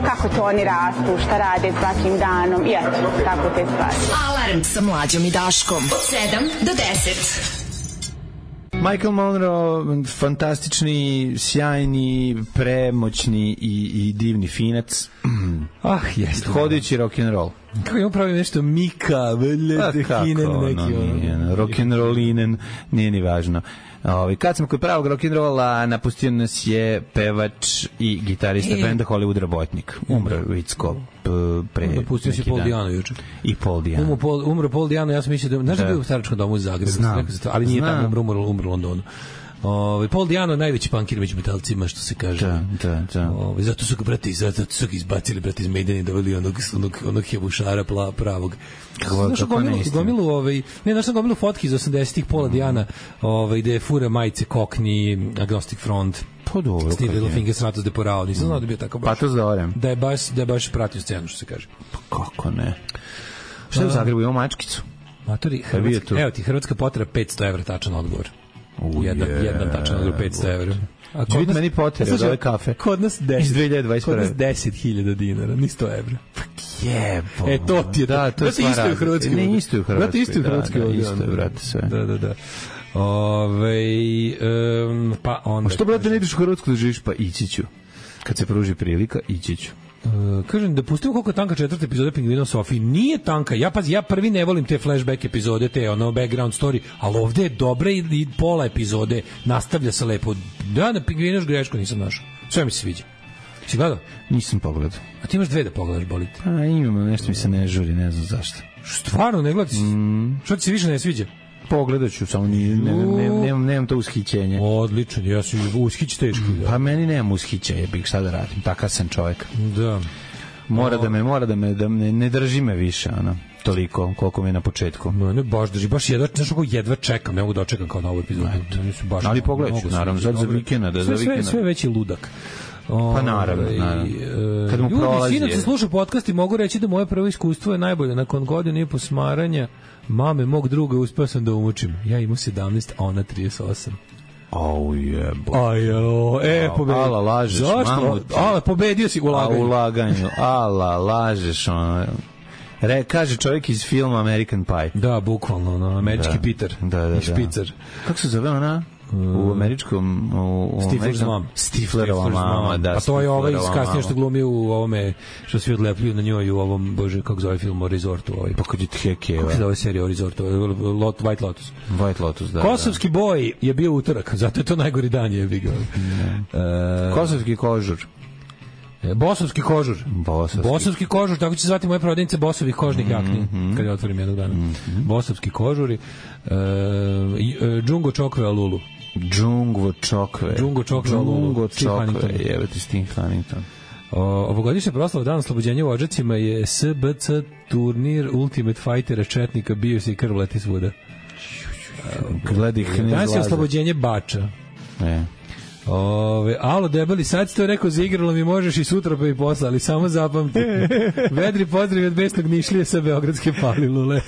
kako to oni rastu, šta rade svakim danom, i eto, tako te stvari. Alarm sa Mlađom i Daškom. Od sedam do deset. Michael Monroe, fantastični, sjajni, premoćni i, i divni finac. Ah, jeste. Hodajući rock'n'roll. Kako imam pravim nešto Mika, Veljete, neki ono. Rock'n'rollinen, nije ni važno. Ovi, kad smo kod pravog rock'n'rolla, napustio nas je pevač i gitarista e. benda Hollywood Robotnik. Umro Vicko pre napustio si Paul Diano juče. I Paul Diano. Umro Paul, umro Paul Diano, ja sam mislio da... Znaš da je bio u staračkom domu u Zagrebu? Znam. Ali nije tamo umro, umro, umro u Londonu. Ovaj Paul Diano najveći punkir među metalcima, što se kaže. Da, da, da. Ovaj zato su ga brati, zato su ga izbacili brati iz Maidena i doveli onog onog onog hebušara pla, pravog. Kako kako gomilu, gomilu ovaj ne našao gomilu fotki iz osamdesetih Paula mm. Diana, ovaj gde fura majice Cockney, Agnostic Front. Pa dobro. Steve Littlefinger Stratos de Porao, nisam znao da bi bio tako baš. Patos da orem. Da je baš da je baš pratio scenu, što se kaže. Pa kako ne. Šta je u Zagrebu, ima mačkicu? Matori, Hrvatska, evo ti Hrvatska potreba petsto evra tačan odgovor. U jedan, je, jedan tačan odgovor petsto evra. A kod nas meni potrebe od ove kafe. Kod nas deset. Iz dve hiljade dvadeset prve. Kod nas deset hiljada dinara, ni sto evra. Jebo. E, to ti je. Da, to je isto u Hrvatskoj. Ne, isto u Hrvatskoj. Isto u Hrvatskoj. Da, isto je, brate, sve. Da, da, da. Ove, um, pa onda... A što, brate, ne ideš u Hrvatsku da živiš? Pa ići ću. Kad se pruži prilika, ići ću. Uh, kažem da pustimo koliko je tanka četvrta epizoda Pingvina Sofiji. Nije tanka. Ja pazi, ja prvi ne volim te flashback epizode, te ono background story, ali ovde je dobra i, i pola epizode nastavlja se lepo. Da, na Pingvinu još grešku nisam našao. Sve mi se sviđa. Si gledao? Nisam pogledao. A ti imaš dve da pogledaš, bolite? A imamo, nešto mi se ne žuri, ne znam zašto. Stvarno, ne gledati? Mm. Što ti se više ne sviđa? Pogledat ću, samo ni, ne, ne, nemam, nemam to ushićenje. Odlično, ja sam ushić teški. Da. Pa meni nemam ushićenje, bih šta da radim, takav sam čovjek. Da. Mora o... da me, mora da me, da me, ne drži me više, ono, toliko, koliko mi je na početku. No, ne, baš drži, baš jedva, znaš kako jedva čekam, ne mogu da očekam kao na ovu epizodu. Baš, ali pogledat ću, naravno, za, za vikenda, da, za vikenda. Sve, sve veći ludak. O, pa naravno, naravno. Kad mu prolazi... Ljudi, sinoć se slušao podcast i mogu reći da moje prvo iskustvo je najbolje. Nakon godine i po smaranja mame mog druga uspeo sam da umučim. Ja imao sedamnaest, a ona trideset osam. Au jebo. Ajo, e, pobedio. Ala, lažeš, mamu ti. Ala, pobedio si u laganju. A, u laganju. Ala, lažeš, ono... Re, kaže čovjek iz filma American Pie. Da, bukvalno, no, američki da, Peter. Da, da, da. Špicar. Kako se zove ona? U američkom u Stifler's mom. Stiflerova mama, da. Pa to je ovaj kasnije što glumi u ovome što svi odlepljuju na njoj u ovom, bože, kako zove film o Resortu, ovaj. Pa kad je Hekeva. Kako se zove serija o Resortu? Lot, White Lotus. White Lotus, da. Kosovski da. Boj je bio utorak, zato je to najgori dan je bio. Uh, Kosovski kožur. Bosovski kožur. Bosovski. Bosovski kožur, tako će se zvati moja prodavnica Bosovih kožnih jakni, mm-hmm. kad je otvorim jednog dana. Mm-hmm. Bosovski kožuri. Uh, Džungo Čokve Alulu. Džungo Čokve. Džungo Čokve Alulu. Džungo Čokve, evo ti Steve Huntington. Ovogodišnja proslava Dan oslobođenja u Odžacima je S B C turnir Ultimate Fightera Četnika, bio se i krv leti svuda. Gledi ih ne danas je oslobođenje Bača. E. Ove, alo debeli, sad si to rekao za igralo mi možeš i sutra pa i posla, ali samo zapamti. Vedri pozdrav od besnog Nišlije sa Beogradske Palilule.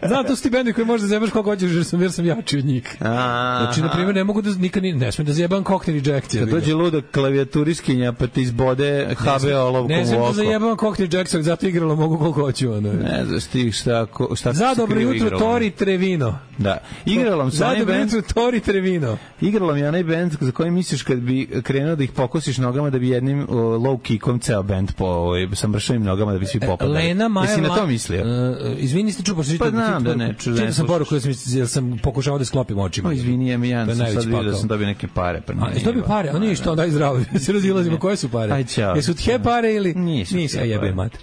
Znam, to su ti bendi koji možda zebaš koliko hoćeš jer sam, jer sam jači od njih. Znači, na primjer, ne mogu da, nikad ne smem da zjebam koktel ejeccije. Kad dođe luda klavijaturiskinja pa ti izbode H B olovkom u oko. Ne smem da zajebam koktel ejeccije, zato igralo mogu koliko hoću. Ono. Ne znaš ti šta, šta za dobro jutro Tori Trevino. Da, igralo sam za dobro jutro Tori Trevino. Igralo mi onaj bend za koji misliš kad bi krenuo da ih pokosiš nogama da bi jednim uh, low kickom ceo bend po ovaj, sa mršavim nogama da bi svi popadali. Lena Maja... Jesi na to mislio? Uh, izvini, ste čupaš... Pa znam da ne čuš. Čitao sam poruku jer sam, sam pokušao da sklopim očima. O, izvini, ja mi ja sam sad vidio da sam dobio neke pare. Pa a, jesi dobio pare? A nije što, daj zdravo. Se razilazimo, koje su pare? Aj, čao. Jesu tje pare ili... Nisu. Nisu, a jebe mater.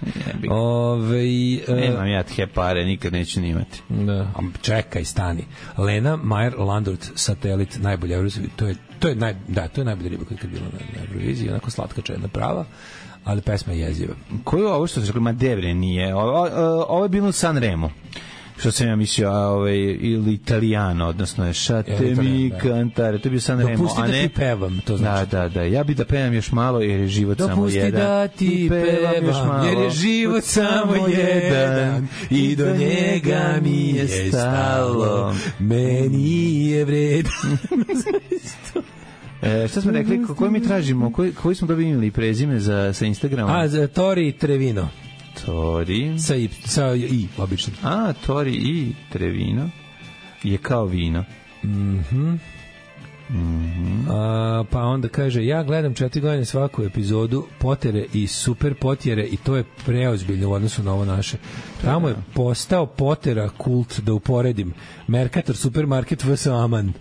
Ove... Nemam ja tje pare, nikad neću ni imati. Da. Čekaj, stani. Lena Majer Landrut, satelit, najbolja Eurovizija. To je To je naj, da, to je najbolja riba kad je bila na, na Euroviziji, onako slatka čedna prava, ali pesma je jeziva. Koju ovo što se rekli, ma debre nije, ovo, ovo je bilo u Sanremo, što sam ja mislio, ovaj, ili Italijano, odnosno je šate mi kantare, to je bio Sanremo. Dopusti da ti pevam, to znači. Da, da, da, ja bi da pevam još malo jer je život dopusti samo jedan. Dopusti da ti pevam, još malo, jer je život samo jedan i do njega mi je stalo, meni je vredan. E, šta smo rekli, koji mi tražimo, koji, koji smo dobili prezime za, sa Instagrama? A, za Tori Trevino. Tori. Sa i, sa i, obično. A, Tori i Trevino je kao vino. Mhm. Mm-hmm. A, pa onda kaže, ja gledam četiri godine svaku epizodu Potere i Super Potjere i to je preozbiljno u odnosu na ovo naše. Tamo je postao Potera kult, da uporedim. Merkator, supermarket, V S Aman.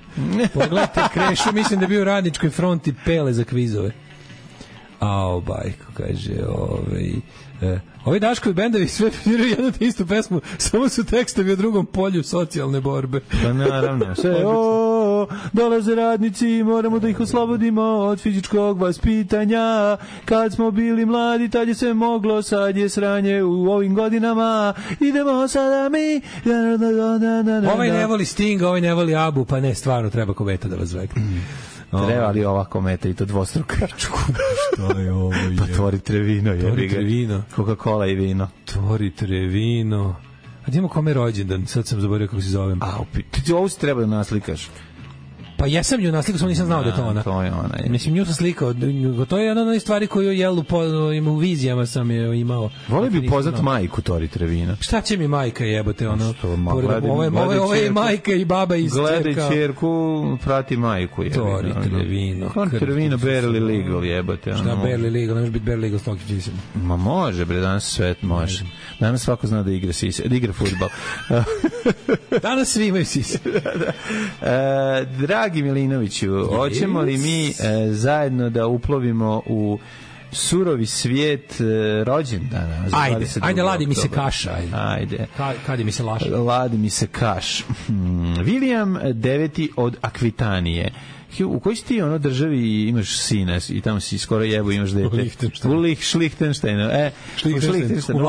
Pogledajte Krešu, mislim da je bio u Radničkoj fronti Pele za kvizove. Ao, bajko, kaže, ovaj... E, ovi Daškovi bendovi sve piraju jednu te istu pesmu, samo su tekstovi o drugom polju socijalne borbe. Pa naravno, sve, o, dolaze radnici, moramo da ih oslobodimo od fizičkog vaspitanja. Kad smo bili mladi, tad je sve moglo, sad je sranje u ovim godinama. Idemo sada mi. Ovaj ne voli Sting, ovaj ne voli Abu, pa ne, stvarno treba kometa da vas vekne. Treba li ova kometa i to dvostruka? Šta je ovo? Je? Pa tvorite vino. Tvorite vino. Coca-Cola i vino. Tvorite vino. A imamo kome rođendan? Sad sam zaboravio kako se zovem. A, ti ovo si treba da naslikaš. Pa jesam ju naslikao, samo nisam znao da je to ona. To je ona. Je. Mislim, nju sam slikao. To je jedna od onih stvari koju jel u, u vizijama sam je imao. Voli bi poznat majku Tori Trevina. Šta će mi majka jebote, ono? Što, ma, gledaj, ovo, gledaj ovo je majka i baba iz čerka. Gledaj čerku, prati majku. Jebina. Tori Trevino. Tori Trevino, barely legal jebote. Šta barely legal? Ne može biti barely legal s Toki Čisim. Ma može, bre, danas svet može. Danas svako zna da igra sise, da igra fudbal. Danas svi imaju sise. e, dragi Milinoviću, hoćemo li mi e, zajedno da uplovimo u surovi svijet e, rođendana? Ajde, ajde, ladi mi se kaša. Ajde. Ajde. Ka, kadi mi se laša. Ladi mi se kaš. Hmm. William deveti od Akvitanije. U kojoj si ti ono državi imaš sina i tamo si skoro jebo imaš dete? U Lih, Šlihtenštajnu. E, Šlihtenštajnu.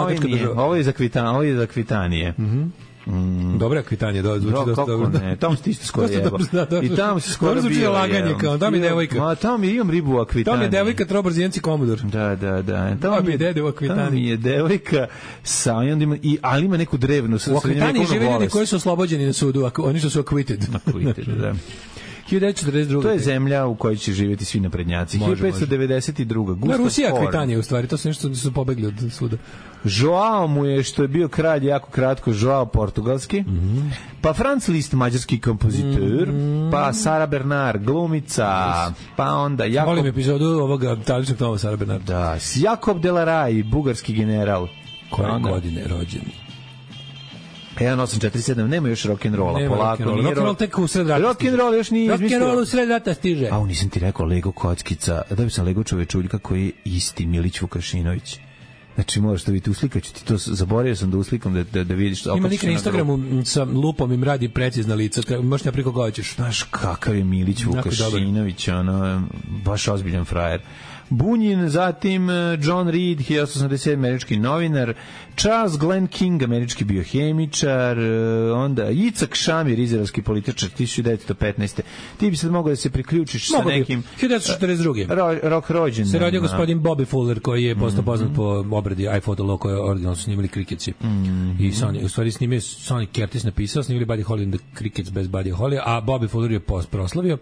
Ovo je za Akvitanije. Ovo je za Akvitanije. Mhm. Mm. Dobra Akvitanija, da, zvuči dosta dobro. Ne, tamo si ti isto skoro jeba. I tamo si skoro bio. Zvuči laganje, kao, da mi devojka. Ma, tamo mi imam ribu u Akvitaniji. Tamo je devojka Troborzijenci Komodor. Da, da, da. Tamo mi je dede u Akvitaniji. Tamo mi je devojka sa, i, ali ima neku drevnu. U Akvitaniji žive ljudi koji su oslobođeni na sudu, oni što su acquitted. Acquitted, da. hiljadu devetsto četrdeset druga. To je zemlja u kojoj će živjeti svi naprednjaci. hiljadu petsto devedeset druga. Da, Rusija Akvitanija u stvari, to su nešto su pobegli od suda. Joao mu je, što je bio kralj jako kratko, Joao portugalski, mm-hmm. pa Franz Liszt, mađarski kompozitor, mm-hmm. pa Sara Bernard, glumica, yes. pa onda Jakob... Volim epizodu ovoga taličnog toma Sara Bernard. Da, Jakob Delaraj, bugarski general. Koje onda... godine rođen? jedan osam četiri sedam, nema još rock'n'rolla, polako. Rock'n'roll tek u sred rata. Rock'n'roll još nije izmislio. Rock'n'roll u sred rata stiže. A, nisam ti rekao Lego kockica, da bi sam Lego čovečuljka koji je isti Milić Vukašinović. Znači, moraš da vidite, uslikaću ti to, zaboravio sam da uslikam da, da, da vidiš. Ima lik na Instagramu sa lupom im radi precizna lica, možeš ne priko goćeš. Znaš kakav je Milić Vukašinović, ono, baš ozbiljan frajer. Bunjin, zatim John Reed, hiljadu osamsto osamdeset sedam američki novinar, Charles Glenn King, američki biohemičar, onda Jicak Šamir, izraelski političar, hiljadu devetsto petnaeste. Ti bi sad mogao da se priključiš Mogu sa nekim... hiljadu devetsto četrdeset druge. Ro, rok rođen. Se rodio gospodin Bobby Fuller, koji je postao poznat mm-hmm. po obradi iPhoto Law, koje originalno su snimili Cricketsi. Mm-hmm. I Sonny, u stvari snimio Sonny Curtis napisao, snimili Buddy Holly and the Crickets bez Buddy Holly, a Bobby Fuller je post proslavio.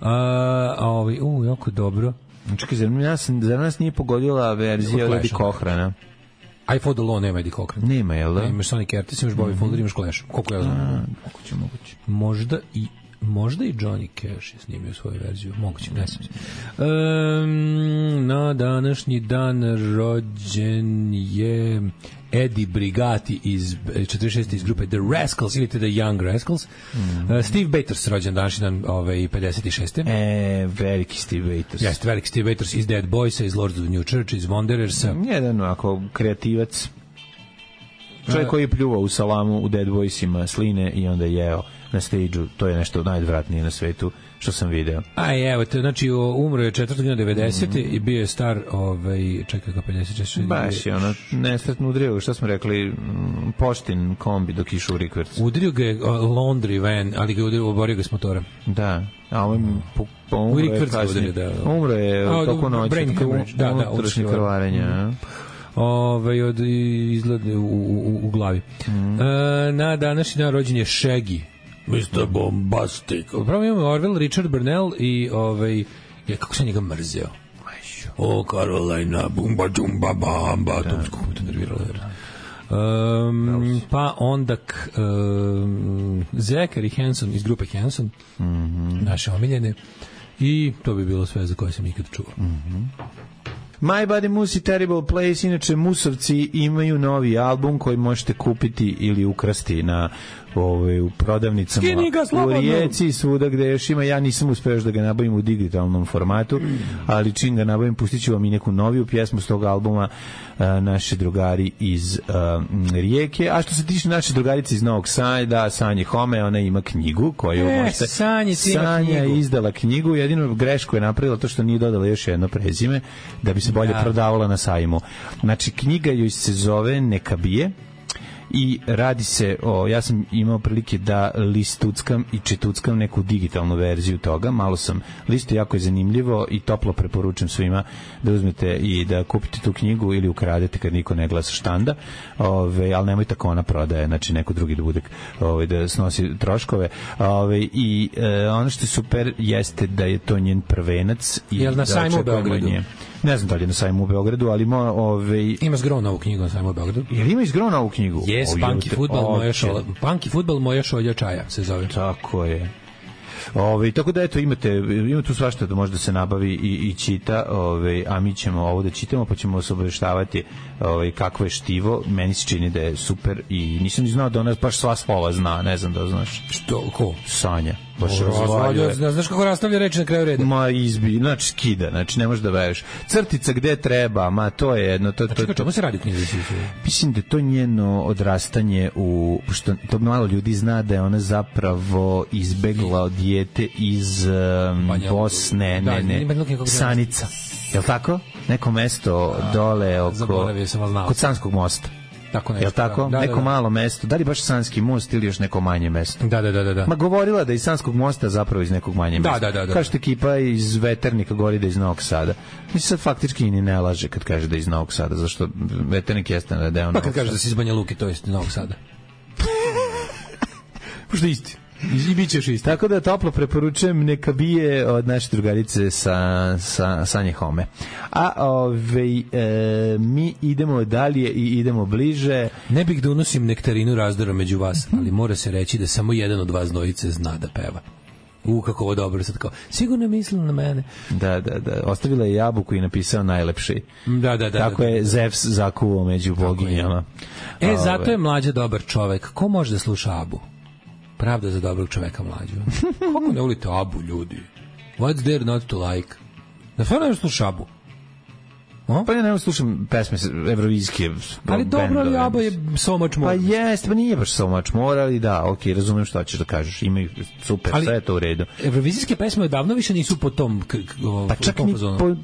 A, a ovi, u, jako dobro. Čekaj, zar nas, zar nas nije pogodila verzija od Eddie Cochrana? iPhone Law nema Eddie Cochran. Nema, jel da? Ne, imaš Sonny Curtis, imaš Bobby mm-hmm. Fuller, imaš Clash. Koliko ja znam? Moguće, moguće. Možda i možda i Johnny Cash je snimio svoju verziju. Moguće, ne znam. Um, na današnji dan rođen je Eddie Brigati iz četrdeset šeste iz grupe The Rascals ili The Young Rascals. Mm-hmm. Uh, Steve Bators rođen današnji dan ovaj, pedeset šeste. E, veliki Steve Bators. Jeste, veliki Steve Bators iz Dead Boysa, iz Lords of the New Church, iz Wanderersa. Jedan ako kreativac. Čovjek koji je pljuvao u salamu u Dead Boysima sline i onda je jeo na stage-u. To je nešto najodvratnije na svetu što sam video. Aj, evo te, znači umro je četvrtog devedesete mm. i bio je star, ovaj, čekaj ga pedeset šest. Baš je ono, nesretno udrio, šta smo rekli, poštin kombi dok išu u rikverc. Udrio ga je uh, laundry van, ali ga udrio, oborio ga s motora. Da, a ovaj po, po umro je kasnije. Da, da. Umro je a, toko noći, da, da, unutrašnje krvarenja. Mm. Ove, od izgleda u, u, u glavi. Mm. E, na današnji dan rođen je Shaggy, mister Bombastic. Pravo imamo Orville, Richard Burnell i ovaj, je, kako sam njega mrzeo. O, Carolina, bumba, džumba, bamba, to kako me to nerviralo. Um, pa onda um, Zachary Hanson iz grupe Hanson, mm-hmm. naše omiljene, i to bi bilo sve za koje sam ikad čuo. Mm-hmm. My Body Moose i Terrible Place, inače Musovci imaju novi album koji možete kupiti ili ukrasti na ovaj, u prodavnicama u Rijeci, svuda gde još ima. Ja nisam uspeo još da ga nabavim u digitalnom formatu, ali čim ga nabavim pustit ću vam i neku noviju pjesmu s tog albuma, a, naše drugari iz a, Rijeke. A što se tiče naše drugarice iz Novog Sada, Sanje Home, ona ima knjigu koju e, možete... Sanje, Sanja je izdala knjigu, jedino grešku je napravila to što nije dodala još jedno prezime da bi se bolje ja. prodavala na sajmu. Znači, knjiga joj se zove Neka bije i radi se o, ja sam imao prilike da listuckam i čituckam neku digitalnu verziju toga, malo sam listo, jako je zanimljivo i toplo preporučujem svima da uzmete i da kupite tu knjigu ili ukradete kad niko ne glasa štanda, ove, ali nemoj tako ona prodaje, znači neko drugi da bude, ove, da snosi troškove, ove, i e, ono što je super jeste da je to njen prvenac i jel na sajmu u Beogradu? Nje. Ne znam da li je na sajmu u Beogradu, ali mo, ove... ima zgron ovu knjigu na sajmu u Beogradu. Jel ima izgron ovu knjigu? Jes, Punky Fudbal moja šolja. Punky Fudbal moja šolja čaja se zove. Tako je. Ove, tako da eto imate, ima tu svašta da može da se nabavi i, i čita, ove, a mi ćemo ovo da čitamo pa ćemo se obaveštavati ove, kakvo je štivo. Meni se čini da je super i nisam ni znao da ona baš sva slova zna, ne znam da znaš. Što, ko? Sanja. Baš razvaljuje. Znaš kako rastavlja reči na kraju reda? Ma izbi, znači skida, znači ne možeš da veš. Crtica gde treba, ma to je jedno. To, to, to, to. Čemu se radi u knjizi? Mislim da to njeno odrastanje u, što to malo ljudi zna da je ona zapravo izbegla dijete iz um, Bosne, da, ne, ne, Sanica. Je li tako? Neko mesto a, dole oko, kod Sanskog mosta. Tako nešto. Jel tako? Da, neko da, da. malo mesto. Da li baš Sanski most ili još neko manje mesto? Da, da, da, da. Ma govorila da iz Sanskog mosta zapravo iz nekog manje mesta. Da, da, da, da. Kažete ekipa iz Veternika govori da iz Novog Sada. Mislim sad faktički ni ne laže kad kaže da iz Novog Sada, zašto Veternik jeste na deo Novog Sada. Pa kad kaže da si iz Banja Luke, to je iz Novog Sada. Pošto isti. I bit ćeš isti. Tako da toplo preporučujem Neka bije od naše drugarice sa, sa Sanje Home. A ove, e, mi idemo dalje i idemo bliže. Ne bih da unosim nektarinu razdora među vas, ali mora se reći da samo jedan od vas dvojice zna da peva. U, kako ovo dobro, sad kao, sigurno je mislila na mene. Da, da, da, ostavila je jabuku i napisao najlepši. Da, da, da. Tako da, da, je Zevs zakuvao među boginjama. E, ove. Zato je Mlađa dobar čovek. Ko može da sluša Abu? Pravda za dobrog čoveka Mlađu. Kako ne volite Abu, ljudi? What's there not to like? Da stvarno ne sluša Abu? O? Pa ja ne slušam pesme evrovizijske. Ali dobro, ali Abu je so much more. Pa jeste, pa nije baš so much more, ali da, ok, razumem šta ćeš da kažeš. Imaju super, ali sve je to u redu. Evrovizijske pesme odavno više nisu po tom k, k, o, pa čak ni po,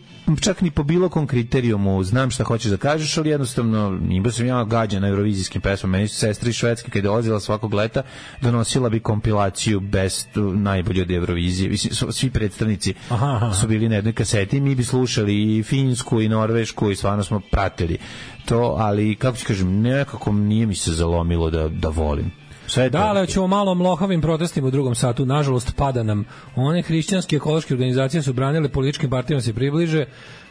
čak ni po bilo kom kriterijumu znam šta hoćeš da kažeš, ali jednostavno imao sam ja gađa na evrovizijskim pesmama. Meni su sestri švedske kad je dolazila svakog leta donosila bi kompilaciju best najbolje od Evrovizije. Svi predstavnici aha, aha. su bili na jednoj kaseti, mi bi slušali i finsku i norvešku i stvarno smo pratili to, ali kako ću kažem, nekako nije mi se zalomilo da, da volim. Sve da, ali ćemo malo o mlohavim protestima u drugom satu. Nažalost, pada nam. One hrišćanske ekološke organizacije su branile političkim partijama se približe,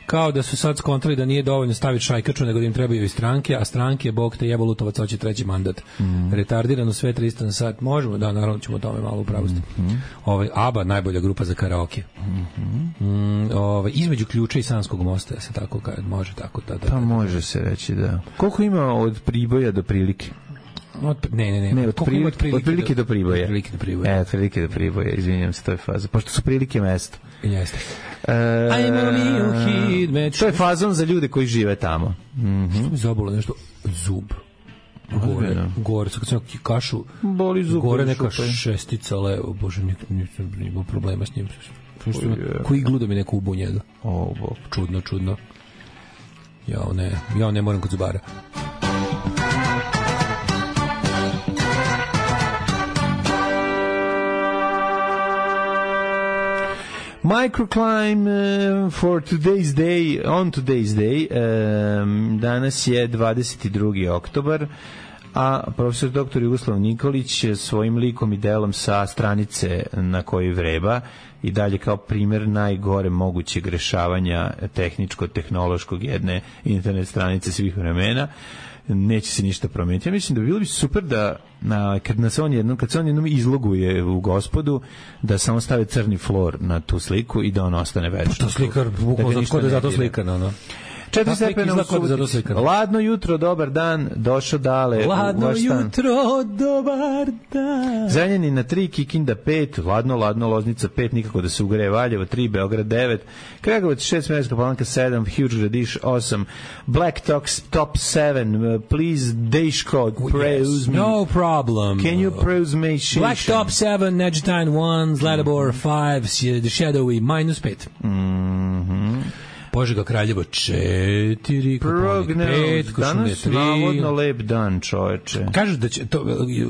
kao da su sad skontrali da nije dovoljno staviti šajkaču, nego da im trebaju i stranke, a stranke, bog te jebo Lutovac, hoće treći mandat. Mm. Retardirano sve tristo na sat. Možemo, da, naravno ćemo o tome malo upravosti. Mm. Ovaj, ABBA, najbolja grupa za karaoke. Mm. Mm, ovaj, između Ključa i Sanskog mosta, da se tako kaže, može tako. Da, da, pa može se reći, da. Koliko ima od Priboja do Prilike? Od, ne, ne, ne. ne od, prilike, od, prilike, od prilike do, do Priboja. Od prilike do Priboja. E, od prilike do Priboja, izvinjam se, to je faza. Pošto su Prilike mesto. Jeste. E, to je fazon za ljude koji žive tamo. Mm-hmm. Što mi zabolo nešto? Zub. Gore, gore, kad sam kašu, boli zub, gore neka šestica levo, bože, nisam imao problema s njim. Koji iglu da mi neko ubu njega. O, bog. Čudno, čudno. Ja ne, ja ne moram kod zubara. Microclimb uh, for today's day, on today's day, um, danas je dvadeset drugi oktobar, a profesor doktor Jugoslav Nikolić svojim likom i delom sa stranice na kojoj vreba i dalje kao primjer najgore mogućeg rešavanja tehničko-tehnološkog jedne internet stranice svih vremena, neće se ništa promijeniti. Ja mislim da bi bilo bi super da na, kad, na se on jednom, kad se on jednom izloguje u Gospodu, da samo stave crni flor na tu sliku i da on ostane večno. To slikar, bukvalno da je zato slikar, no, no. Četiri stepena u subotici. Ladno jutro, dobar dan, došao Dale. Ladno jutro, dobar dan. Zrenjanin na tri, Kikinda pet, ladno, ladno, Loznica pet, nikako da se ugreje, Valjevo tri, Beograd devet, Kragujevac šest, Smederevska Palanka sedam, Huge Gradiš osam, Black Talks top sedam, please Deško, praise me. No problem. Can you praise me? Black Top seven, Neđetajn one, Zlatibor five, The Shadowy minus pet. Mhm. Požega Kraljevo četiri, Koponik pet, Košumlje tri. Danas navodno lep dan, čoveče. Kažu da će, to,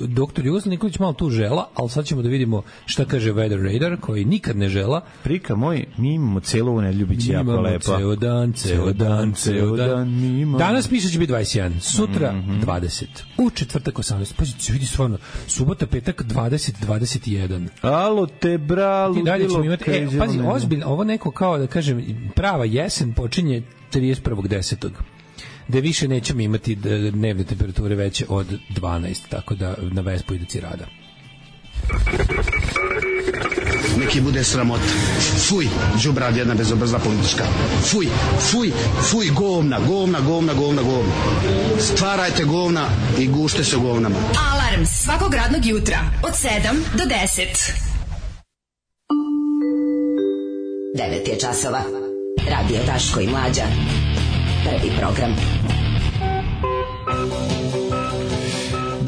doktor Jugoslav Nikolić malo tu žela, ali sad ćemo da vidimo šta kaže Weather Radar, koji nikad ne žela. Prika moj, mi imamo celu ovu nedelju, bit će jako lepa. Ceo dan, ceo dan, ceo dan. Danas piše će biti dvadeset jedan, sutra mm-hmm. dvadeset, u četvrtak osamnaest. Pa se vidi stvarno, subota, petak dvadeset, dvadeset jedan. Alo te bra, ludilo imati, e, pazi, ozbiljno, ovo neko kao da kažem, prava jesen počinje trideset prvog desetog da više nećemo imati dnevne temperature veće od dvanaest, tako da na Vespu ide cirada. Neki bude sramota. Fuj, đubrad jedna bezobrazna politička. Fuj, fuj, fuj, govna, govna, govna, govna, govna. Stvarajte govna i gušte se govnama. Alarm svakog radnog jutra od sedam do deset. devet je časova. Radio Daško i Mlađa. Prvi program.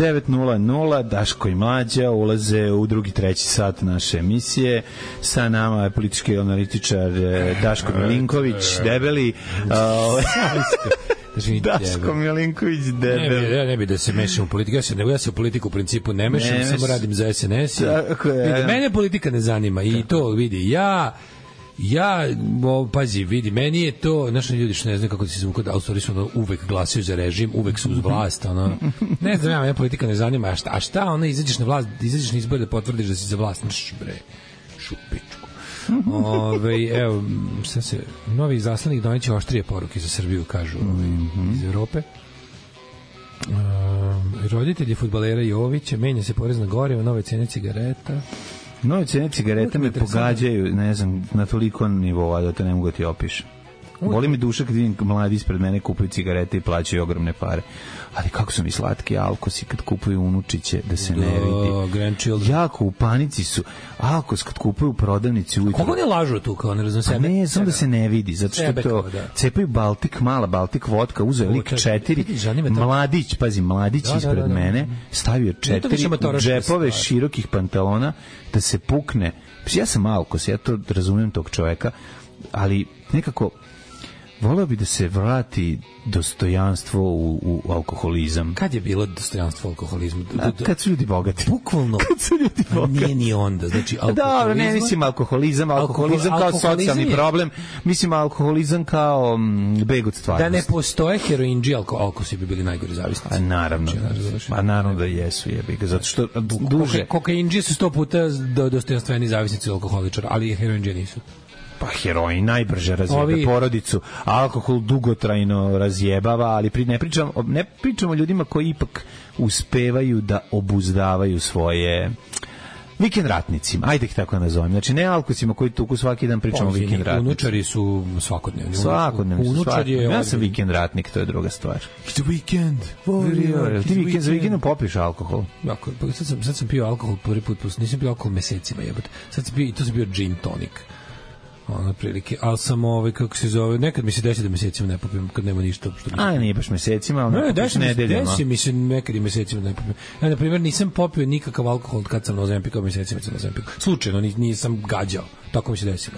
devet nula nula, Daško i Mlađa ulaze u drugi, treći sat naše emisije. Sa nama je politički analitičar Daško Milinković, debeli. Daško Milinković, debeli. Ne bi, ja ne bi da se mešam u politiku. Ja se, ne, ja se u politiku u principu ne mešam, ne samo radim za S N S. Tako je. Vidi, mene politika ne zanima i to vidi. Ja... Ja, o, pazi, vidi, meni je to, naši ljudi što ne znaju kako se zvuku, da autori su ono, uvek glasaju za režim, uvek su uz vlast, ono, ne znam, ja, mene politika ne zanima, a šta, a šta ono, izađeš na vlast, izađeš na izbore da potvrdiš da si za vlast, nš, bre, šupičku. Ove, evo, šta se, novi zaslanik doneće oštrije poruke za Srbiju, kažu ove, iz Evrope. Um, roditelji fudbalera Jovića, menja se porez na gorivo, nove cene cigareta. Nove cene cigareta me pogađaju, ne znam, na toliko nivoa da to ne mogu ti opišem. Boli mi duša kad vidim mladi ispred mene kupuju cigarete i plaćaju ogromne pare. Ali kako su mi slatki alkosi kad kupuju unučiće da se da, ne vidi. Jako u panici su. Alkos kad kupuju u prodavnici ujutro. Kako ne lažu tu kao ne razum sebe? Pa ne, samo da se ne vidi, zato što sebe, to da. Cepaju Baltik, mala Baltik vodka, uzeo lik četiri, mladić, pazi, mladić da, ispred da, da, da. mene, stavio četiri u džepove širokih pantalona da se pukne. Ja sam alkos, ja to razumijem tog čoveka, ali nekako voleo bi da se vrati dostojanstvo u, u alkoholizam. Kad je bilo dostojanstvo u alkoholizmu? A, kad su ljudi bogati. Bukvalno. Kad su ljudi bogati. Nije ni onda. Znači, alkoholizam... Dobro, ne mislim alkoholizam, alkoholizam kao socijalni je... problem. Mislim alkoholizam kao m, beg od stvarnosti. Da ne postoje heroinđi, alko, alkosi bi bili najgori zavisnici. A naravno. Znači, a naravno da jesu, jebi ga. Zato što duže... Kokainđi su sto puta do, dostojanstveni zavisnici alkoholičara, ali heroinđi nisu. Pa heroin najbrže razjebe Ovi... porodicu, alkohol dugotrajno razjebava, ali pri, ne pričamo ne pričamo o ljudima koji ipak uspevaju da obuzdavaju svoje vikend ratnicima, ajde ih tako nazovem. Znači ne alkosima koji tuku svaki dan, pričamo o vikend ratnicima. Unučari su svakodnevni. Svakodnevni su svakodnevni. Ja sam vikend ratnik, to je druga stvar. It's a weekend. Warrior. Ti vikend za vikendom popiš alkohol? Jako, sad sam, sad sam pio alkohol prvi put, nisam pio alkohol mesecima, jebote. Sad sam pio, i to sam bio gin tonic. Ono prilike, ali sam ovaj, kako se zove, nekad mi se desi da mesecima ne popim, kad nema ništa. Što A, nije baš mesecima, ali ne, desi, nedeljama. Desi mi se nekad i mesecima ne popim. Ja, na primjer, nisam popio nikakav alkohol kad sam na Ozempiku, mesecima sam na Ozempiku. Slučajno, nisam gađao. Tako mi se desilo.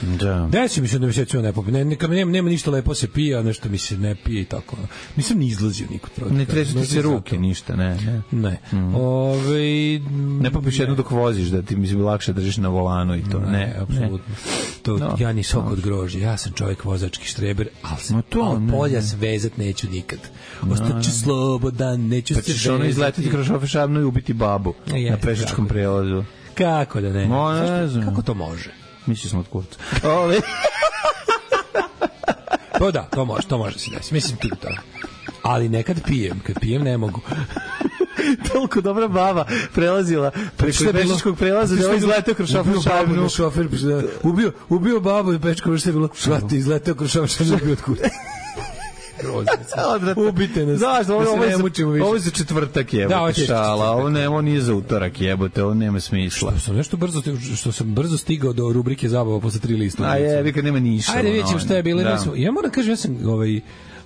Da. Desi mi se da mesecima ne popim. Ne, neka, nema, nema ništa lepo se pije, a nešto mi se ne pije i tako. Nisam ni izlazio nikud. Ne tresu ti se ruke, ništa, ne. Ne. ne. Mm. Ove, ne popiš jednu dok voziš, da ti mi lakše držiš na volanu i to. Ne, ne apsolutno. što no, ja ni sok no. od grožđa, ja sam čovjek vozački štreber, ali, sam, no to, ali ne, polja ne. svezat neću nikad. Ostaću slobodan, neću pa se ćeš ono izletiti kroz šofer šabnu i ubiti babu je, na pešačkom prelazu. Kako da ne? Mo, ne znam. Kako to može? Misli smo od kurca. Ove... Pa da, to može, to može se desiti. Mislim ti to. Ali nekad pijem, kad pijem ne mogu. Toliko dobra baba prelazila preko pešačkog prelaza da je izletao kroz šofer šabnu. Šofer ubio, ubio babu i pešačko što je bilo. Švati, izletao kroz šofer šabnu i ubio od kurca. Ubite nas. Znaš, ovo, ovo, ne ovo, ovo je za četvrtak jebote, da, šala, ovo, ne, ovo nije za utorak jebote, ovo nema smisla. Što sam nešto brzo, što sam brzo stigao do rubrike zabava posle tri lista. A je, vi kad nema niša. Ajde, vidjet ćemo šta je bilo. Da. Ja moram kažem, ja sam ovaj,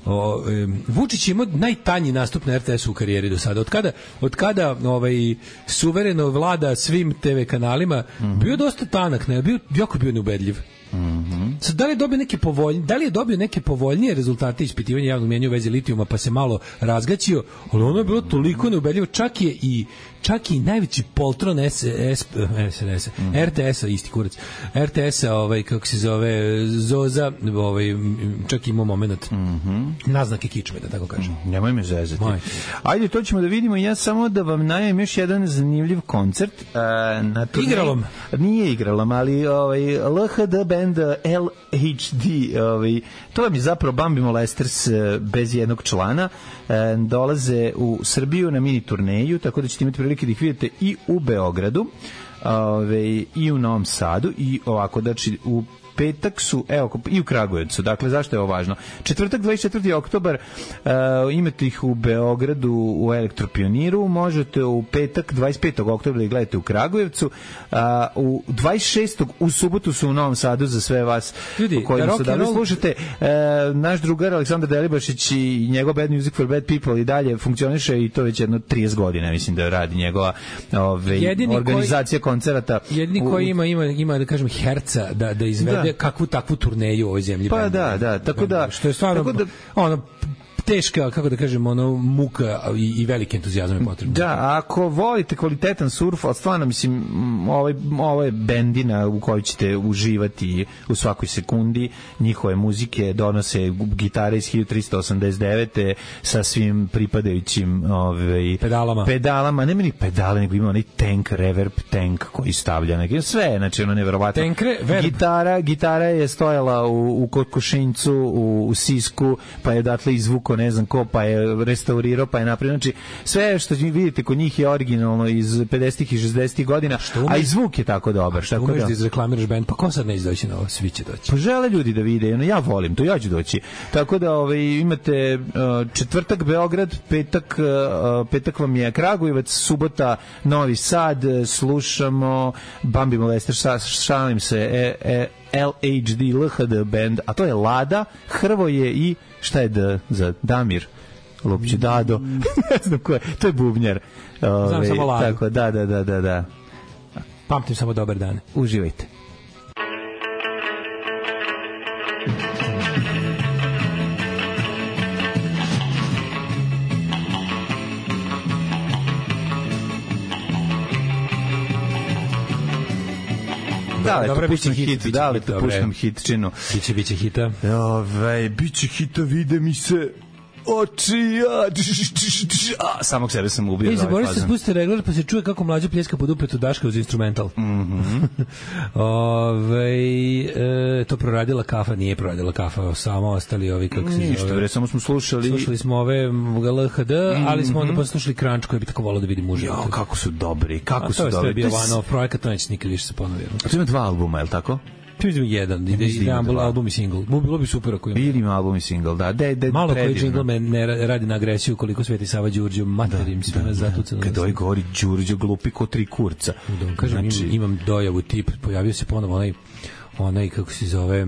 o, um, Vučić imao najtanji nastup na er te esu u karijeri do sada. Od kada, od kada ovaj, suvereno vlada svim te ve kanalima, mm-hmm. bio dosta tanak, ne, bio, jako bio neubedljiv. Mhm. Sad, da li je dobio neke povoljnije, da li je dobio neke povoljnije rezultate ispitivanja javnog mnjenja u vezi litijuma, pa se malo razgaćio, ali ono je bilo toliko neubedljivo, čak je i čak i najveći poltron S, S, S, S, mm. er te esa, isti kurac, er te esa, ovaj, kako se zove, Zoza, ovaj, čak imao moment mm-hmm. naznake kičme, da tako kažem. Mm, nemoj me zezati. Moj. Ajde, to ćemo da vidimo. Ja samo da vam najavim još jedan zanimljiv koncert. Uh, na turnej, igralom? Nije igralom, ali ovaj, el ha de band el hač de, ovaj, to vam je zapravo Bambi Molesters bez jednog člana. Uh, dolaze u Srbiju na mini turneju, tako da ćete imati prilike da ih vidite i u Beogradu, ove, i u Novom Sadu, i ovako, znači u petak su, evo, i u Kragujevcu. Dakle, zašto je ovo važno? Četvrtak, dvadeset četvrti oktobar, uh, imate ih u Beogradu u Elektropioniru, možete u petak, dvadeset petog oktobra da ih gledate u Kragujevcu, uh, u dvadeset šestog u subotu su u Novom Sadu za sve vas ljudi, koji su da li slušate. Uh, naš drugar Aleksandar Delibašić i njegov Bad Music for Bad People i dalje funkcioniše i to već jedno trideset godina, mislim da radi njegova ove, organizacija koji, koncerata. Jedini koji ima, ima, ima, da kažem, herca da, da izvede da. kakvu takvu turneju u ovoj zemlji. Pa da, da, tako da, što je stvarno, tako da, ono, teška, kako da kažem, ono, muka i, i veliki entuzijazam je potrebno. Da, ako volite kvalitetan surf, ali stvarno, mislim, ovaj, ovo je bendina u kojoj ćete uživati u svakoj sekundi, njihove muzike donose gitare iz hiljadu trista osamdeset devete sa svim pripadajućim ovaj, pedalama. Pedalama, nema ni pedale, nego ima onaj tank, reverb tank koji stavlja, neki, sve, znači ono neverovatno. Tank, reverb. Gitara, gitara je stojala u, u Kokošinjcu, u, u Sisku, pa je odatle izvuko ne znam ko, pa je restaurirao, pa je napravio. Znači, sve što vidite kod njih je originalno iz pedesetih i šezdesetih godina, a i zvuk je tako dobar. Što umeš da izreklamiraš bend, pa ko sad ne izdoći na ovo, svi će doći. Pa žele ljudi da vide, ono, ja volim to, ja ću doći. Tako da ovaj, imate uh, četvrtak Beograd, petak, uh, petak vam je Kragujevac, subota Novi Sad, slušamo Bambi Molester, šalim se, e, e, el hač de, el ha de band, a to je Lada, Hrvoje i šta je D za Damir? Lopće Dado. Ne znam ko je. To je bubnjar. Znam Ove, samo Ladu. Tako, da, da, da, da, da. Pamtim samo dobar dan. Uživajte. Da, li to puštam hit, da li to puštam hitčinu. Biće, biće hita. Ove, biće hita, vide mi se oči, a, samog sebe sam ubio. Ej, zaboravite se spustite regler, pa se čuje kako mlađa pljeska pod upetu Daška uz instrumental. Mm-hmm. Ove, e, to proradila kafa, nije proradila kafa, samo ostali ovi, kako se Ništa, zove. Bre, samo smo slušali. Slušali smo ove el ha de, mm-hmm. ali smo onda poslušali Crunch, koji bi tako volao da vidim uživo. Jo, kako su dobri, kako a, su dobri. To je bio one-off projekat, to neće nikad više se ponovio. A to ima dva albuma, je li tako? To je jedan, ide ide album, album i single. Bilo bi super ako ima. Ili ima album i single, da. De, de, malo koji jingle me ne radi na agresiju koliko Sveti Sava Đurđe materim da, sve nas zatucano. Kad ovaj govori Đurđe glupi ko tri kurca. Da, kažem, znači, imam, imam dojavu tip, pojavio se ponovo onaj onaj kako se zove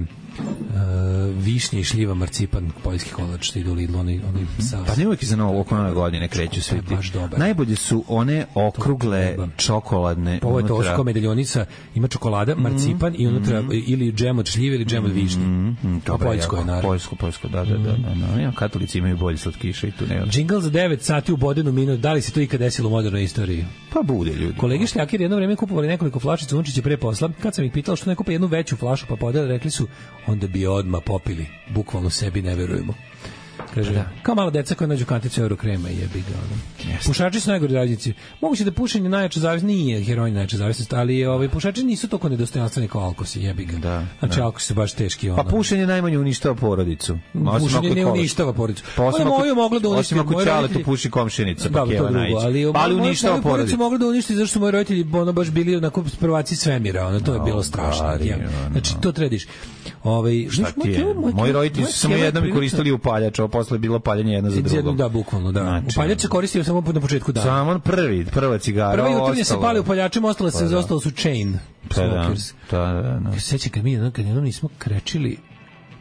višnje i šljiva, marcipan, poljski kolač, što idu u Lidlu, oni, oni sa... Pa ne uvijek za novo, oko nove godine kreću svi ti. Najbolje su one okrugle, čokoladne. Ovo je to osko medaljonica, ima čokolada, marcipan mm, i unutra mm, ili džem od šljive ili džem od višnje. Mm, mm, to poljsko je, naravno. Poljsko, poljsko, da, da, da. da, da. Katolici imaju bolje slatkiše i tu nema. Džingl za devet sati u Bodenu minut, da li se to ikad desilo u modernoj istoriji? Pa bude, ljudi. Kolegi šljakir jedno vreme kupovali nekoliko flašica Unčića pre posla. Kad sam ih pitao što ne kupe jednu veću flašu pa podele, rekli su onda bi odmah popili. Bukvalno sebi ne verujemo. Kaže, da. Kao mala deca koja nađu kanticu Eurokrema i jebi ga. Ono. Pušači su najgori zavisnici. Moguće da pušenje najjača zavisnost nije heroin najjača zavisnost, ali ovaj pušači nisu toliko nedostojanstveni kao alkosi, jebi ga. Da, znači da. Alkosi su baš teški. Ono. Pa pušenje najmanje uništava porodicu. Pušenje ne uništava porodicu. Ono moju moglo da uništi. Osim ako ćale tu puši komšinica, pa keva najći. Ali, ali uništava porodicu. Moglo da uništi zašto su moji roditelji ono baš bili na prvaci svemira. Ono, to je bilo strašno. Znači, to trediš. Ovaj, šta ti je? Moji roditelji su samo jednom koristili upaljač, a posle bilo paljenje jedno za drugo. Da, bukvalno, da. Znači, upaljač se koristio samo na početku dana. Samo prvi, prva cigara. Prva jutarnje se pali upaljačima, ostalo se, pa, ostalo su chain smokers. Da, da, da. Sećam kad mi kad jednom nismo krečili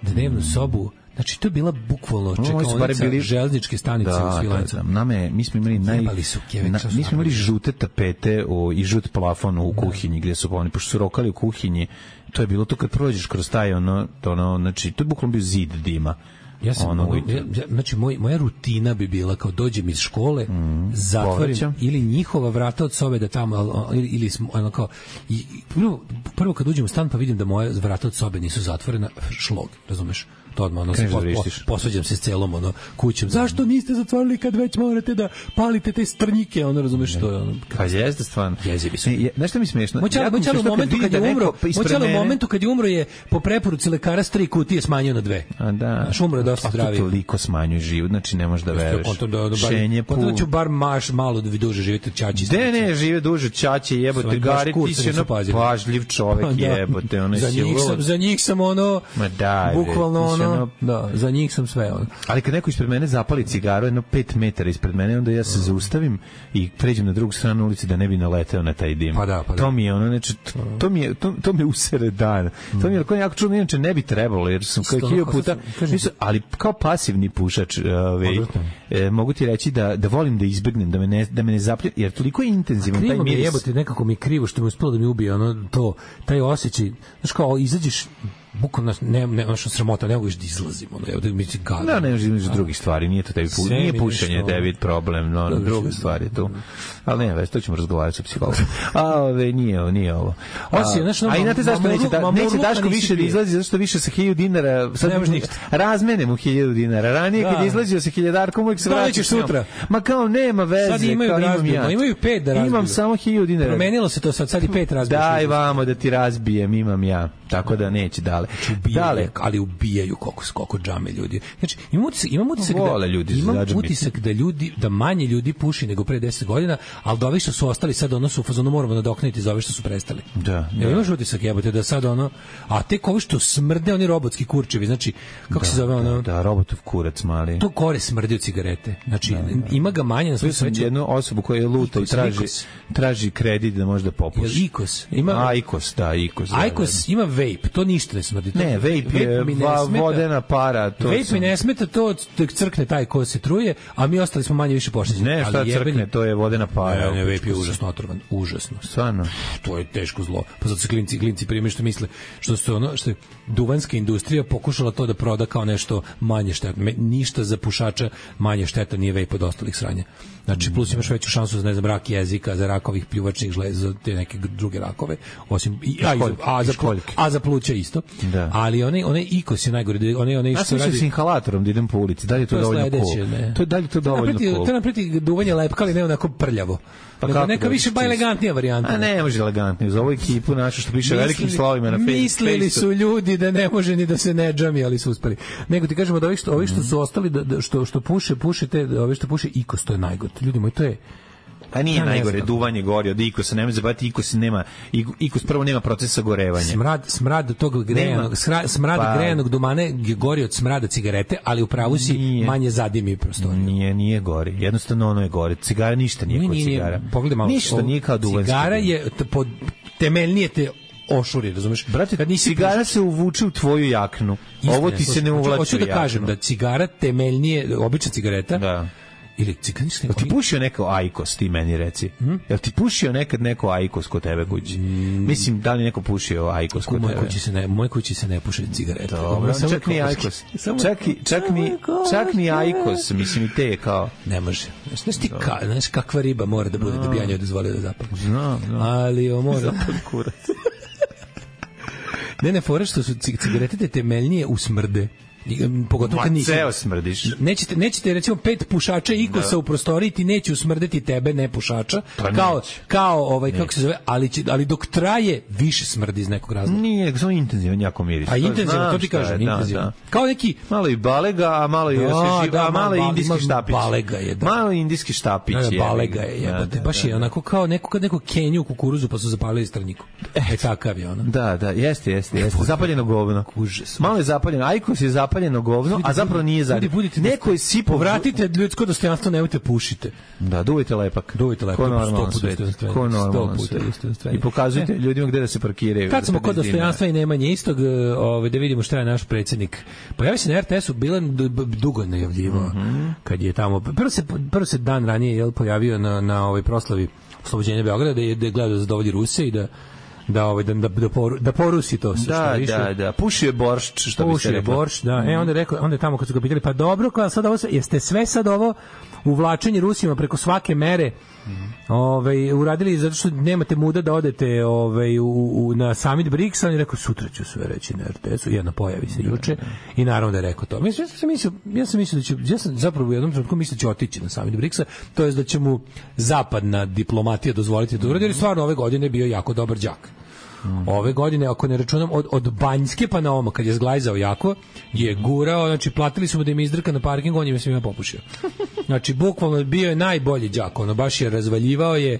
dnevnu sobu. Znači, to je bila bukvalno čekaonica bili... železničke stanice da, u Svilajncu. Da, da. Name, mi smo imali naj... Su kjeve, na, mi smo imali žute tapete o, i žut plafon u kuhinji, gdje su oni, pošto su rokali u kuhinji, to je bilo to kad prođeš kroz taj, ono, to, ono, znači, to je bukvalno bio zid dima. Ja sam, ono, ja, znači, moj, moja rutina bi bila kao dođem iz škole, mm, zatvorim povećam. Ili njihova vrata od sobe da tamo, ili, ili ono kao, i, prvo, prvo kad uđem u stan pa vidim da moje vrata od sobe nisu zatvorena, šlog, razumeš? To odmah, ono, se po, po, posvađam se s celom, ono, kućom. Zašto niste zatvorili kad već morate da palite te strnjike, ono, razumeš, to je, ono... Pa jeste stvarno. Jezivi su. Znaš što mi smiješno? Moj čalo u momentu kad je umro, moj čalo u momentu kad je umro je po preporuci lekara s tri kutije smanjio na dve. A da. Znaš, umro je dosta zdravi. A to toliko smanjuje život, znači ne možeš da veruješ. Šenje, pul. Potom ću bar maš malo da vi duže živite Ćaći. De ne, žive duže Ćaće, jebote, Gari, ti si ono pažljiv čovek, jebote, ono za njih sam, za njih sam ono, bukvalno ono, da, za njih sam sve ono. Ali kad neko ispred mene zapali cigaru jedno pet metara ispred mene, onda ja se zaustavim i pređem na drugu stranu ulice da ne bi naleteo na taj dim. Pa da, pa da. To mi je ono, znači, to mi je, to, to me usere dan. To mi je jako jako čudno, inače ne bi trebalo, jer sam kao hiljadu puta, nisu, ali kao pasivni pušač, ovaj, e, mogu ti reći da da volim da izbegnem, da me ne da me ne zaplje, jer toliko je intenzivan taj miris. Jebote, nekako mi krivo što mi uspelo da mi ubije ono to, taj osjećaj, znači kao izađeš bukvalno ne ne ono što sramota, ne možeš da izlazim, ono evo da mi se gada. Da, ne možeš između drugih stvari, nije to tebi pu, nije pušenje tebi problem, no, no druge stvari tu. Ali ne, već to ćemo razgovarati sa psihologom. A ove nije, nije ovo. Osim, znači, a i znate zašto neće da neće Daško više da izlazi, zato što više sa hiljadu dinara sad ne može ništa. Razmene mu hiljadu dinara. Ranije kad izlazio sa hiljadarkom uvek se vraćaš sutra. Ma kao nema veze, sad imaju razmenu, imaju pet da razbiju. Imam samo hiljadu dinara. Promenilo se to sad, sad i pet razbiju. Daj vamo da ti razbijem, imam ja. Tako da neće dale. Dale, ali ubijaju koliko koliko džame ljudi. Znači, imam utisak, imam utisak da ljudi imam utisak da ljudi da manje ljudi puši nego pre deset godina, al da ovi što su ostali sad ono su u fazonu moramo nadoknaditi za ove što su prestali. Da. Ja imaš utisak jebote da sad ono, a tek ovi što smrde oni robotski kurčevi, znači kako da, se zove ono? Da, da, robotov kurac mali. To kore smrdi od cigarete. Znači, da, da. Ima ga manje na svom svetu. Jednu osobu koja je luta i traži Ikos. traži kredit da može da popuši. Jel Ikos? Ima A, Ikos, da, Ikos. Da, Ikos ima vape, to ništa ne smrdi. To, ne, vape je va, vodena para. To vape sam... mi ne smeta, to crkne taj ko se truje, a mi ostali smo manje više pošteđeni. Ne, šta crkne, jebeni... to je vodena para. Ne, ne, vape je užasno otrovan, užasno. Stvarno. To je teško zlo. Pa zato se klinci, klinci prime što misle, što su ono, što je duvanska industrija pokušala to da proda kao nešto manje štetno. Ništa za pušača manje šteta nije vape od ostalih sranja. Znači, plus imaš veću šansu za, ne znam, rak jezika, za rakovih pljuvačnih žleza, za te neke druge rakove, osim, i, a, školjke, a, za, a za pluća isto. Da. Ali one, one Ikos je najgore, one, one što radi... Ja sam s inhalatorom da idem po ulici, da li je to, to dovoljno cool? To je, da li to dovoljno cool? To je napreti duvanje lepka, ali ne onako prljavo. Pa nego neka više ba elegantnija varijanta. A ne može elegantnije. Za ovu ekipu našu što piše velikim slovima na Facebooku. Mislili su ljudi da ne može ni da se ne džami, ali su uspeli. Nego ti kažemo da ovi što, ovi što su ostali, da, da, što, što puše, pušite, ovi što puše Ikos, to je najgore. Ljudi moji, to je... Pa nije ja najgore, duvanje gori od Ikosa, nemoj zabaviti, Ikos nema, Ikos prvo nema procesa gorevanja. Smrad, smrad tog grejanog, smrad pa, grejanog dumane je gori od smrada cigarete, ali u pravu si nije, manje zadimi prostoriju. Nije, nije gori, jednostavno ono je gori. Cigara ništa nije, nije kod cigara. Pogledaj malo. Ništa nije kao duvanski. Cigara je, pod, temeljnije te ošuri, razumeš? Brate, kad nisi cigara pušač, se uvuče u tvoju jaknu. Istina, ovo ti se ne uvlači. Hoću da jaknu. kažem da cigara temeljnije, obična cigareta, da. Ili cigarnički. Jel ti pušio neko Aikos, ti meni reci? Hmm? Jel ti pušio nekad neko Aikos kod tebe kući? Mm. Mislim, da li neko pušio Aikos kod tebe? Kući se ne, moj kući se ne puše cigarete. Dobro, čak ni Aikos. Čak, i, čak, ni, čak ni Aikos, mislim i te kao... Ne može. Znaš ti ka, znaš kakva riba mora da bude da bi ja njoj dozvolio da zapali. No, no. Ali o mora... Zapali kurac. Ne, ne, fore što su cigarete te temeljnije u smrde. Pogotovo kad nisi. Ceo smrdiš. Nećete, nećete recimo pet pušača Ikosa da. u prostoriji ti neće usmrdeti tebe, ne pušača. Pa kao, kao ovaj, neće. Kako se zove, ali, će, ali dok traje, više smrdi iz nekog razloga. Nije, samo intenzivan, jako miris. A intenzivan, to ti kažem, je, intenzivan. Da, da. Kao neki... Malo i balega, a malo i, da, da, a malo da, indijski štapić. Balega je, da. Malo indijski štapić. Da, je. Balega je, jebote. Baš da, da, je onako kao neko, kad neko kenju u kukuruzu pa su zapalili straniku. E, takav je ono. Da, da, jeste, jeste, jeste. Zapaljeno govno. Malo je zapaljeno. Aikos je zapaljeno govno, a zapravo nije za. Neko je sipao. Vratite ljudsko dostojanstvo, nemojte pušite. Da, duvajte lepak. Duvajte lepak. Ko normalno svet. Ko normalno svet. I pokazujte e. ljudima gde da se parkiraju. Kad smo kod dostojanstva i nemanje istog, ovaj da vidimo šta je naš predsjednik. Pojavio se na er te esu, bila dugo najavljivao. Mm -hmm. Kad je tamo prvo se prvo se dan ranije je pojavio na na ovoj proslavi oslobođenja Beograda da je, da je gledao da zadovolji Ruse i da da ovaj da da poru, da porusi to sve da, što više. Da, da, pušio je boršč, što bi se reklo. Pušio je boršč, da. Mm. E onda je rekao, onda je tamo kad su ga pitali, pa dobro, kao sad ovo, jeste sve sad ovo uvlačenje Rusima preko svake mere mm. ovaj, uradili zato što nemate muda da odete ovaj, u, u, na summit briksa, on je rekao, sutra ću sve reći na er te esu, jedna pojavi se juče i naravno da je rekao to. Mislim, ja sam mislio, ja sam mislio da će, ja sam zapravo u jednom trenutku mislio da će otići na summit briksa, to je da će mu zapadna diplomatija dozvoliti da uradi, jer stvarno ove godine bio jako dobar đak. Ove godine, ako ne računam, od, od Banjske pa na Oma, kad je zglajzao jako, je gurao, znači platili su mu da im izdrka na parkingu, on im je svima popušio. Znači, bukvalno bio je najbolji đak, ono, baš je razvaljivao je,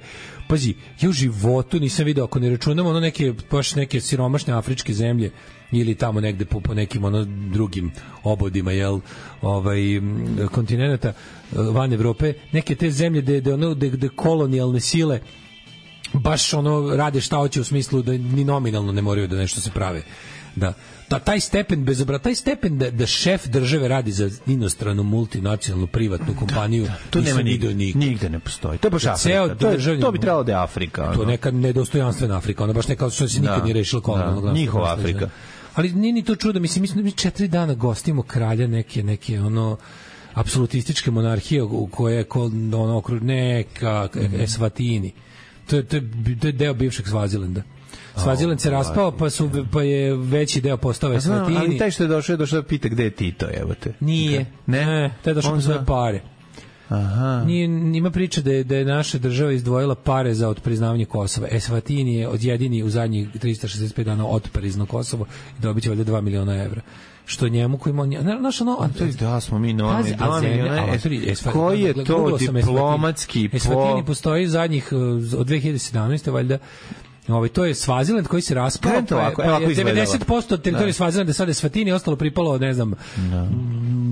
pazi, ja u životu nisam video, ako ne računam, ono neke, baš neke siromašne afričke zemlje, ili tamo negde po, po nekim ono drugim obodima, jel, ovaj, kontinenta van Evrope, neke te zemlje gde, gde, ono, gde, gde kolonijalne sile baš ono rade šta hoće u smislu da ni nominalno ne moraju da nešto se prave. Da, da taj stepen bezobra, taj stepen da, da šef države radi za inostranu multinacionalnu privatnu kompaniju, da, da, to nema nigde, nigde ne postoji. To je baš Afrika. To, je, to bi trebalo da je Afrika. To je neka nedostojanstvena Afrika, ona baš neka što se nikad da, nije rešila kolonijalnog. Da, njihova Afrika. Ali nije ni to čudo, mislim, mi četiri dana gostimo kralja neke, neke ono apsolutističke monarhije u koje je ono okruž neka mm-hmm. Eswatini. To je, to, je, to je deo bivšeg Svazilenda. Svaziland se raspao, pa, su, pa je veći deo postao Eswatini. Ali taj što je došao, je došao da pita gde je Tito, evo te. Nije. Ne? ne taj je došao po svoje pare. Aha. Nije, ima priča da je, da je naša država izdvojila pare za otpriznavanje Kosova. Eswatini je od jedini u zadnjih trista šezdeset pet dana otprizno Kosovo i dobit će valjda dva miliona evra. Što njemu koji ima naš ono a to je da smo mi novi dva miliona koji je to diplomatski po Eswatini postoji zadnjih od dve hiljade sedamnaeste valjda. Ovaj to je Svaziland koji se raspao, pa, ovako, pa, ovako devedeset posto teritorije Svazilanda sada je Eswatini, ostalo pripalo, ne znam, no.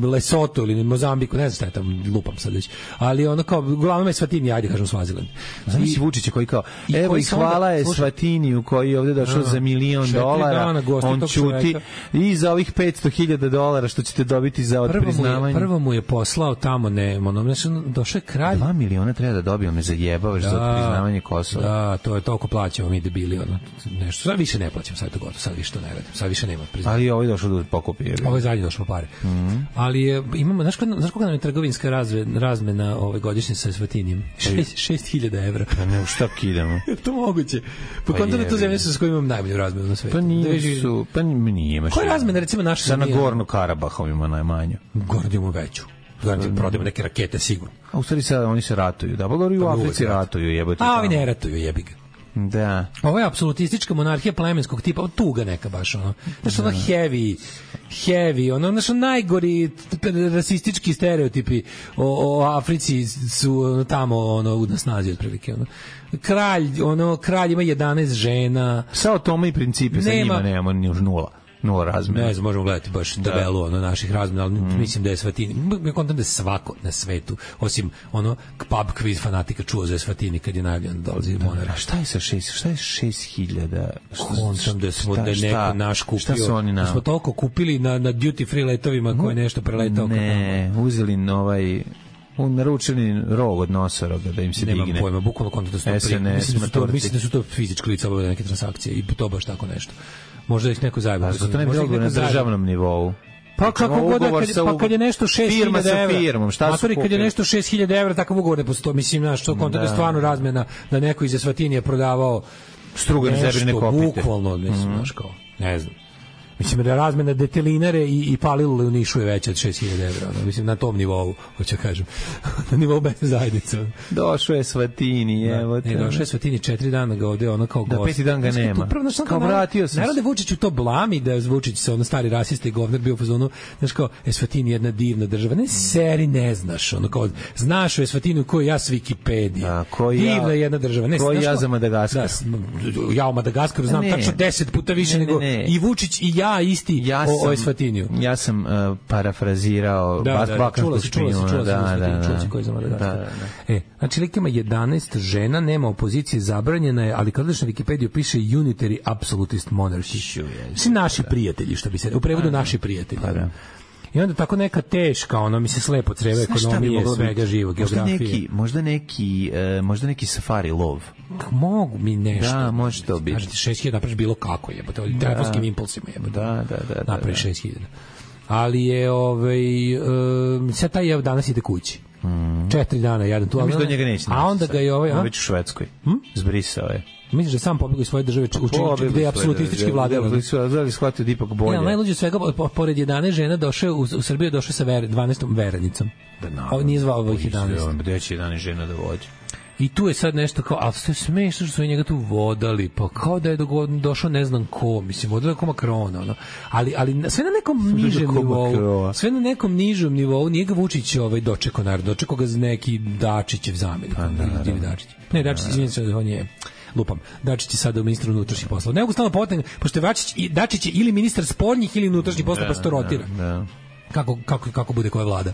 Lesoto ili Mozambiku, ne znam šta je tamo, lupam sad već. Ali ono kao, uglavnom je Eswatini, ajde kažem Svaziland. Zamisli Vučića koji kao, i evo i hvala je Eswatiniju koji je ovdje došao za milion dolara, on ćuti i za ovih petsto hiljada dolara što ćete dobiti za otpriznavanje. Prvo mu je poslao tamo, ne, ono, znači, došao je kralj. dva miliona treba da dobio, me zajebavaš da, za otpriznavanje Kosova. Da, to je toliko plaćamo mi debili, ono, nešto. Sad više ne plaćam, sad je to gotovo, sad više to ne radim, sad više nema priznanja. Ali ovo je došao da pokupi. Ovo je zadnje došlo pare. Mm -hmm. Ali je, imamo, znaš, znaš koga nam je trgovinska razve, razmena ove godišnje sa Eswatinijem? šest hiljada evra. Pa ne, u šta kidamo? Je to moguće? Po pa kontu da to zemlje sa s kojim imam najbolju razmenu na svetu. Pa nisu, pa nije imaš. Koja je razmena, recimo, naša? Sa Nagorno Karabahom ima najmanju. Gornju imamo veću. Znači, prodajemo neke rakete, sigurno. A u stvari sad oni se ratuju. Da, pa u Africi ratuju, jebote. A ovi ne ratuju, jebi ga. Da. Ovo je apsolutistička monarhija plemenskog tipa, tuga neka baš, ono. Znaš, ono heavy, heavy, ono, znaš, najgori rasistički stereotipi o, o Africi su tamo, ono, u snazi otprilike, ono. Kralj, ono, kralj ima jedanaest žena. Sao tome i principe, sa njima nemamo ni už nula. nula razmena. Ne znam, možemo gledati baš tabelu ono naših razmena, ali mm. mislim da je Eswatini, ja kontam da je svako na svetu, osim ono pub quiz fanatika čuo za Eswatini kad je najavljeno da dolazi Monar. A šta je sa šest, šta je šest hiljada? Kontam da smo šta, da je neko naš kupio. Šta su oni na... Da smo toliko kupili na, na duty free letovima koje nešto preletao. Ne, uzeli ovaj... naručeni rog od nosoroga da im se Nemam digne. Nemam pojma, bukvalno konto da su to prije. Mislim da su to, mislim da su to fizički lica obavljaju neke transakcije i to baš tako nešto. Možda ih neko zajebao. A to ne bi bilo na državnom nivou. Pa kako god, kad, pa kad je nešto šest hiljada evra. Firmom, šta su kad je nešto šest hiljada evra, takav ugovor ne postoji. Mislim, znaš, to konto da je stvarno razmena da neko iz Eswatinija prodavao strugane zebrine kopite. Bukvalno, mislim, znaš kao, ne znam. Mislim da je razmena detelinare i, i palilule u Nišu je veća od šest hiljada evra. Ono. Mislim, na tom nivou, hoću kažem. Na nivou mesne zajednice. Došao je Eswatini, evo te. Ne, došao je Eswatini, četiri dana ga ovde, ono kao gost. Da, peti dan ga nema. Prvo, znaš, kao vratio sam. Naravno da Vučić u to blami, da je Vučić se ono stari rasista i govnar bio u fazonu, znaš kao, Eswatini je jedna divna država. Ne, seri ne znaš, ono kao, znaš o Eswatini koju ja s Wikipedije. Da, koji divna ja, jedna država. Ne, koji znaš, ja za Madagaskar. Da, ja o Madagaskaru znam tačno deset puta više ne, nego ne, ne. i Vučić i ja isti ja o, o Eswatiniju. Ja sam uh, parafrazirao da, da, čula si, čula si, čula si, da, da, da, čula si koji za Madagaskar. Da, da, da. E, znači, lik ima jedanaest žena, nema opozicije, zabranjena je, ali kad odeš na Wikipediju piše unitary absolutist monarchy. Svi naši prijatelji, što bi se, u prevodu naši prijatelji. Pa da. I onda tako neka teška, ono mi se slepo creva ekonomije, svega živog, geografije. Možda neki, možda neki, uh, možda neki safari lov. Mogu mi nešto. Da, može to biti. Znači, šest hiljada napraviš bilo kako jebote, ovim telefonskim impulsima jebote. Da, da, da. Napraviš šest hiljada. Ali je, ovaj, um, sad taj je danas ide kući. Mm. Četiri dana jadan tu. Ja mislim da njega neće. A onda ga je ovaj... On već u Švedskoj. Hm? Zbrisao je. Misliš da sam pobegao iz svoje države učiniti gde je apsolutistički vladar? Da li shvatio da ipak bolje? Ja, najluđe svega, pored jedanaest žena došao u, u Srbiju, došao sa ver, dvanaestom verenicom. Ovo nije zvao ovih jedanaest. Gde će jedanaest žena da vođe? I tu je sad nešto kao, ali sve smešno što su njega tu vodali, pa kao da je došao ne znam ko, mislim, vodali ko Makrona, ono. Ali, ali sve na nekom nižem nivou, sve na nekom nižem nivou, nije ga Vučić ovaj, dočekao, naravno, dočekao ga neki Dačićev zamjenik. Pa, da, da, Dačić. Ne, Dačić, izvinite se, on je... lupam. Dačić je sada u ministru unutrašnjih poslova. Ne mogu stalno potegnuti, pošto je Dačić, Dačić je ili ministar spoljnih ili unutrašnjih poslova, pa se to rotira. Kako, kako, kako bude koja vlada.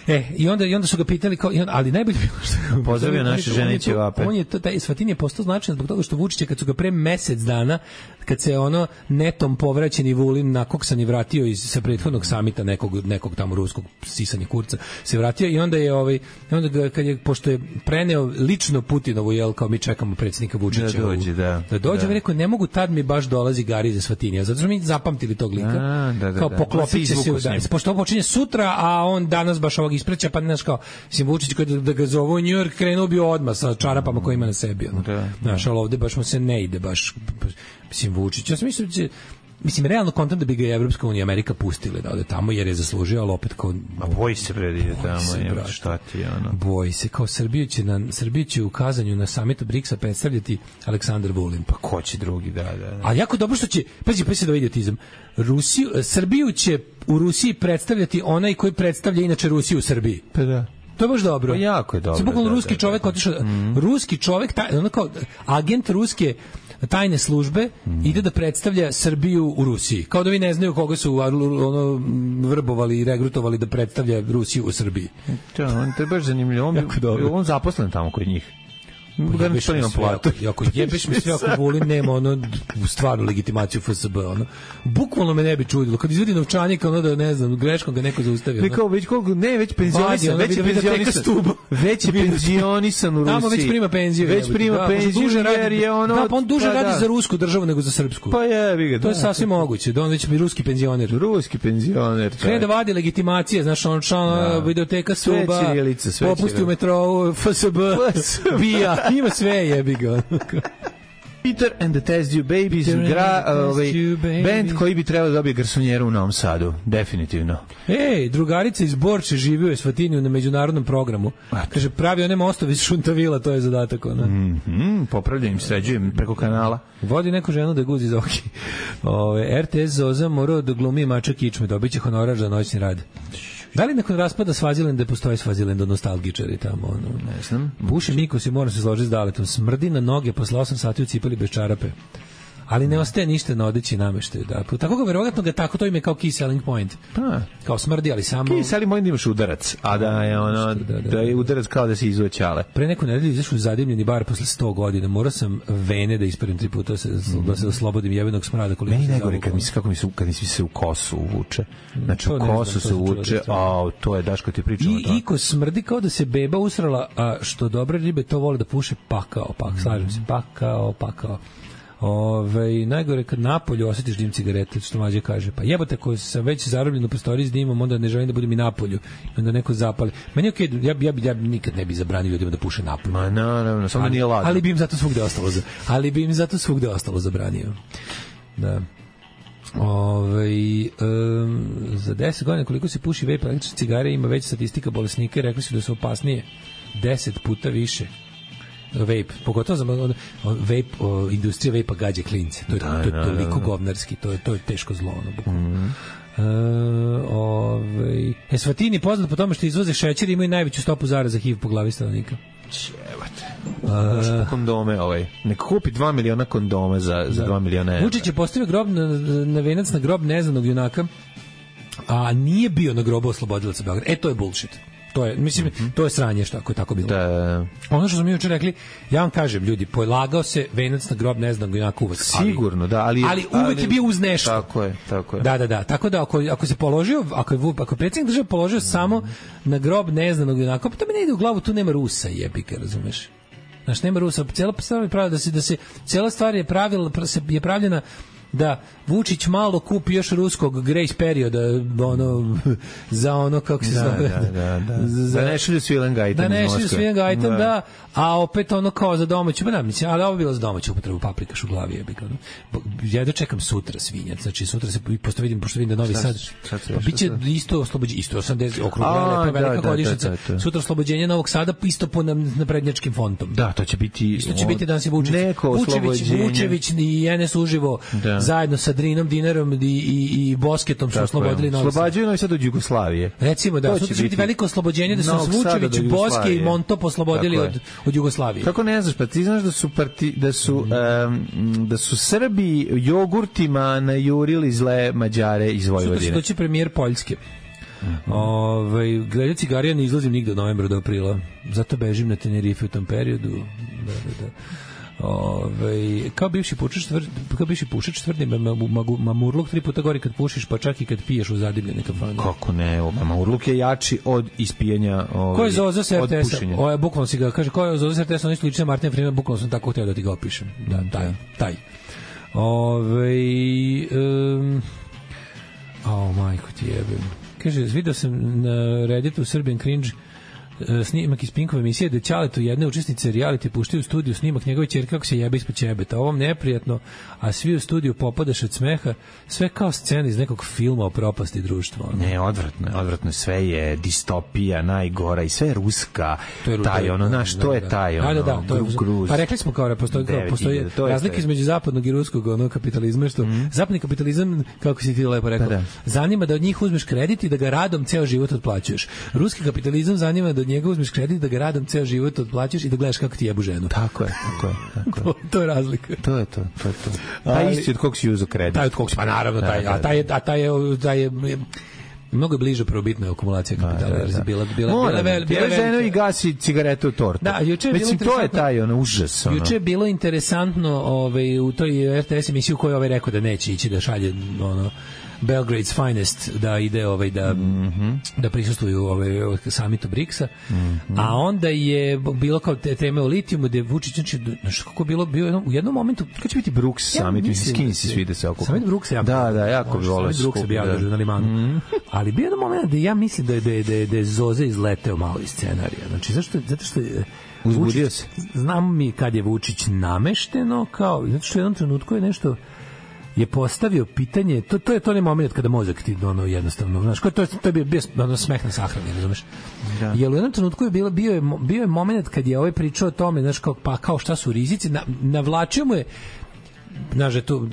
E, i onda, i onda su ga pitali, kao, ali najbolje bilo što... Pozdravio naše žene ćevape. On je, to, taj Eswatin je postao značajan zbog toga što Vučić, kad su ga pre mesec dana, kad se ono netom povraćeni Vulin nakoksani vratio iz sa prethodnog samita nekog, nekog tamo ruskog sisanja kurca, se vratio i onda je, ovaj, onda ga, kad je, pošto je preneo lično Putinovu, jel, kao mi čekamo predsjednika Vučića. Da dođe, da. Da dođe, da. Rekao, ne mogu, tad mi baš dolazi Gari iz Eswatinija, zato što mi zapamtili tog lika. A, da, da, kao da. poklopit će se, da, pošto ovo počinje sutra, a on danas baš ovog ispreća, pa ne znaš kao, mislim, Vučić koji da, da ga zovu u New York, krenuo bi odmah sa čarapama koje ima na sebi. Ono. Da, znaš, ali ovde baš mu se ne ide, baš, mislim, Vučić. Ja sam mislim, da će, mislim, realno kontam da bi ga Evropska unija Amerika pustile da ode tamo, jer je zaslužio, ali opet kao... A boji se predide tamo, je, šta ti, ono? Boji se, kao Srbiju će, na, Srbiju će u kazanju na samitu briksa predstavljati Aleksandar Vulin. Pa ko će drugi, da, da. da. Ali jako dobro što će, pazi, pazi da idiotizam, Rusiju, Srbiju će u Rusiji predstavljati onaj koji predstavlja inače Rusiju u Srbiji. Pa da. To je baš dobro. Pa jako je dobro. Sve bukvalno da, ruski da, čovjek da, otišao, mm. ruski čovjek, taj, ono kao agent ruske tajne službe mm. ide da predstavlja Srbiju u Rusiji. Kao da vi ne znaju koga su ono vrbovali i regrutovali da predstavlja Rusiju u Srbiji. To, on to je baš zanimljivo. On, on zaposlen tamo kod njih. Jebeš mi sve, ako, ako jebeš mi sve, ako Vulin nema ono stvarnu legitimaciju F S B, ono. Bukvalno me ne bi čudilo. Kad izvodi novčanik, ono da, ne znam, greškom ga neko zaustavio. Ne, kao, već koliko, ne, već penzionisan, već je penzionisan, već je penzionisan u Rusiji. Tamo već prima penziju. Već prima da, penziju, jer je ono... Da, pa on duže pa, radi da. za rusku državu nego za srpsku. Pa jebi ga, da. To je sasvim moguće, da on već bi ruski penzioner. Ruski penzioner. Krene da vadi legitimacije, znaš, on član videoteka Suba, popusti u metrou, F S B, bija, ima sve je. Peter and the Test You Babies gra, ovaj, band koji bi trebao da dobije garsonjeru u Novom Sadu, definitivno. Ej, drugarica iz Borče živi u Eswatiniju na međunarodnom programu. Kaže, pravi one mostovi iz Šuntavila, to je zadatak. Ona. Mm -hmm, popravljam, sređujem preko kanala. Vodi neku ženu da guzi za oki. Ove, R T S Zoza morao da glumi mača kičme, dobit će honorar za noćni rad. Da li nakon raspada Svazilenda postoji Svazilenda nostalgičari tamo? Ono? Ne znam. Buši Miko se mora se složiti s Daletom. Smrdi na noge posle osam sati u cipeli bez čarape. ali ne ostaje ništa na odeći nameštaju. Da. Tako ga verovatno ga tako to ime kao key selling point. Pa, kao smrdi, ali samo key selling point imaš udarac, a da je ono da, da, da, da je udarac kao da se izuje ćale. Pre neku nedelju izašao zadimljeni bar posle sto godina. Morao sam vene da isperim tri puta se mm. da se oslobodim jebenog smrada koliko meni najgore kad mi se kako mi se kad mi se u kosu uvuče. Znači u kosu se uvuče, a to je Daško ti pričamo I iko smrdi kao da se beba usrala, a što dobre ribe to vole da puše pakao, pak, slažem se, pakao, pakao. Ove, najgore kad napolju osjetiš dim cigarete, što Mađe kaže, pa jebote, ko sam već zarobljen u prostoriji s dimom, onda ne želim da budem i napolju, onda neko zapali. Meni je okay, ja, ja, ja nikad ne bi zabranio ljudima da puše napolju. Ma naravno, samo nije ladno. Ali bi im zato svugde ostalo, za, ali bi im zato svugde ostalo zabranio. Da. Ove, um, za deset godina koliko se puši vape električne cigare ima veća statistika bolesnika i rekli su da su opasnije deset puta više vape, pogotovo za vape, o, industrija vape-a gađe klince, to je, da, to je toliko da, govnarski, to je, to je teško zlo ono, bukvalno. Mm. E, ove, Esvatini poznat po tome što izvoze šećer i imaju najveću stopu zaraza H I V po glavi stanovnika. Čevate. Uh, kondome ovaj. Nek kupi dva miliona kondome za, za dva miliona evra. Vučić je postavio grob na, na venac na grob neznanog junaka, a nije bio na grobu oslobodilaca Beograda. E, to je bullshit. To je, mislim, mm-hmm. to je sranje što ako je tako bilo. Da. Ono što smo mi juče rekli, ja vam kažem, ljudi, polagao se venac na grob neznanog junaka uvek. Sigurno, da, ali ali uvek ali, je bio uz nešto. Tako je, tako je. Da, da, da. Tako da ako ako se položio, ako je ako predsjednik države položio mm-hmm. samo na grob neznanog junaka, pa to mi ne ide u glavu, tu nema Rusa, jebika, razumeš? Znaš, nema Rusa, cela stvar je pravila da se da se cela stvar je pravila je pravljena da Vučić malo kupi još ruskog grace perioda ono, za ono kako se da, zove da, da, da. Za, da ne šilju svilen gajtem da ne šilju svilen gajtem, da. da a opet ono kao za domaću, pa da, mislim, ali ovo bilo za domaću upotrebu, paprikaš u glavi je bika, no. Ja da čekam sutra svinjac, znači sutra se posto vidim, pošto vidim da Novi Sad pa biće isto oslobođenje, isto osamdeset okrugla, lepa velika godišnjica, sutra oslobođenje Novog Sada isto po naprednjačkim fontom. Da, to će biti isto će biti danas je Vučić, Vučević, Vučević i N S uživo da. Zajedno sa Drinom Dinarom i, i, i Bosketom su oslobodili Novi Sad. Oslobađaju Novi Sad od Jugoslavije. Recimo da, sutra će biti veliko oslobođenje da su Vučević, Boske i Monto oslobodili od, od Jugoslavije. Kako ne znaš, pa ti znaš da su, parti, da su, um, da su Srbi jogurtima najurili zle Mađare iz Vojvodine. Sutra će doći premijer Poljske. Mm-hmm. Ove, gleda cigarija ne izlazim nigde od novembra do aprila. Zato bežim na Tenerife u tom periodu. Da, da, da. Ove, kao bivši pušač tvrdi, kao bivši pušač tvrdi mamurluk tri puta gori kad pušiš, pa čak i kad piješ u zadimljene kafane. Kako ne, mamurluk je jači od ispijanja, ovaj, ko je Zoza sa R T S-a? O, je bukvalno si ga kaže, ko je Zoza sa R T S-a? Oni su lične Martina Freeman, bukvalno sam tako htio da ti ga opišem. Da, taj, taj. Ove, um, oh, majko ti jebem. Kaže, vidio sam na Redditu Serbian Cringe snimak iz Pinkove emisije da Ćaletu jedne učesnice reality puštaju u studiju snimak njegove ćerke kako se jebe ispod ćebeta. Ovom neprijatno, a svi u studiju popadaš od smeha, sve kao scena iz nekog filma o propasti društva. Ne, odvratno je, odvratno, sve je distopija, najgora i sve je ruska, to je, taj ono, znaš, to je taj ono, da, da, to je, gruz. Pa rekli smo kao da postoji, kao, postoji razlika između zapadnog i ruskog ono, kapitalizma, što mm. zapadni kapitalizam, kako si ti lepo rekao, da, da. zanima da od njih uzmeš kredit i da ga radom ceo život otplaćuješ. Ruski kapitalizam zanima da od njega uzmeš kredit, da ga radom ceo život otplaćaš i da gledaš kako ti jebu ženu. Tako je, tako je. Tako je. to, to je razlika. To je to, to je to. Taj isti od kog si uzeo kredit. Taj od kog si, pa naravno, taj, a taj je, a taj je, taj je mnogo bliže prvobitna akumulacija kapitala. Da, da, da. Bila, bila, Mora, bila, bila, bila ženo i gasi cigaretu u tortu. Da, juče je Mislim, to je taj ono, užas. Ono. Juče je bilo interesantno ovaj, u toj R T S emisiji u kojoj ovaj rekao da neće ići da šalje ono, Belgrade's Finest da ide ovaj da mm-hmm. da prisustvuju ovaj samitu briksa, mm-hmm. a onda je bilo kao te teme o litijumu gde Vučić znači znači kako bilo bio jednom, u jednom momentu kad će biti Bruks samit, ja, skin si svi da se okupa. Samit Bruksa, ja. Da, da, jako bi voleo. Samit Bruksa bi ja držao na limanu. Mm-hmm. Ali bio jedan moment da ja mislim da je da je da je Zoze izleteo malo iz scenarija. Znači zašto zato što uzbudio se. Znam mi kad je Vučić namešteno kao zato što u jednom trenutku je nešto je postavio pitanje, to to je to onaj momenat kada mozak ti ono jednostavno, znaš, to to to je bio, bio ono smeh na sahrani, razumeš? Da. Jel u jednom trenutku je bilo bio je bio je momenat kad je ovaj pričao o tome, znaš, kao pa kao šta su rizici, na, navlačio mu je znaš, to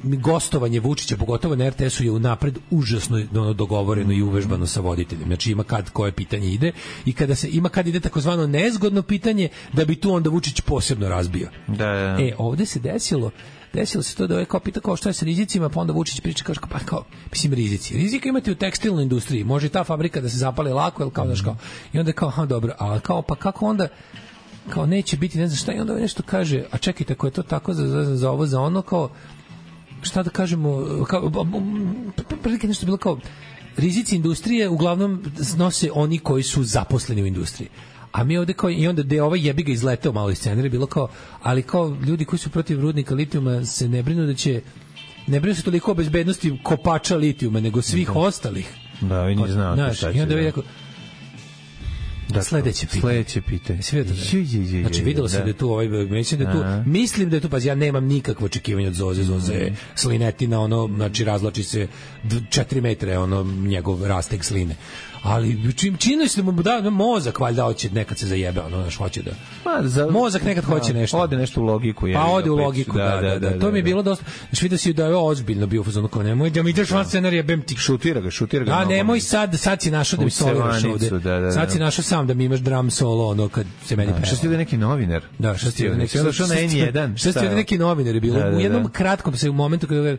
gostovanje Vučića, pogotovo na R T S-u je unapred užasno ono, dogovoreno i uvežbano sa voditeljem. Znači ima kad koje pitanje ide i kada se ima kad ide takozvano nezgodno pitanje da bi tu onda Vučić posebno razbio. Da, da. E, ovde se desilo desilo se to da ovaj kao pita kao šta je sa rizicima, pa onda Vučić priča kao, pa kao, mislim rizici. Rizika imate u tekstilnoj industriji, može ta fabrika da se zapali lako, ili kao, znaš kao, i onda kao, ha, dobro, a kao, pa kako onda, kao neće biti, ne znam šta, i onda nešto kaže, a čekajte, ako je to tako za, za, za ovo, za ono, kao, šta da kažemo, kao, prilike nešto bilo kao, rizici industrije uglavnom snose oni koji su zaposleni u industriji. A mi ovde kao, i onda da je ovaj jebi ga izleteo malo iz scenarija, bilo kao, ali kao ljudi koji su protiv rudnika litijuma se ne brinu da će, ne brinu se toliko o bezbednosti kopača litijuma, nego svih da. ostalih. Da, vi ne znate šta će. I onda je rekao, da, sledeće pitanje. Sledeće pitanje. Znači, videlo se da je tu, ovaj, mislim da je tu, mislim da je tu, pa ja nemam nikakvo očekivanje od Zoze, Zoze mm. slinetina, ono, znači, razlači se četiri metre, ono, njegov rastek sline. Ali čim čini se mu da mozak valjda hoće nekad se zajebe, ono naš hoće da. Pa za mozak nekad hoće nešto. Ode nešto u logiku, je. Pa ode u logiku, da, da, da. To mi je bilo dosta. Znači vidio si da je ozbiljno bio fazon kao nemoj da mi ideš van scenarij bem ti šutira ga, šutira ga. A nemoj sad, sad si našao da mi soliraš ovde. Sad si našao sam da mi imaš drum solo, ono kad se meni peva. Šta si da neki novinar? Da, šta si da neki došao na N jedan. Šta si da neki novinar je bilo u jednom kratkom se u momentu kada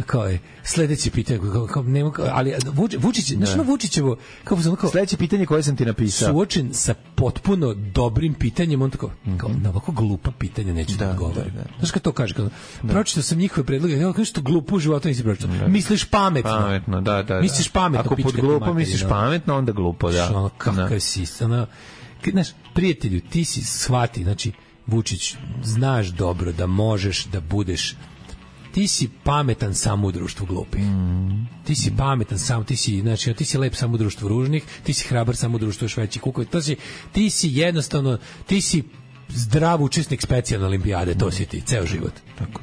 kao je sledeće pitanje kao nema, ali Vučić, znači Vučićevo kao fazon kao sledeće pitanje koje sam ti napisao. Suočen sa potpuno dobrim pitanjem, on tako, kao, na ovako glupa pitanja neću da, da odgovorim. Da, da. Znaš kad to kaže? Kao, da. Pročitao sam njihove predloge, ja kažem što glupo u životu nisi pročitao. Da. Misliš pametno. Pametno, da, da. Misliš pametno. Ako pod glupo materiju, misliš no. pametno, onda glupo, da. Ono, kakav da. si, ono, znaš, prijatelju, ti si shvati, znači, Vučić, znaš dobro da možeš da budeš ti si pametan samo u društvu glupih. Mm. Ti si pametan samo, ti si, znači, ti si lep samo u društvu ružnih, ti si hrabar samo u društvu još veći kukovi. To si, ti si jednostavno, ti si zdrav učesnik specijalne olimpijade, to si ti, ceo život. Tako.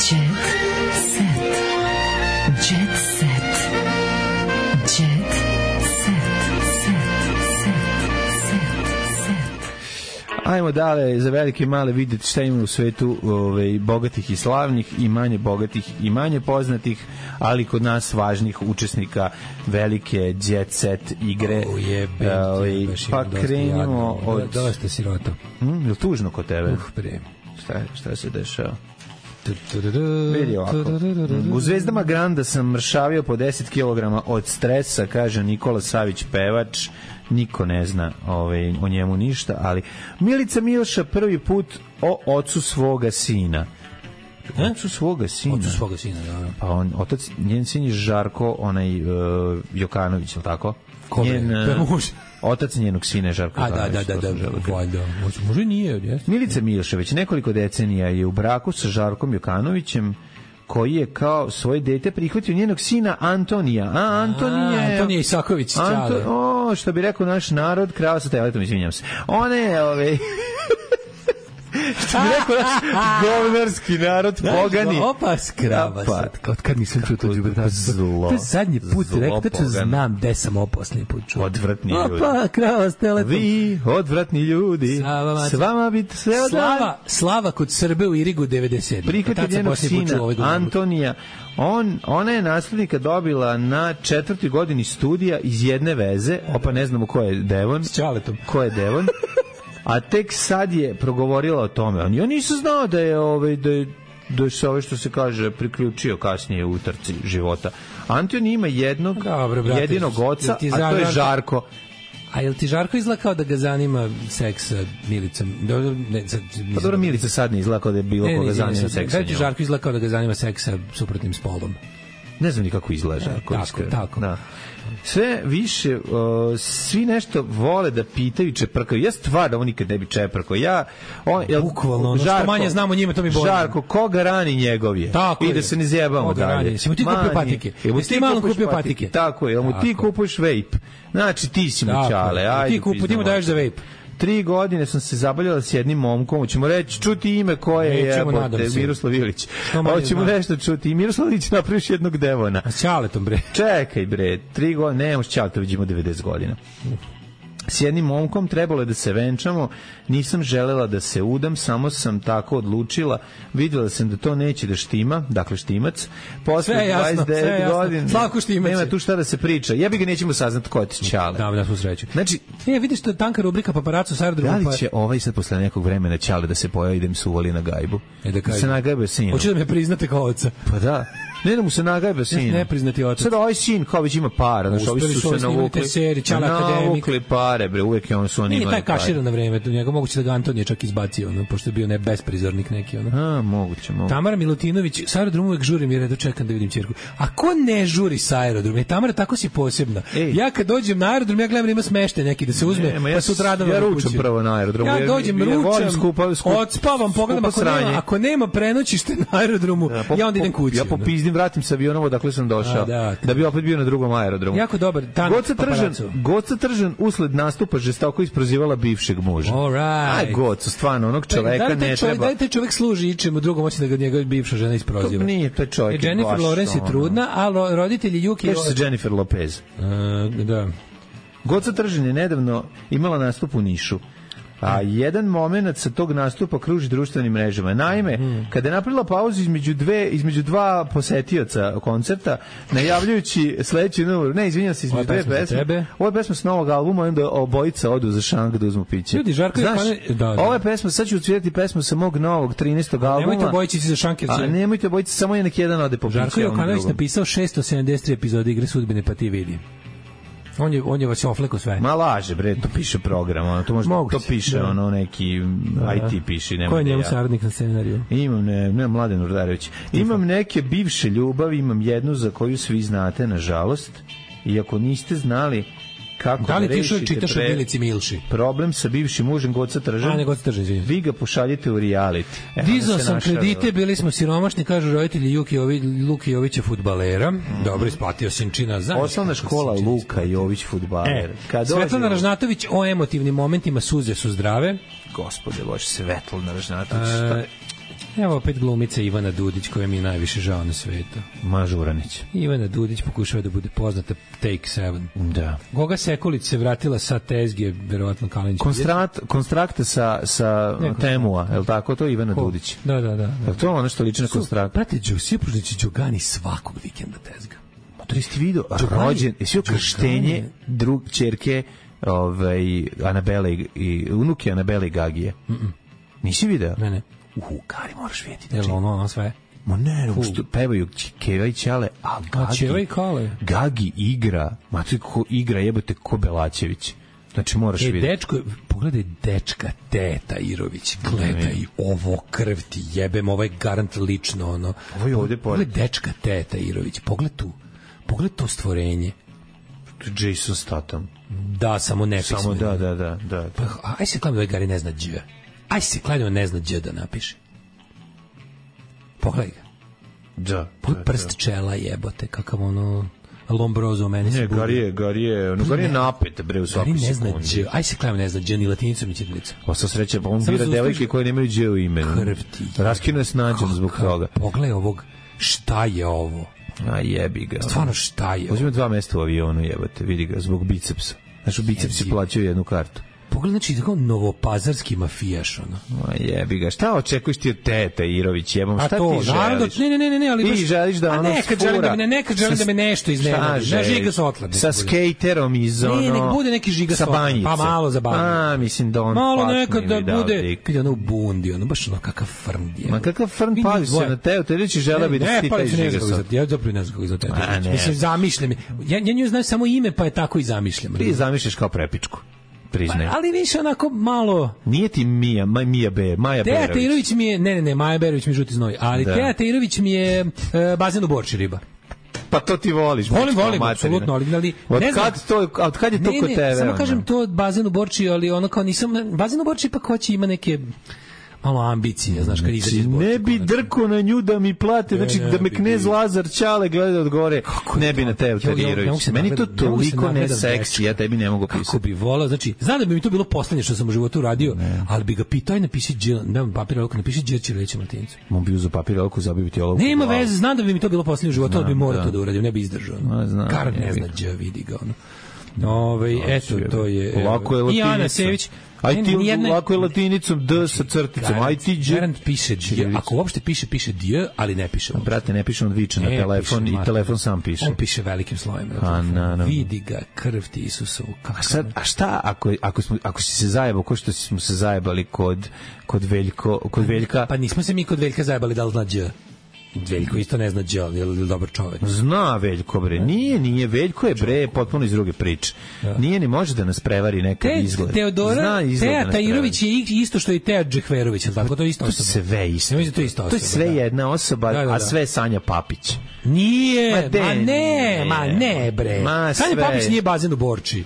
Jet set. Jet set. Jet Ajmo dalje za velike i male vidjeti šta ima u svetu ove, bogatih i slavnih i manje bogatih i manje poznatih, ali kod nas važnih učesnika velike jet set igre. O jebe, ove, pa krenimo od... Dosta sirota. Hmm, je li tužno kod tebe? Uf, pre. Šta, šta se dešava? Vidi ovako. U Zvezdama Granda sam mršavio po deset kilograma od stresa, kaže Nikola Savić, pevač. Niko ne zna ovaj, o njemu ništa, ali Milica Milša prvi put o ocu svoga sina. E? Ocu svoga sina. Ocu svoga sina, da. Pa on, otac, njen sin je Žarko, onaj uh, Jokanović, je li tako? Kome? Njen, uh, otac njenog sina je Žarko Jokanović. A, da, da, da, da, valjda. Može nije, jes? Milica Milša već nekoliko decenija je u braku sa Žarkom Jokanovićem, koji je kao svoje dete prihvatio njenog sina Antonija. A, Antonija je... Antonija Isaković, Anto, o, što bi rekao naš narod, krava sa teletom, izvinjam se. One je, ove... što bi rekao naš govnarski narod, pogani. Opa, skrava sad. Od kad nisam čuo to džubre. Zlo. To je zadnji put, rekao, to znam gde sam ovo posljednji put čuo. Odvratni ljudi. Opa, krava s teletom. Vi, odvratni ljudi. S vama biti sve odvratni. Slava, slava kod Srbe u Irigu devedeset sedam. Prihvatio njenog sina, Antonija. On, ona je naslednika dobila na četvrtoj godini studija iz jedne veze. Opa, ne znamo ko je Devon. S Čaletom. Ko je Devon. A tek sad je progovorila o tome. On ja nisam znao da je ovaj da je da se ove što se kaže priključio kasnije u trci života. Anton ima jednog Dobre, brate, jedinog oca, a to je Žarko. A jel ti Žarko izgleda kao da ga zanima seks sa Milicom? Ne, sad, pa dobro, Milica sad ne izgleda kao da je bilo ne, koga ne, zanima seks sa njom. Da Žarko izgleda kao da ga zanima seks sa suprotnim spolom. Ne znam ni kako izgleda Žarko. E, tako, tako. Da. Sve više, uh, svi nešto vole da pitaju, čeprkaju. Ja stvarno, on nikad ne bi čeprkao. Ja, on, jel, bukvalno, ono što manje znamo njime, to mi bolje. Žarko, koga rani njegov je? Tako I da se ne zjebamo dalje. Si mu ti kupio patike? Jesi ti malo kupio patike? Tako je, jel mu ti kupuješ vape? Znači, ti si mu čale. Ajde, ti kupu, ti mu daješ za vape. Tri godine sam se zabavljala s jednim momkom, ćemo reći, čuti ime koje je jebote, Miroslav Ilić. Hoćemo nešto čuti. I Miroslav Ilić napraviš jednog Devona. A s Ćaletom, bre. Čekaj, bre, tri godine, ne, možeš Ćaleta, vidimo devedeset godina. s jednim momkom, trebalo je da se venčamo, nisam želela da se udam, samo sam tako odlučila, videla sam da to neće da štima, dakle štimac, posle dvadeset devet godina, Slavko Štimac, nema tu šta da se priča, jebi ga nećemo saznati ko ti Ćale. Da, da smo sreću. Znači, e, vidiš to je tanka rubrika paparaco sa aerodroma. Da li će ovaj sad posle nekog vremena Ćale da se pojavi da im se uvali na gajbu? E da kaže. Se nagajbe sinu. Hoće da me priznate kao oca. Pa da. Ne da mu se nagajbe sin. Ne priznati otac. Sad ovaj sin kao već ima para, znači ovi su se navukli. Seriji, Ćale akademik. Navukli pare, bre, uvek je on su oni imali. Nije taj kaširan na vreme, tu njega moguće da ga Antonije čak izbacio, ono, pošto je bio ne besprizornik neki, ono. A, moguće, moguće. Tamara Milutinović, sa aerodroma uvek žurim jer redu čekam da vidim ćerku. A ko ne žuri sa aerodroma? Tamara, tako si posebna. Ej. Ja kad dođem na aerodrom, ja gledam da ima smeštaj neki da se uzme, ne, pa sutradan ja ručam prvo na aerodromu. Ja dođem, ja, ručam, skupa, skupa, odspavam, pogledam ako nema, ako nema prenoćište na aerodromu, da, po, ja onda idem kući. Ja popizdim, vratim se avionom odakle sam došao. A, da, da bi opet bio na drugom aerodromu. Jako dobar. Goca Tržan, Goca Tržan usled nastupa žestoko isprozivala bivšeg muža. Right. Aj, Goca, stvarno, onog čoveka da ne treba. Da li taj čovek služi ičemu drugom, hoće da ga njega bivša žena isproziva? To nije, taj čovjek je Jennifer Lawrence je trudna, a roditelji Juki... Kaže se Jennifer Lopez. Uh, da. Goca Tržan je nedavno imala nastup u Nišu. A jedan moment sa tog nastupa kruži društvenim mrežama. Naime, mm. kada je napravila pauzu između dve između dva posetioca koncerta, najavljujući sledeći numor, ne, izvinjavam se, između dve pesme. Ovo je pesma s novog albuma, onda obojica odu za šank da uzmu piće. Ljudi, Žarko, znaš, pane... da, da. Ovo je pesma, sad ću odsvirati pesmu sa mog novog trinaestog albuma. Nemojte obojici za šank. Jer... A nemojte obojici, samo je neki jedan ode po piće. Žarko Jokanović napisao šesto sedamdeset tri epizode Igre sudbine, pa ti vidi. On je, on je vas ofleko sve. Ma laže, bre, to piše program, ono, to, može, to piše, da. Ono, neki da. I T piše. Ko je njemu ja. Saradnik na scenariju? Imam, ne, ne, Mladen Urdarević. Imam neke bivše ljubavi, imam jednu za koju svi znate, nažalost, i ako niste znali kako da li da ti što čitaš pre... o Milici Milši? Problem sa bivšim mužem Goca Tržan. A ne Goca Tržan, izvinite. Vi ga pošaljite u reality. Dizao sam kredite, bili smo siromašni, kažu roditelji Juki Jović, Luka Jovića fudbalera. Mm. Dobro, isplatio sinčina. Osnovna škola Luka Jović fudbaler. E, Svetlana Ražnatović o emotivnim momentima, suze su zdrave. Gospode Bože, Svetlana Ražnatović. E, evo opet glumica Ivana Dudić, koja mi je najviše žao na svetu. Mažuranić. Ivana Dudić pokušava da bude poznata Take Seven. Da. Goga Sekulić se vratila sa tezge, verovatno Kalinić. Konstrat, konstrakte sa, sa Temua, je li tako? To je Ivana Ko? Dudić. Da, da, da. da. Je to ono što liči na konstrakt? Prate, Sipružnić Đogani svakog vikenda tezga. Ma to jesi vidio? Rođen, jesi joj krštenje drug čerke ovaj, Anabele i, i unuke Anabele i Gagije? Mm -mm. Nisi video? Ne, ne. Uhu, Kari, moraš vidjeti. Znači, jel ono, ono sve? Ma ne, no, što pevaju Keva i Ćale, a Gagi, a i Kale. Gagi igra, mati ko igra, jebate ko Belačević. Znači, moraš e, vidjeti. Dečko, pogledaj dečka Teta Irović, gledaj ovo krv ti jebem, ovaj garant lično, ono. Ovo je ovde pored. Pogledaj dečka Teta Irović, pogledaj tu, pogledaj to stvorenje. Jason Statham. Da, samo nepismeno. Samo da, da, da. da. Pa, aj se kladimo, ovaj Gari ne zna dž. Aj se kladimo, ne zna dž da napiše. Pogledaj ga. Da. Pogledaj prst da. Čela jebote, kakav ono Lombrozo meni se. Ne, Gari je, Gari je, ono Gari je napet bre u svakoj sekundi. Gari ne zna dž. Aj se kladimo, ne zna dž ni latinicom ni ćirilicom. Pa sa sreće, pa on bira devojke koje nemaju dž u imenu. Krv ti. Raskino je s nađom zbog toga. Pogledaj ovog, šta je ovo? A jebi ga. Stvarno šta je? Uzmi dva mesta u avionu, jebote, vidi ga, zbog bicepsa. Znači, bicepsi plaćaju jednu kartu. Pogledaj, znači, tako novopazarski mafijaš, ono. Ma jebi ga, šta očekuješ ti od Tete Irović, jebom, šta to, ti želiš? Ne, ne, ne, ne, ali ti baš... želiš da ono nekad želim da me, nekad želim da me nešto iznenadi. Na žiga s otladne. Sa skejterom iz ono... Ne, nek bude neki žiga s otladne. Pa malo zabavno. A, mislim da on... Malo nekad da bude... Kad je ono u bundi, ono, baš ono kakav frn je. Ma kakav frn pali se na teo, te reći žela bi da ti taj žiga s otladne. Ja zapravo ne znam kako izgleda Tete. Mislim, zamišljam. Ja nju znam samo ime, pa je tako i zamišljam. Ti zamišljaš kao prepičku. Priznajem. Ali više onako malo... Nije ti Mija, Maj, Mija Be, Maja Berović. Teja Teirović mi je... Ne, ne, ne, Maja Berović mi je žuti znoj. Ali da. Teja Teirović mi je e, bazen u Borči riba. Pa to ti voliš. Volim, volim, apsolutno. Ali, ali, od, ne kad to, od kad je to ne, kod ne, tebe? Samo ono? kažem to bazen u Borči, ali ono kao nisam... Bazen u Borči ipak hoće ima neke... malo ambicije, znaš, kad izađe iz Borča. Ne bi drko na nju da mi plate, znači da me knez Lazar Ćale gleda od gore, ne bi na Teju Tadirović. Meni to toliko ne seksi, ja tebi ne mogu pisati. Kako bi volao, znači, znam da bi mi to bilo poslednje što sam u životu uradio, ali bi ga pitao i napiši Đel, dam papir olovku, napiši Đel Ćirilića Martincu. Mo bi uzeo papir olovku, zabio ti olovku. Nema veze, znam da bi mi to bilo poslednje u životu, ali bi morao to da uradio, ne bi izdržao. Kar ne zna Đ, vidi ga ono. Ove, eto, to je... Lako je latinica. I Ana Sević. Aj ti nijedna... lako je latinicom D sa crticom. Aj ti dž... Garant piše dj. Ako uopšte piše, piše dj, ali ne piše. Brate, ne piše on viče na telefon i telefon sam piše. On piše velikim slojem. A, na, na. Vidi ga, krv ti Isusovu. A, sad, a šta ako, ako, smo, ako si se zajebao, ko što smo se zajebali kod, kod, Veljko, kod Veljka? Pa nismo se mi kod Veljka zajebali da li zna dj. Veljko isto ne zna dj, je li dobar čovek? Zna Veljko, bre. Nije, nije. Veljko je, bre, potpuno iz druge priče. Ja. Nije ni može da nas prevari nekad Te, izgled. Teodora, Teja Tajirović je isto što i Teja Džehverović, tako to je isto osoba. To sve isto. To je isto osoba. To je sve jedna osoba, da, da, da. A sve Sanja Papić. Nije, ma, de, ma ne, ma ne, bre. Ma Sanja Papić nije bazen u Borči.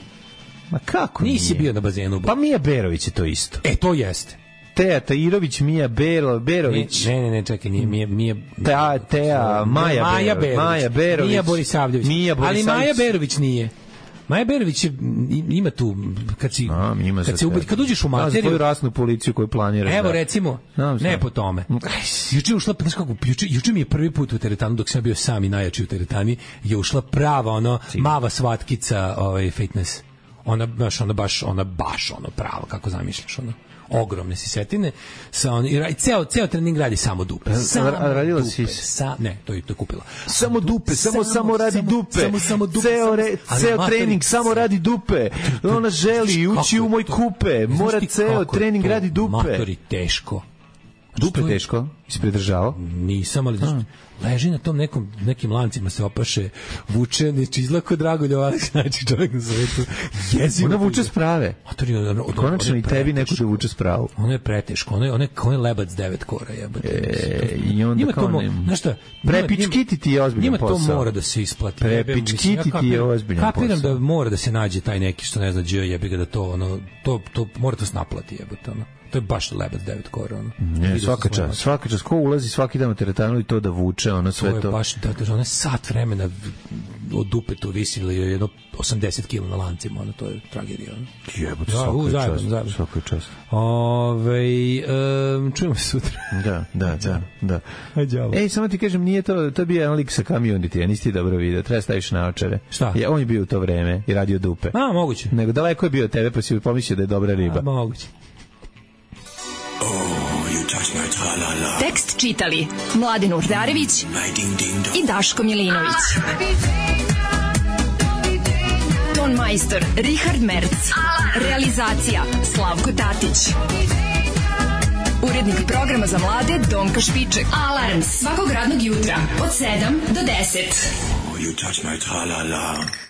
Ma kako Nisi nije? bio na bazenu u Borči. Pa Mija Berović je to isto. E, to jeste. Teja Tajirović, Mija Bero, Berović. Ne, ne, ne, čekaj, nije Mija, Mija Teja, Teja, Maja, Maja Berović, Maja Berović, Mija Borisavljević. Mija Borisavljević. Ali Maja Berović nije. Maja Berović je, ima tu kad si A, ima kad se ubedi, kad uđeš u materiju, svoju rasnu policiju koju planiraš. Evo da. recimo, Znam ne sam. po tome. Juče ušla, znaš kako, juče, juče mi je prvi put u teretanu dok sam bio sam i najjači u teretani, je ušla prava ono Sim. mava svatkica, ovaj fitness. Ona baš ona baš ona baš ono pravo kako zamišljaš ono. Ogromne sisetine sa on i ceo ceo trening radi samo dupe. Samo radila dupe, si sa ne, to je to kupila. Samo dupe, samo samo, samo radi samo, dupe. Samo samo dupe. Ceo re, ceo matori, trening samo radi dupe. Ona želi ući u moj kupe, mora ceo trening to, radi dupe. Matori teško. Dupe teško? Ispredržavao? Nisam, ali znači, leži na tom nekom, nekim lancima se opaše, vuče, neći izlako Dragoljub Aleksić, znači čovjek na svetu. Jezivo. Ona vuče sprave. Matori, ono, ono, konačno i tebi neko da vuče spravu. Ono je preteško, ono je, ono je, ono je lebac devet kora. Jebate. E, I onda kao mo, znaš šta, prepičkiti ti je ozbiljan posao. Njima to mora da se isplati. Prepičkiti ti je ozbiljan posao. Kapiram da mora da se nađe taj neki što ne zna dž, jebi ga da to, ono, to, to mora to se naplati, jebate, ono. To je baš lebac devet kora, ono. Ne, svaka čas, svaka čas. Ko ulazi svaki dan u teretanu i to da vuče, ono sve to. To je baš, da, da, ono sat vremena od dupe to visili jedno osamdeset kila na lancima, ono, to je tragedija, ono. Jebote, svaka čas, svaka čas. Ove, um, čujemo se sutra. Da, da, da, da. Ajde, ej, samo ti kažem, nije to, to bio jedan lik sa Community, a nisi ti dobro video, treba staviš naočare. Šta? Je, on je bio u to vreme i radio dupe. A, moguće. Nego daleko je bio od tebe, pa si pomislio da je dobra riba. A, moguće. Tekst čitali Mladen Urdarević i Daško Milinović. Ton majstor Richard Merc. Realizacija Slavko Tatić. Urednik programa za mlade Donka Špiček. Alarms svakog radnog jutra od sedam do deset. Oh, you touch my tra-la-la.